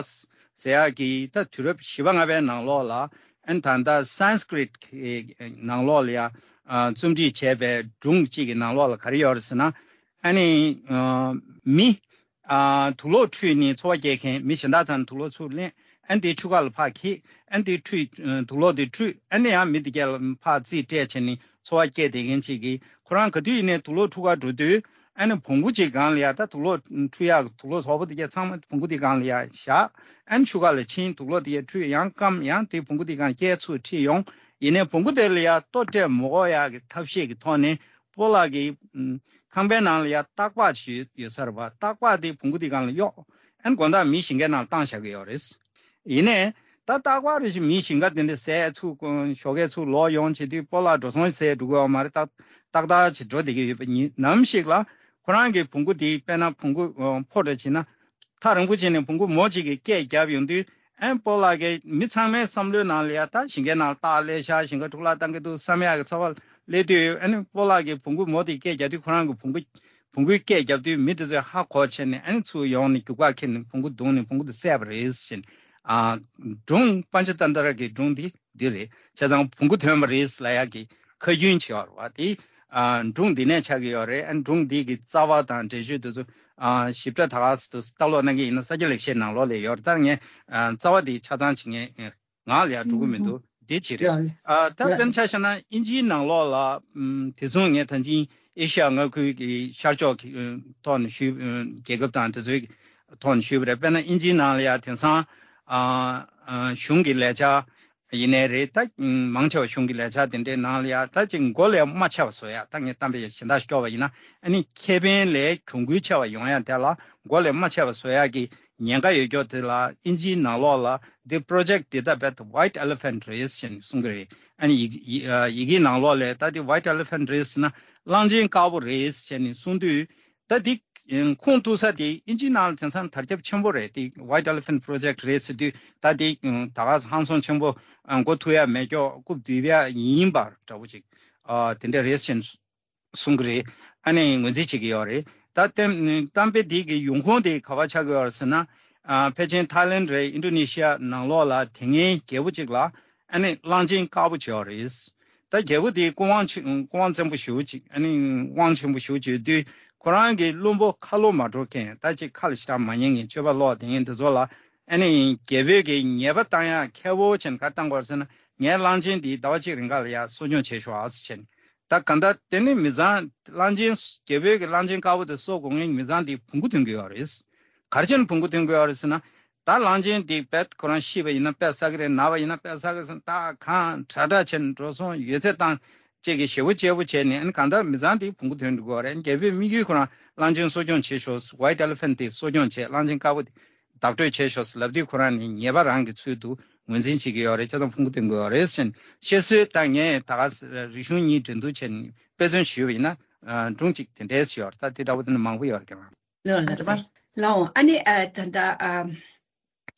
ཟེར་ཡག་གི་ད་དུས་རབས་བཞི་པ་ལྔ་པའི་ནང་ལོགས་ལ། ཨ་ནི་ད་ལྟ་སན་སྐྲིད་ཀྱི་ནང་ལོགས་ལ་ཡ་ཨ་རྩོམ་སྒྲིག་བྱས་པའི་སྒྲུང་གཅིག་གི་ནང་ལོགས་ལ་ག་རེ་ཡོད་རེད་ཟེར་ན། ཨ་ནི་ཨ་མི་ཨ་དུག་ལོག་འཁྲུད་ནས་འཚོ་བ་སྐྱེལ་མཁན། མི་གཞན་དག་ཚང་ནས་དུག་ལོག་ཚུར་ལེན། ཨ་ནི་དེ་ཆུ་ཁ་ལ་ཕར་འཁྱེར། ཨ་ནི་དེ་འཁྲུད། ཨ་དུག་ལོག་དེ་འཁྲུད། ཨ་ནི་ཡང་མི་དེ་གས་ལ་ཕར་རྩིས་སྤྲད་བྱས་ནས་འཚོ་བ་སྐྱེལ་བསྡད་མཁན་ཅིག་གིས། ཁོ་རང་ག་དུས་ཡིན་ནའི་དུག་ལོག་འཁྲུད་གར་འགྲོ་དུས། ཨ་ནི་བོང་གུ་ཅིག་སྒང་ལ་ཡ། ད་དུག་ལོག་འཁྲུད་ཡག་དུག་ལོག་དོག་པོ་དེ་གས་ཚང་མ་བོང་གུ་དེ་སྒང་ལ་ཡ་བཞག་ཨ་ནི་ཆུ་ཁ་ལ་ཕྱིན། དུག་ལོག་དེ་གས་འཁྲུད། ཡང་སྐམ། ཡང་དེ་བོང་གུ་དེ་སྒང་སྐྱེལ་ཚུར་ཁྲིད་ཡོང་། ཡིན་ནའི་བོང་གུ་དེ་ལ་ཡ་ལྟོ་སྤྲད་མི་དགོས་ཡག་གི་ཐབས་ཤེས་ཀྱི་ཐོག་ནས་སྤོ་ལགས་ཀྱི་ཨམ་ཁང་པའི་ནང་ལ་ཡ་སྟག་ལྤགས་ཅིག་ཡོད་ས་རེད་པ། སྟག་ལྤགས་དེ་བོང་གུ་དེ་སྒང་ལ་གཡོགས། ཨ་ནི་དགོང་དག་མི་ཞིང་ཁའི་ནང་ལ་བཏང་བཞག་གི་ཡོད་རེད། ཡིན་ནའི་ད་སྟག་ལྤགས་རེ་ཞིག་མིའི་ཞིང་ཁ་དེ་འདྲ་ཟས་ཚུར་ཞོགས་ཀས་ཚུར་ལོག་ཡོང་བྱེད་དུས་སྤོ་ལགས་འགྲོ་སོང་ཟས་འགྲོ་གི་ཡོད་མ་རེད། ཏག་ཏག་ཏག་ཅིག་འགྲོ་བསྡད་ཀྱི་ཡོད་པ་ཡིན་ནམ་ཞིག་ལ། ཁོ་རང་གི་བོང་གུ་དེ་དཔེར་ན་བོང་གུ་ཨ་ཕོ་འདྲ་བྱས་ན། ཐག་རིང་པོ་བྱས་ནས་བོང་གུ་མོ་གཅིག་གིས་སྐད་བརྒྱབ་ཡོང་དུས། ཨ་ནི་སྤོ་ལགས་ཀྱིས་མི་ཚང་མའི་བསམ་བློའི་ནང་ལ་ཡ། ད་ཞིང་ཁའི་ནང་ལ་སྟག་སླེབས་ཤག་ཞིང་ཁར་འཕྲུག་ལག་བཏང་གི་འདུག་བསམ་ཡག་གི་ཚོར་བ་སླེབས་དུས། ཨ་ནི་སྤོ་ལགས་ཀྱིས་བོང་གུ་མོ་དེ་སྐད་རྒྱག་དུས། ཁོ་རང་གི་བོང་གུ་བོང་གུའི་སྐད་རྒྱབ་དུས་མི་དེ་ཚོས་ཧ་གོ་བྱས་ནས། ཨ་ནི་ཚུར་ཡོང་ནས་རྒྱུག་པ་ཁྱེར་ནས་བོང་གུ་བརྡུངས་ནས་བོང་གུ་དེ་བསད་པ་རེད་ཟེར་ནས། ཨ་སྒྲུང་པན་ཆ་ཏན་ཏྲ་གི་སྒྲུང་འདི་འདི་རེད། བྱས་ཙང་བོང་གུ་ཐོན་པ་རེད་ལབ་ཡག་གི་ཁ་རྒྱུན་ཅིག་ཡོད་རེད་བ། དེ་ཨ་སྒྲུང་འདི་ནས་ཆགས་ཀྱི་ཡོད་རེད། ཨ་སྒྲུང་འདི་གི་རྩ་བ་དང་འགྲེལ་བརྗོད་དེ་ཚོ་ཨ་ཞིབ་ཕྲ་ད་ག་སེ་ལྟ་ཀློག་གནང་གི་ཡིན་ན། ས་སྐྱ་ལེགས་བཤད་ནང་ལོགས་ལ་ཡོད་རེད། ད་ངས་ཨ་རྩ་བ་འདི་ཆ་ཚང་ཅིག་ངས་ངག་ལ་ཡར་འགྲོ་གི་མི་འདུག་དེ་གཅིག་རེད། ཡང་ཨ་ད་ཡང་དཔེར་ན་ཆ་བཞག་ན་དབྱིན་ཇིའི་ནང་ལོགས་ལ་ཨམ་དེ་མཚུངས་ངས་ད་གིན་ཨེ་ཤ་ཡ་མངའ་ཁུལ་གྱི་ཤར་ཕྱོགས་ཀྱི་ཨམ་ཐོག་ནས་ཞུས་ཨམ་རྒྱལ་ཁབ་དང་དེ་ཚོའི་ཐོག་ནས་ཞུས་པ་རེད། དཔེར་ན་དབྱིན་ཇིའི་ནང་ལ་ཡང་དེང་སང་ཨ་ཨ་གཞུང་གི་ལས་འཆར་ཡིན་ནའི་རེད། ད་མང་ཆེ་བ་གཞུང་གི་ལས་འཆར་དེ་འདྲའི་ནང་ལ་ཡང་ད་ཅིག་མགོ་ལས་མ་ཆེ་བ་བཟོ་ཡ། ད་ངས་གཏམ་དཔེ་གཞན་དག་སྐྱོར་བ་ཡིན་ན་ཨ་ནི་ཁེ་ཕན་ལས་གྱོང་གུན་ཆེ་བ་ཡོང་ཡ་དེ་ལ་མགོ་ལས་མ་ཆེ་བ་བཟོ་ཡ་གི་ཉེན་ཁ་ཡོད་ཀྱོག་དེ་ལ་དབྱིན་ཇིའི་ནང་ལོགས་ལ་འདི་project འདི་ད་བེད་white elephant རེད་ཟེར་ནས་གསུང་གི་རེད། ཨ་ནི་ཡི་ཡི་ཡི་གེའི་ནང་ལོགས་ལ་ད་འདི་white elephant རེད་ཟེར་ན་གླང་ཆེན་དཀར་པོ་རེད་ཟེར་ནས་གསུང་དུས། ད་འདི་ཁུངས་གཏུགས་ས་དེ་དབྱིན་ཇིའི་ནང་ལ་དེང་སང་དར་ཁྱབ་ཆེན་པོ་རེད། དེ་white elephant project རེད་ཟེར་དུས་ད་དེ་ད་ག་ཧང་སང་ཆེན་པོ་མགོ་ཐུག་ཡ་མེད་ཀྱོག་རྐུབ་རྡིབ་ཡ་ཡིན་པ་འདྲ་པོ་ཅིག་དེ་འདྲ་རེད་ཟེར་ནས་གསུང་གི་རེད། ཨ་ནི་ངོས་འཛིན་བྱེད་ཀྱི་ཡོད་རེད། ད་གཏམ་གཏམ་དཔེ་འདི་གི་ཡོང་ཁུངས་དེ་ག་པར་ཆགས་ཀྱི་ཡོད་རེད་ཟེར་ན། ཨ་ཕལ་ཆེར་ཐའི་ལེན་རེད། ཨིན་ཌོ་ནེ་ཤི་ཡ་ནང་ལོགས་ལ་དེ་སྔའི་རྒྱལ་པོ་གཅིག་ལ་ཨ་ནི་གླང་ཆེན་དཀར་པོ་བྱས་ཡོད་རེད། ད་རྒྱལ་པོ་དེ་སྐུ་དབང་ཆེ་སྐུ་དབང་བཙན་པོ་ཞེ་པོ་ཅིག་ཨ་ནི་དབང་ཆེན་པོ་ཞེ་པོ་ཅིག་ཡོད་དུས་ཁོ་རང་གི་བློན་པོ་ཁ་ལོ་མ་འགྲོ་མཁན། ད་ཅིག་ཁ་ལ་ཞེ་དྲག་མ་ཉན་མཁན་སྤྱོད་པ་ལོག་དེ་ངན་དེ་ཚོ་ལ་ཨ་ནི་རྒྱལ་པོས་ཀྱི་ཉེས་པ་བཏང་ཡ་ཁེ་པོ་བྱས་ནས་ག་བཏང་དགོས་ཟེར་ན། ངའི་གླང་ཆེན་འདི་ཟླ་བ་གཅིག་རིང་ག་ལ་ཡ་གསོ་སྐྱོང་བྱེད་ཤོག་ཨ་ཟེར་བྱས་ནས། ད་གང་ལྟར་དེ་ནི་མི་ཚང་གླང་ཆེན་རྒྱལ་པོའི་གི་གླང་ཆེན་དཀར་པོ་དེ་གསོ་དགོས་མཁན་མི་ཚང་དེ་བོང་གུ་ཐོན་གི་ཡོད་རེད། ག་རེ་བྱས་ནས་བོང་གུ་ཐོན་གི་ཡོད་རེད་ཟེར་ན། ད་གླང་ཆེན་དེ་བེད་ཁོ་རང་ཤི་བ་ཡིན་ན་བེད་ས་གི་རེད། ན་བ་ཡིན་ན་བེད་ས་གི་རེད་ཟེར་ད་གང་དྲག་དྲག་བྱས་ནས་འགྲོ་སོང་ཡོད་ཚད་བཏང་བཅས་ཀྱི་ཞེ་པོ་ཅེ་པོ་བྱས་ནས་ཨ་ནི་གང་ལྟར་མི་ཚང་དེ་བོང་གུ་ཐོན་འགྲོ་གི་ཡོད་རེད། རྒྱལ་པོའི་དམིགས་ཡུལ་ཁོ་རང་གླང་ཆེན་གསོ་སྐྱོང་བྱེད་ཤོག white elephant དེ་གསོ་སྐྱོང་བྱེད། གླང་ཆེན་དཀར་པོ་དེ་བདག་སྤྲོད་བྱས་ཤོག་ལབ་དུས་ཁོ་རང་ནི་ཉེས་པ་རང་གི་ཚུལ་དུ་ངོས་འཛིན་བྱེད་ཀྱི་ཡོད་རེད། བྱས་ཙང་ཕུང་པོ་སྟོན་དགོས་ཡོད་རེད་ཟེར་ནས་བཤད་སྲོལ། ད་ངས་ད་ག་རིག་གཞུང་གཉིས་འགྲན་བསྡུར་བྱས་ནས་དཔེ་མཚོན་ཞུས་པ་ཡིན་ན་སྒྲུང་གཅིག་དེ་འདྲས་ཡོད་རེད། ད་དེ་འདྲ་བོ་དེ་ནི་མང་པོ་ཡོད་རེད་ཀྱང་། ལགས་ལགས་སོ། ལགས་འོང་། ཨ་ནི་ཨ་ད་ལྟ་ཨ་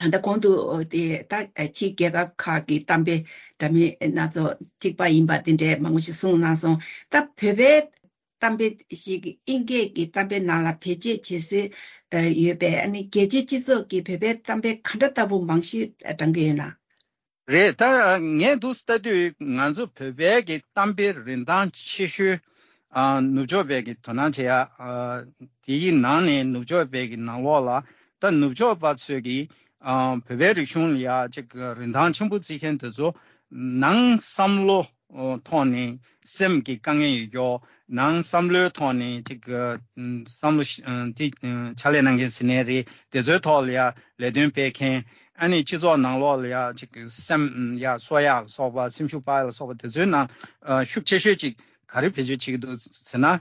ད་ལྟ་གོང་དུ་དེ་ད་ཕྱི་རྒྱལ་ཁབ་ཁག་གི་གཏམ་དཔེ་འདྲ་མིན་སྣ་ཚོགས་གཅིག་པ་ཡིན་པ་དེ་འདྲས་མང་པོ་ཞིག་གསུངས་གནང་སོང་། ད་བོད་པའི་གཏམ་དཔེ་ཞིག་དབྱིན་སྐད་ཀྱི་གཏམ་དཔེ་ནང་ལ་བེད་སྤྱོད་བྱེད་སྲོལ་ཡོད་པས། ཨ་ནི་རྒྱལ་སྤྱིའི་སྤྱི་ཚོགས་ཀྱིས་བོད་པའི་གཏམ་དཔེ་ག་འདྲ་ལྟ་བུ་མང་ཤོས་བགྲང་གི་ཡོད་ན། རེད། ད་ངས་འདུག་ལྟ་དུས་ང་ཚོ་བོད་པའི་གི་གཏམ་དཔེ་རིན་ཐང་ཆེ་ཤོས་ཨ་ནུབ་ཕྱོགས་པའི་གི་དོ་སྣང་བྱེད་ཡ། ཨ་དེའི་ནང་ནས་ནུབ་ཕྱོགས་པའི་གི་ནང་ལོགས་ལ་ད་ནུབ་ཕྱོགས་པ་ཚོས་གི་ཨ་བོད་པའི་རིག་གཞུང་ལ་ཡ་ཅིག་རིན་ཐང་ཆེན་པོ་བརྩི་མཁན་དེ་ཚོ་ནང་བསམ་བློ་ཐོག་ནས་སེམས་ཀྱི་དཀའ་ངལ་ཡོད་ཀྱོག་ནང་བསམ་བློའི་ཐོག་ནས་ཅིག་ཨ་བསམ་བློ་ཨ་དེ་ཨ་ཕྱག་ལས་གནང་མཁན་ཟེར་ནའི་རེད། དེ་ཚོའི་ཐོག་ལ་ཡ་ལས་དོན་སྤེལ་མཁན། ཨ་ནི་སྤྱི་ཚོགས་ནང་ལོགས་ལ་ཡ་ཅིག་སེམས་ཡ་གསོ་ཡག་ལ་སོགས་པ། སེམས་ཤུགས་སྤར་ཡག་ལ་སོགས་པ་དེ་ཚོའི་ནང་ཨ་ཤུགས་ཆེ་ཤོས་ཅིག་ག་རེ་བེད་སྤྱོད་བྱེད་ཀྱི་འདུག་ཟེར་ན།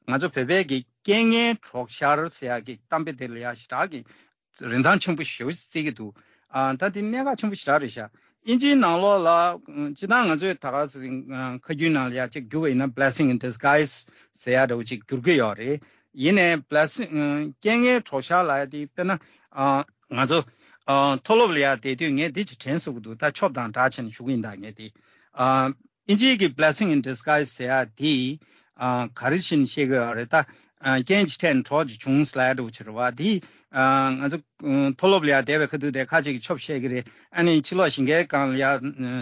ང་ཚོ་བོད་པའི་གི་རྐྱེན་ངན་གྲོགས་ཤར་ཟེར་ཡག་གི་གཏམ་དཔེ་དེ་ལ་ཡ་ཞེ་དྲག་གི་རིན་ཐང་ཆེན་པོ་ཞེ་པོ་ཞིག་བརྩི་གི་འདུག་ཨ་ད་དེ་གནད་འགག་ཆེན་པོ་ཞེ་དྲག་རེད་ཤག་དབྱིན་ཇིའི་ནང་ལོགས་ལ་ཨ་སྤྱིར་བཏང་ང་ཚོས་ད་ག་ཟེ་ཨ་ཁ་རྒྱུན་ནང་ལ་ཡ་ཅིག་བསྒྱུར་བ་ཡིན་ན་blessing in disguise ཟེར་ཡ་འདྲ་བོ་ཅིག་བསྒྱུར་གི་ཡོད་རེད། ཡིན་ནའི་blessing ཨ་རྐྱེན་ངན་གྲོགས་ཤར་ལབ་ཡ་དེ་དཔེར་ན་ཨ་ང་ཚོ་ཨ་མཐོ་སློབ་ལ་ཡ་བསྡད་དུས་ངས་འདི་ཅིག་དྲན་སོང་གི་འདུག་ད་ཆོབ་དང་འདྲ་བྱས་ནས་ཞུ་གི་ཡིན། ད་ངས་དེ་ཨ་དབྱིན་ཇིའི་གི་blessing in disguise ཟེར་ཡ་དེ་ཨ་ག་རེ་བྱས་ནས་བཤད་གི་ཡོད་རེད། ད་ཨ་རྐྱེན་གྱི་ཐད་ནས་གྲོགས་ཀྱི་བྱུང་ཟེར་ཡ་འདྲ་བོ་ཅིག་རེད་བ། དེ་ཨ་ང་ཚོ་ཨ་མཐོ་སློབ་ལ་ཡ་བསྡད་པའི་ཁ་ཐུག་དེ་ཁ་ཅིག་གིས་ཆོབ་བཤད་གི་རེད། ཨ་ནི་ཕྱི་ལོགས་ཞིང་ཁའི་སྒང་ལ་ཡ་ཨ་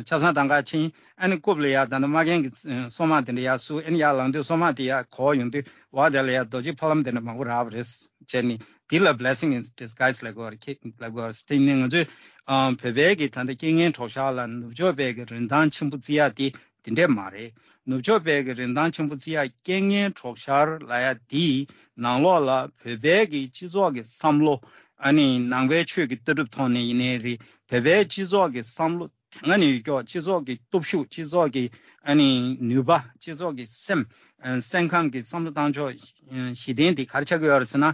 ཆབ་གསང་དང་ག་ཕྱིན། ཨ་ནི་རྐུབ་ལ་ཡ་ད་ནི་མ་རྒན་གྱི་ཨ་སོ་མ་དེ་འདྲ་ཡ་བསུ། ཨ་ནི་ཡར་ལངས་དུས་སོ་མ་དེ་ཡ་གོག་ཡོང་དུས་བ་དེ་ལ་ཡ་རྡོ་རྗེ་ཕ་ལམ་དེ་འདྲ་མང་པོ་རག་པ་རེད་བྱས་ནས། འདི་ལ་blessing in disguise ལབ་དགོས་རེད། ལབ་དགོས་རེད། དེ་ནས་ང་ཚོས་ཨ་བོད་པའི་གི་ད་ལྟ་རྐྱེན་ངན་གྲོགས་ཤར་ལ་ནུབ་ཕྱོགས་པའི་གི་རིན་ཐང་ཆེན་པོ་བརྩི་ཡ་དེ་དེ་འདྲས་མ་རེད། ནུབ་ཕྱོགས་པའི་གི་རིན་ཐང་ཆེན་པོ་བརྩི་ཡ་རྐྱེན་ངན་གྲོགས་ཤར་ལབ་ཡ་དེའི་ནང་ལོགས་ལ་བོད་པའི་གི་སྤྱི་ཚོགས་ཀྱི་བསམ་བློ། ཨ་ནི་ནང་པའི་ཆོས་ཀྱི་ལྟ་གྲུབ་ཐོག་ནས་ཡིན་ནའི་རེད། བོད་པའི་སྤྱི་ཚོགས་ཀྱི་བསམ་བློ་དེ་སྔ་ནས་ཡོད་ཀྱོག་སྤྱི་ཚོགས་ཀྱི་སྟོབས་ཤུགས། སྤྱི་ཚོགས་ཀྱི་ཨ་ནི་ནུས་པ། སྤྱི་ཚོགས་ཀྱི་སེམས། ཨ་སེམས་ཁམས་ཀྱི་བསམ་བློ་བཏང་ཕྱོགས་གཞི་རྟེན་དེ་ག་རེ་ཆགས་ཀྱི་ཡོད་རེད་ཟེར་ན།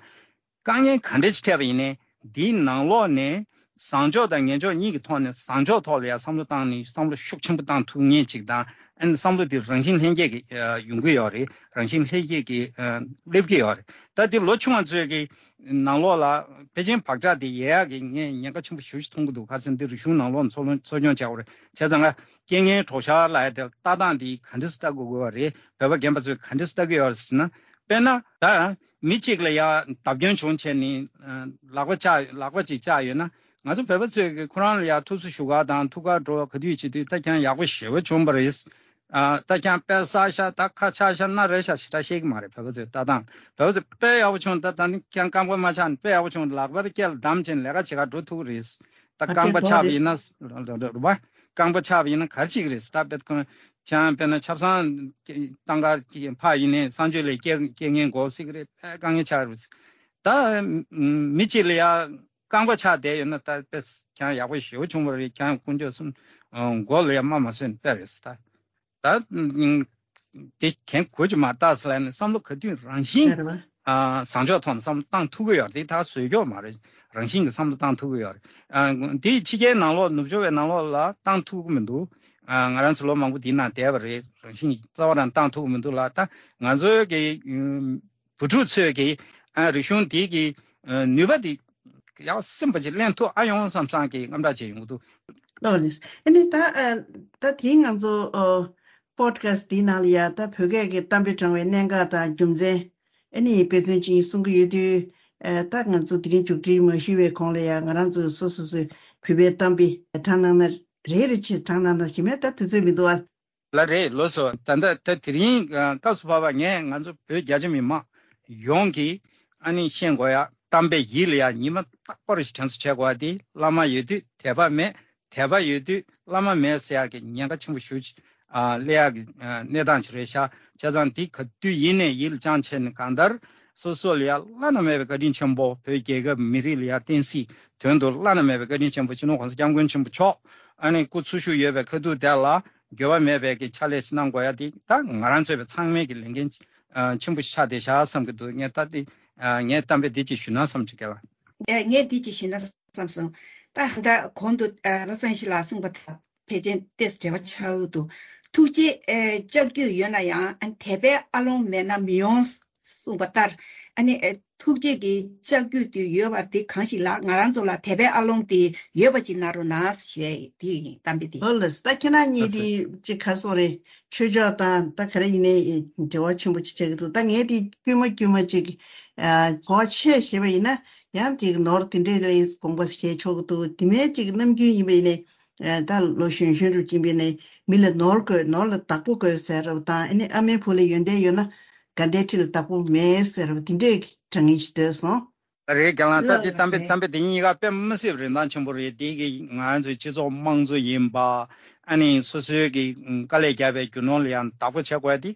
དཀའ་ངལ་ག་འདྲ་ཞིག་འཕྲད་པ་ཡིན་ནའི་འདིའི་ནང་ལོགས་ནས་བཟང་ཕྱོགས་དང་ངན་ཕྱོགས་གཉིས་ཀྱི་ཐོག་ནས་བཟང་ཕྱོགས་ཐོག་ལ་ཡང་བསམ་བློ་བཏང་ནས་བསམ་བློ་ཤུགས་ཆེན་པོ་བཏང་ཐུབ་ངེས་ཅིག་དང་། ཨ་ནི་བསམ་བློ་དེ་རང་བཞིན་ལྷན་སྐྱེས་ཀྱི་ཨ་ཡོང་གི་ཡོད་རེད། རང་བཞིན་ལྷན་སྐྱེས་ཀྱི་ཨ་སླེབས་ཀྱི་ཡོད་རེད། ད་དེ་ལོ་ཆུང་བ་ཚོའི་གི་ནང་ལོགས་ལ་ཕལ་ཆེར་བག་ཆགས་དེ་ཡལ་ཡག་གི་ངས་ཉེན་ཁ་ཆེན་པོ་ཞེ་པོ་ཞིག་མཐོང་གི་འདུག་ག་རེ་ཟེར་ན་འདི་རིག་གཞུང་ནང་ལོགས་ནས་འཚོ་སྐྱོང་འཚོ་སྐྱོང་བྱ་དགོས་རེད། བྱས་ཙང་ང་རྐྱེན་ངན་གྲོགས་ཤར་ལབ་ཡ་དེ་ལྟ་སྟངས་འདི་ག་འདྲས་སེ་ལྟ་དགོས་དགོས་པ་རེད། བོད་པ་རྒན་པ་ཚོས་ག་འདྲས་སེ་ལྟ་གི་ཡོད་རེད་ཟེར་ན། དཔེར་ན་ད་མི་གཅིག་ལ་ཡ་བརྡབ་སྐྱོན་བྱུང་བྱས་ནས་ལག་པ་བཅག་ལག་པ་ཅིག་བཅག་ཡོད་ན། ང་ཚོ་བོད་པ་ཚོས་ཀྱི་ཁོ་རང་ལ་ཡ་ཐུགས་སུ་ཞུ་ག་དང་ཐུགས་ཁ་འགྲོ་ག་དུས་བྱེད་དུས་ད་ཁྱེད་རང་ཡག་པོ་ཞེ་པོ་བྱུང་བ་རེད། ཨ་ད་ཁྱེད་རང་དཔེ་བསགས་ཤག་ད་ཁ་ཆག་ཤག་སྣ་རལ་ཤག་ཞེ་དྲག་བཤད་ཀྱི་མ་རེད། བོད་པ་ཚོས་ལྟ་སྟངས། བོད་པ་ཚོས་དཔེ་ཡག་པོ་བྱུང་། ད་ད་ནི་ཁྱེད་རང་རྐང་པ་མ་ཆག་ནས་དཔེ་ཡག་པོ་བྱུང་། ལག་པ་དེ་སྐེ་ལ་བསྡམས་བྱས་ནས་ལས་ཀ་བྱེད་ག་འགྲོ་ཐུབ་ཀྱི་རེད། ད་ཨ་རྐང་པ་ཆག་པ་ཡིན་ན་རེད་པ། རྐང་པ་ཆག་པ་ཡིན་ན་ག་རེ་བྱེད་ཀྱི་རེད་ཟེར། ད་དཔེ་ཁོང་ཆང་དཔེར་ན་ཆབ་གསང་བཏང་ག་ཕར་ཡིན་ནའི་གསང་སྤྱོད་ལས་སྐྱེལ་སྐྱེལ་མཁན་འགོག་སྲིད་ཀྱི་རེད། དཔེ་དཀའ་ངལ་ཆགས་རེད། ད་མི་གཅིག་ལ་ཡ་རྐང་པ་ཆག་བསྡད་ཡོད་ན་ད་དཔེ་ཁྱང་ཡག་པོ་ཞེ་པོ་བྱུང་བ་རེད། ཁྱང་དཀོན་མཆོག་གསུམ་མགོ་ལ་ཡ་རྨ་མ་སོན་དཔེ་རེད་ཟེར། ད་ད་དེ་གན་གོ་ཅི་མ་བཏགས་ལ་ནི་བསམ་བློ་ག་དུས་རང་བཞིན་རེད་བ། ཨ་བཟང་ཕྱོགས་ཐོག་ནས་བསམ་བློ་བཏང་ཐུབ་ཀྱི་ཡོད་རེད། དེ་ད་བཟོས་ཀྱོག་མ་རེད། རང་བཞིན་གྱི་བསམ་བློ་བཏང་ཐུབ་ཀྱི་ཡོད་རེད། ཨ་དེ་ཕྱི་རྒྱལ་ནང་ལོགས་ནུབ་ཕྱོགས་པའི་ནང་ལོགས་ལ་བཏང་ཐུབ་ཀྱི་མི་འདུག་ཨ་ང་རང་ཚོ་ལོ་མང་པོ་དེའི་ནང་བསྡད་པ་རེད། རང་བཞིན་གྱི་རྩ་བ་རང་བཏང་ཐུབ་ཀྱི་མི་འདུག་ལ། ད་ང་ཚོའི་གི་བུ་ཕྲུག་ཚོས་གི་ཨ་རིག་གཞུང་དེ་གི་ནུས་པ་དེ་ཡག་སེམས་པ་ཅིག་ལེན་ཐུབ་ཨ་ཡོང་བསམ་བསམ་གི་དངངས་སྐྲག་བྱས་ཡོང་གི་འདུག་ལགས་རེད། ཨ་ནི་ད་ཨ་ད་དེ་ང་ཚོ་ཨ་པོ་ཌི་ཁ་སི་ཊི་འདིའི་ནང་ལ་ཡ་ད་བོད་སྐད་ཀྱི་གཏམ་དཔེ་དྲངས་པའི་གནད་འགག་དང་རྒྱུ་མཚན་ཨ་ནི་དཔེ་མཚོན་ཅིག་གསུང་གི་ཡོད་དུས། ཨ་ད་ང་ཚོ་དེ་རིང་མཇུག་སྒྲིལ་མ་ཞུས་པའི་གོང་ལ་ཡ་ང་རང་ཚོས་སོ་སོ་སོའི་བོད་པའི་གཏམ་དཔེ་དྲངས་གནང་ན་རེ་རེ་བྱས་དྲངས་གནང་ན་ཞེ་མེད་ད་དུས་ཚོད་མི་འདུག་ཨ། ལགས་རེད། ལགས་སོ། ད་ལྟ་ད་དེ་རིང་ཨ་སྐབས་སུ་བབས་པ་ངས་ང་ཚོ་བོད་རྒྱ་ཆེ་མི་མང་ཡོངས་ཀྱིས་ཨ་ནི་ཤེས་དགོས་ཡ་གཏམ་དཔེ་ཡིད་ལ་ཡ་ཉི་མ་རྟག་པར་ཞིག་དྲན་གསོ་བྱེད་དགོས་ཡ་དེ། བླ་མ་ཡོད་དུས་དད་པ་མེད། དད་པ་ཡོད་དུས་བླ་མ་མེད་ཟེར་ཡག་གི་ཉེན་ཁ་ཆེན་པོ་ཞེ་པོ་ཅིག་ཨ་སླེབས་ཡག་གི་ཨ་གནས་སྟངས་ཅིག་རེད་ཤག་བྱས་ཙང་དེ་ག་དུས་ཡིན་ནའི་ཡིད་ལ་བཅངས་བྱས་ནས་གང་ལྟར་སོ་སོ་ལ་ཡ་བླ་ན་མེད་པའི་བཀའ་དྲིན་ཆེན་པོ། བོད་རྒྱལ་ཁབ་མི་རིགས་ལ་ཡ་བསྟན་སྲིད་དོན་དུ་བླ་ན་མེད་པའི་བཀའ་དྲིན་ཆེན་པོ་སྤྱི་ནོར་༸གོང་ས་༸སྐྱབས་མགོན་ཆེན་པོ་མཆོག་ཨ་ནི་སྐུ་འཚོ་བཞུགས་ཡོད་པའི་ཁ་ཐུག་དེ་ལ་འགྱོད་པ་མེད་པའི་གི་ཕྱག་ལས་ཅིག་གནང་དགོས་ཡ་དེ་ད་ང་རང་ཚོ་བའི་ཚང་མའི་གི་ལས་འགན་ཨ་ཆེན་པོ་ཆགས་བསྡད་ཤག་བསམ་གི་འདུག་ངས་ད་དེ་ཨ་ངས་གཏམ་དཔེ་འདི་ཅིག་ཞུས་ན་བསམ་བྱུང་གི་ལ། ཨེ་ངས་འདི་ཅིག་ཞུས་ན་བསམ་སོང་། ད་ད་གོང་དུ་ཨ་བློ་བཟང་ཡེ་ཤེས་ལགས་གསུངས་པ་དང་ཕལ་ཆེར་ཏོག་ཙམ་འབྲེལ་བ་ཆགས་ཀྱི་འདུག་ཐུགས་རྗེ་ཨེ་ལྕགས་ཀྱུ་ཡོད་ན་ཡང་ཨ་དད་པའི་ཨ་ལོང་མེད་ན་མི་ཡོང་གསུངས་པ་ལྟར། ཨ་ནི་ཨེ་ཐུགས་རྗེ་གི་ལྕགས་ཀྱུ་དེ་ཡོད་པ་དེ་གང་ཞིག་ལ་ང་རང་ཚོ་ལ་དད་པའི་ཨ་ལོང་དེ་ཡོད་པ་ཅིག་གནང་རོགས་གནང་ཞུ་ཡ་དེ་ཡིན། གཏམ་དཔེ་དེ། ཨོ་ལགས་སོ། ད་ཁྱེད་རང་གཉིས་དེ་ཅིག་ག་རེ་ཟེར་དགོས་རེད། ཆོས་ཕྱོགས་དང་ད་ག་རེ་ཡིན་ནའི་འབྲེལ་བ་ཆེན་པོ་ཅིག་ཆགས་ཀྱི་འདུག་ད་ངས་དེ་དཀྱུས་མ་དཀྱུས་མ་ཅིག་ཨ་གོ་བ་ཆེ་བཞག་པ་ཡིན་ན་ཡང་ཅིག་ནོར་དེ་འདྲས་ལ་དགོངས་པ་བཞེས་ཆོག་གི་འདུག་དེ་མིན་ཅིག་ནམ་རྒྱུན་ཡིན་པ་ཡིན་ནའི་ཨ་ད་ལོ་གཞོན་གཞོན་རུ་ཕྱིན་པ་ཡིན་ནའི་མི་ལ་ནོར་དགོས། ནོར་ལ་བདག་པོ་དགོས་ཟེར་བ་དང་། ཨ་ནི་ཨ་མའི་བུ་ལ་ཡོན་ཏན་ཡོད་ན་དགའ་ལྡན་ཁྲི་ལ་བདག་པོ་མེད་ཟེར་བ་དེ་འདྲས་དྲང་ངེས་ཤིག་འདོད་སོང་། རེད། རྒན་ལགས། ད་ལགས་དེ་གཏམ་དཔེ་ལགས་སེ། གཏམ་དཔེ་དེ་གཉིས་ཀ་དཔེ་མི་སྲིད་པའི་རིན་ཐང་ཆེན་པོ་རེད། དེ་གི་ང་རང་ཚོའི་སྤྱི་ཚོགས་དམངས་གཙོ་ཡིན་པ། ཨ་ནི་སོ་སོའི་གི་དཀའ་ལས་བརྒྱབ་པའི་རྒྱུ་ནོར་ལ་ཡང་བདག་པོ་བྱེད་དགོས་དེ་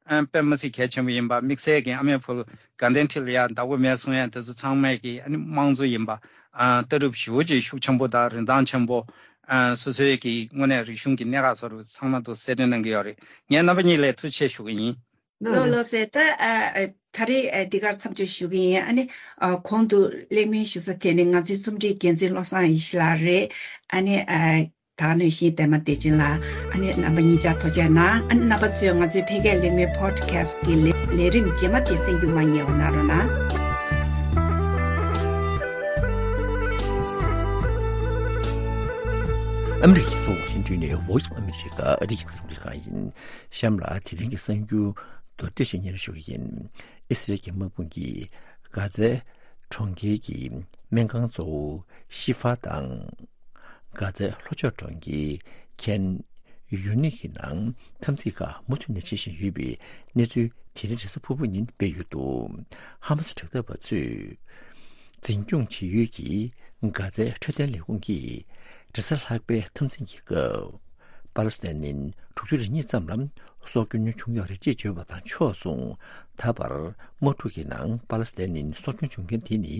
ཨ་དཔེ་མི་སྲིད་གལ་ཆེན་པོ་ཡིན་པ། དམིགས་བསལ་གྱི་ཨ་མའི་བུ་དགའ་ལྡན་ཁྲི་ལ་ཡང་བདག་པོ་མེད་གསུང་ཡ་དེ་ཚོ་ཚང་མས་གི་ཨ་ནི་དམངས་གཙོ་ཡིན་པ་ཨ་ལྟ་གྲུབ་ཞེ་པོ་ཅིག་ཤུགས་ཆེན་པོ་དང་རིན་ཐང་ཆེན་པོ། ཨ་སོ་སོའི་གི་དངོས་གནས་རིག་གཞུང་གི་གནད་འགག་སོགས་ཚང་མ་དུ་གསལ་སྟོན་གནང་གི་ཡོད་རེད། ངས་རྣམ་པ་གཉིས་ལ་ཐུགས་རྗེ་ཆེ་ཞུ་གི་ཡིན། ལགས་ལགས་སེ། ད་ཨ་ཨ་ད་རེས་ཨ་འདི་གར་མཚམས་འཇོག་ཞུ་གི་ཡིན། ཨ་ནི་ཨ་གོང་དུ་གླེང་མོལ་ཞུ་ས་དེ་ནི་ང་ཚོའི་རྩོམ་སྒྲིག་འགན་འཛིན་བློ་བཟང་ཡེ་ཤེས་ལགས་རེད། ཨ་ནི་ཨ་ད་ནས་གཞན་པད་མ་བདེ་ཆེན་ལགས། ཨ་ནི་རྣམ་པ་གཉིས་ཆ་ཐུགས་རྗེ་གནང་། ཨ་ནི་རྣམ་པ་ཚོས་ང་ཚོའི་ཕ་སྐད་གླེང་མོལ་པོ་ཌི་ཁ་སི་ཊི་གི་ལས་ལས་རིམ་རྗེས་མ་དེ་གསན་རྒྱུ་མ་བསྙེལ་བ་གནང་རོགས་གནང་། ཨ་མི་རི་ཀའི་རྒྱལ་ས་ཝ་ཤིང་ཏོན་ནས་Voice of America ཨ་རིའི་རྒྱང་སྲིང་རླུང་འཕྲིན་ཁང་ཡིན། གཤམ་ལ་དེ་རིང་གི་གསར་འགྱུར་མདོར་བསྡུས་ཤིག་སྙན་སྒྲོན་ཞུ་གི་ཡིན། ཨི་སི་རལ་གྱི་དམག་དཔུང་གིས་གྷ་ཛའི་གྲོང་ཁྱེར་གྱི་སྨན་ཁང་གཙོ་བོ་ཤི་ཧྥ་དང་། གྷ་ཛའི་ལྷོ་ཕྱོགས་གྲོང་ཁྱེར་ཁན་ཡུ་ནིག་གི་ནང་འཐབ་འཛིང་ཁག་མུ་མཐུད་ནས་བྱེད་བཞིན་ཡོད་པའི་གནས་ཚུལ་དེ་རིང་རེས་གཟའ་ཕུར་བུ་ཉིན་སྤེལ་ཡོད་འདུག་ཧ་མ་སི་དྲག་འཐབ་པ་ཚོས་འཛིན་སྐྱོང་བྱེད་ཡུལ་གྱི་གྷ་ཛའི་འཕྲོད་བསྟེན་ལས་ཁུངས་ཀྱིས་རེས་གཟའ་ལྷག་པའི་འཐབ་འཛིང་གི་སྐབས། པ་ལི་སི་ཐན་ནི་དྲུག་ཅུ་རེ་གཉིས་ཙམ་ལ་སྲོག་སྐྱོན་བྱུང་ཡོད་རེད་ཅེས་བརྗོད་པ་དང་ཕྱོགས་མཚུངས། ད་བར་དམག་འཁྲུག་གི་ནང་པ་ལི་སི་ཐན་ནི་སྲོག་སྐྱོན་བྱུང་མཁན་དེ་ནི་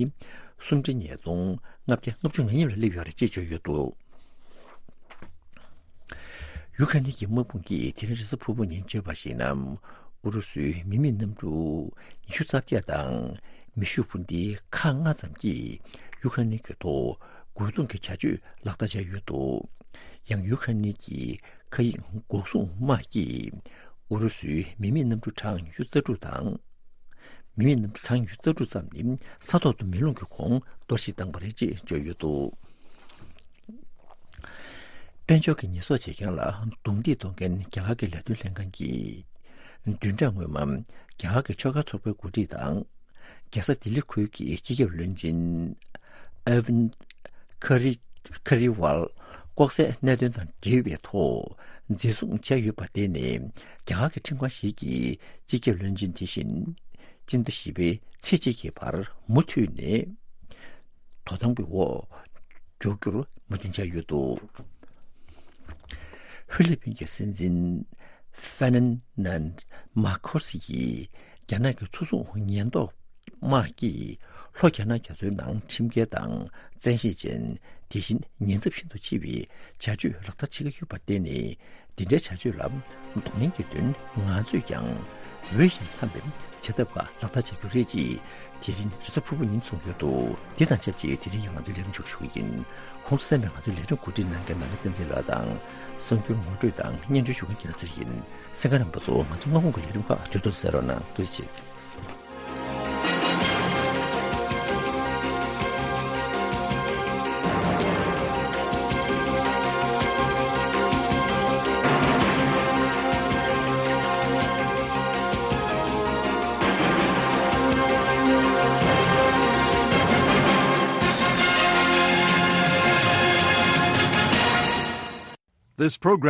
སུམ་ཁྲི་ཉིས་སྟོང་ལྔ་བརྒྱ་ལྔ་བཅུ་ང་གཉིས་ལ་སླེབས་ཡོད་རེད་ཅེས་བརྗོད་ཡོད་འདུག་ཡུ་ཁ་ནི་གི་དམག་དཔུང་གིས་དེ་རིང་རེས་གཟའ་ཕུར་བུ་ཉིན་བརྗོད་པར་གཞིགས་ན། ཨུ་རུ་སུའི་མི་མེད་གནམ་གྲུ་ཉི་ཤུ་རྩ་བརྒྱད་དང་མེ་ཤུགས་འཕུར་མདེལ་ཁག་ལྔ་ཙམ་གྱིས་ཡུ་ཁ་ནི་གི་ཐོག་རྒོལ་རྡུང་གི་བྱ་སྤྱོད་ལག་བསྟར་བྱས་ཡོད་འདུག་ཡང་ཡུ་ཁ་ནི་གི་མཁའ་དབྱིངས་འགོག་སྲུང་དམག་གིས་ཨུ་རུ་སུའི་མི་མེད་གནམ་གྲུ་གྲངས་ཉི་ཤུ་རྩ་དྲུག་དང་། མི་མེད་གནམ་གྲུ་གྲངས་ཉི་ཤུ་རྩ་དྲུག་ཙམ་ནི་ས་ཐོག་ཏུ་མེ་རླུང་གི་ཁོངས་གཏོར་བཤིག་བཏང་བ་རེད་ཅེས་བརྗོད་ཡོད་འདུག་དཔལ་འབྱོར་གྱི་ཉེས་གསོག་བྱེད་མཁན་ལ་རྡུང་རྡེག་གཏོང་མཁན་རྒྱ་གར་གྱི་ལས་དོན་ལྷན་ཁང་གིས། བདུན་ཕྲག་སྔོན་མ་རྒྱ་གར་གྱི་ཆོལ་ཁ་ཚོགས་པའི་འགོ་ཁྲིད་དང་། རྒྱལ་ས་ལྡི་ལི་ཁུལ་གྱི་སྤྱི་ཁྱབ་བློན་ཆེན་ཨ་ཝིན་ཁ་རི་ཁ་རི་ཝལ་ལྐོག་ཟའི་གནད་དོན་དང་འབྲེལ་བའི་ཐོག་འཛིན་བཟུང་བྱས་ཡོད་པ་དེ་ནི་རྒྱ་གར་གྱི་ཁྲིམས་ཁང་ཞིག་གིས་སྤྱི་ཁྱབ་བློན་ཆེན་དེ་བཞིན་སྤྱི་ཟླ་བཞི་པའི་ཚེས་གཅིག་གི་བར་མུ་མཐུད་ནས། དོ་དམ་གྱི་འོག་འཇོག་རྒྱུར་མོས་མཐུན་བྱས་ཡོད་འདུག་ཧྥི་ལི་པིན་གྱི་སྲིད་འཛིན་ཧྥེ་ནན་ནན་མཱ་ཁོ་སི་ཡིས་རྒྱ་ནག་གི་མཚོ་སྲུང་ཉེན་རྟོག་དམག་གིས་ལྷོ་རྒྱ་ནག་རྒྱ་མཚོའི་ནང་ཁྲིམས་འགལ་དང་བཙན་ཤེད་ཅན། དེ་བཞིན་ཉེན་ཚབས་ཤིན་ཏུ་ཆེ་བའི་བྱ་སྤྱོད་ལག་བསྟར་བྱེད་ཀྱི་ཡོད་པར་བརྟེན་ནས། འདི་འདྲའི་བྱ་སྤྱོད་ལ་གདོང་ལེན་གྱི་དོན་ང་ཚོས་ཀྱང་འོས་ཤིང་འཚམས་པའི་བྱེད་ཐབས་ཁག་ལག་བསྟར་བྱ་རྒྱུ་རེད་ཅེས་དེ་རིང་རེས་གཟའ་ཕུར་བུ་ཉིན་གསུངས་ཡོད་འདུག་དེ་དང་ཆབས་ཅིག་དེ་རིང་གི་ང་ཚོའི་ལས་རིམ་མཇུག་ཞུ་གི་ཡིན། ཁོང་ཚོ་གསན་པའི་ང་ཚོའི་ལས་རིམ་གོ་སྒྲིག་གནང་མཁན་ནོར་ལྷ་བསྟན་འཛིན་ལགས་དང་། གསར་འགྱུར་ངོ་སྤྲོད་དང་སྙན་སྒྲོན་ཞུ་མཁན་རྒྱལ་ལགས་ཚེ་རིང་ཡིན། གསན་མཁན་རྣམ་པ་ཚོ་ང་ཚོ་སྔ་དགོང་གི་ལས་རིམ་ཁག་དུས་ཐོག་ཏུ་གསན་རོགས་གནང་། ཐུགས་རྗེ་ཆེ། This program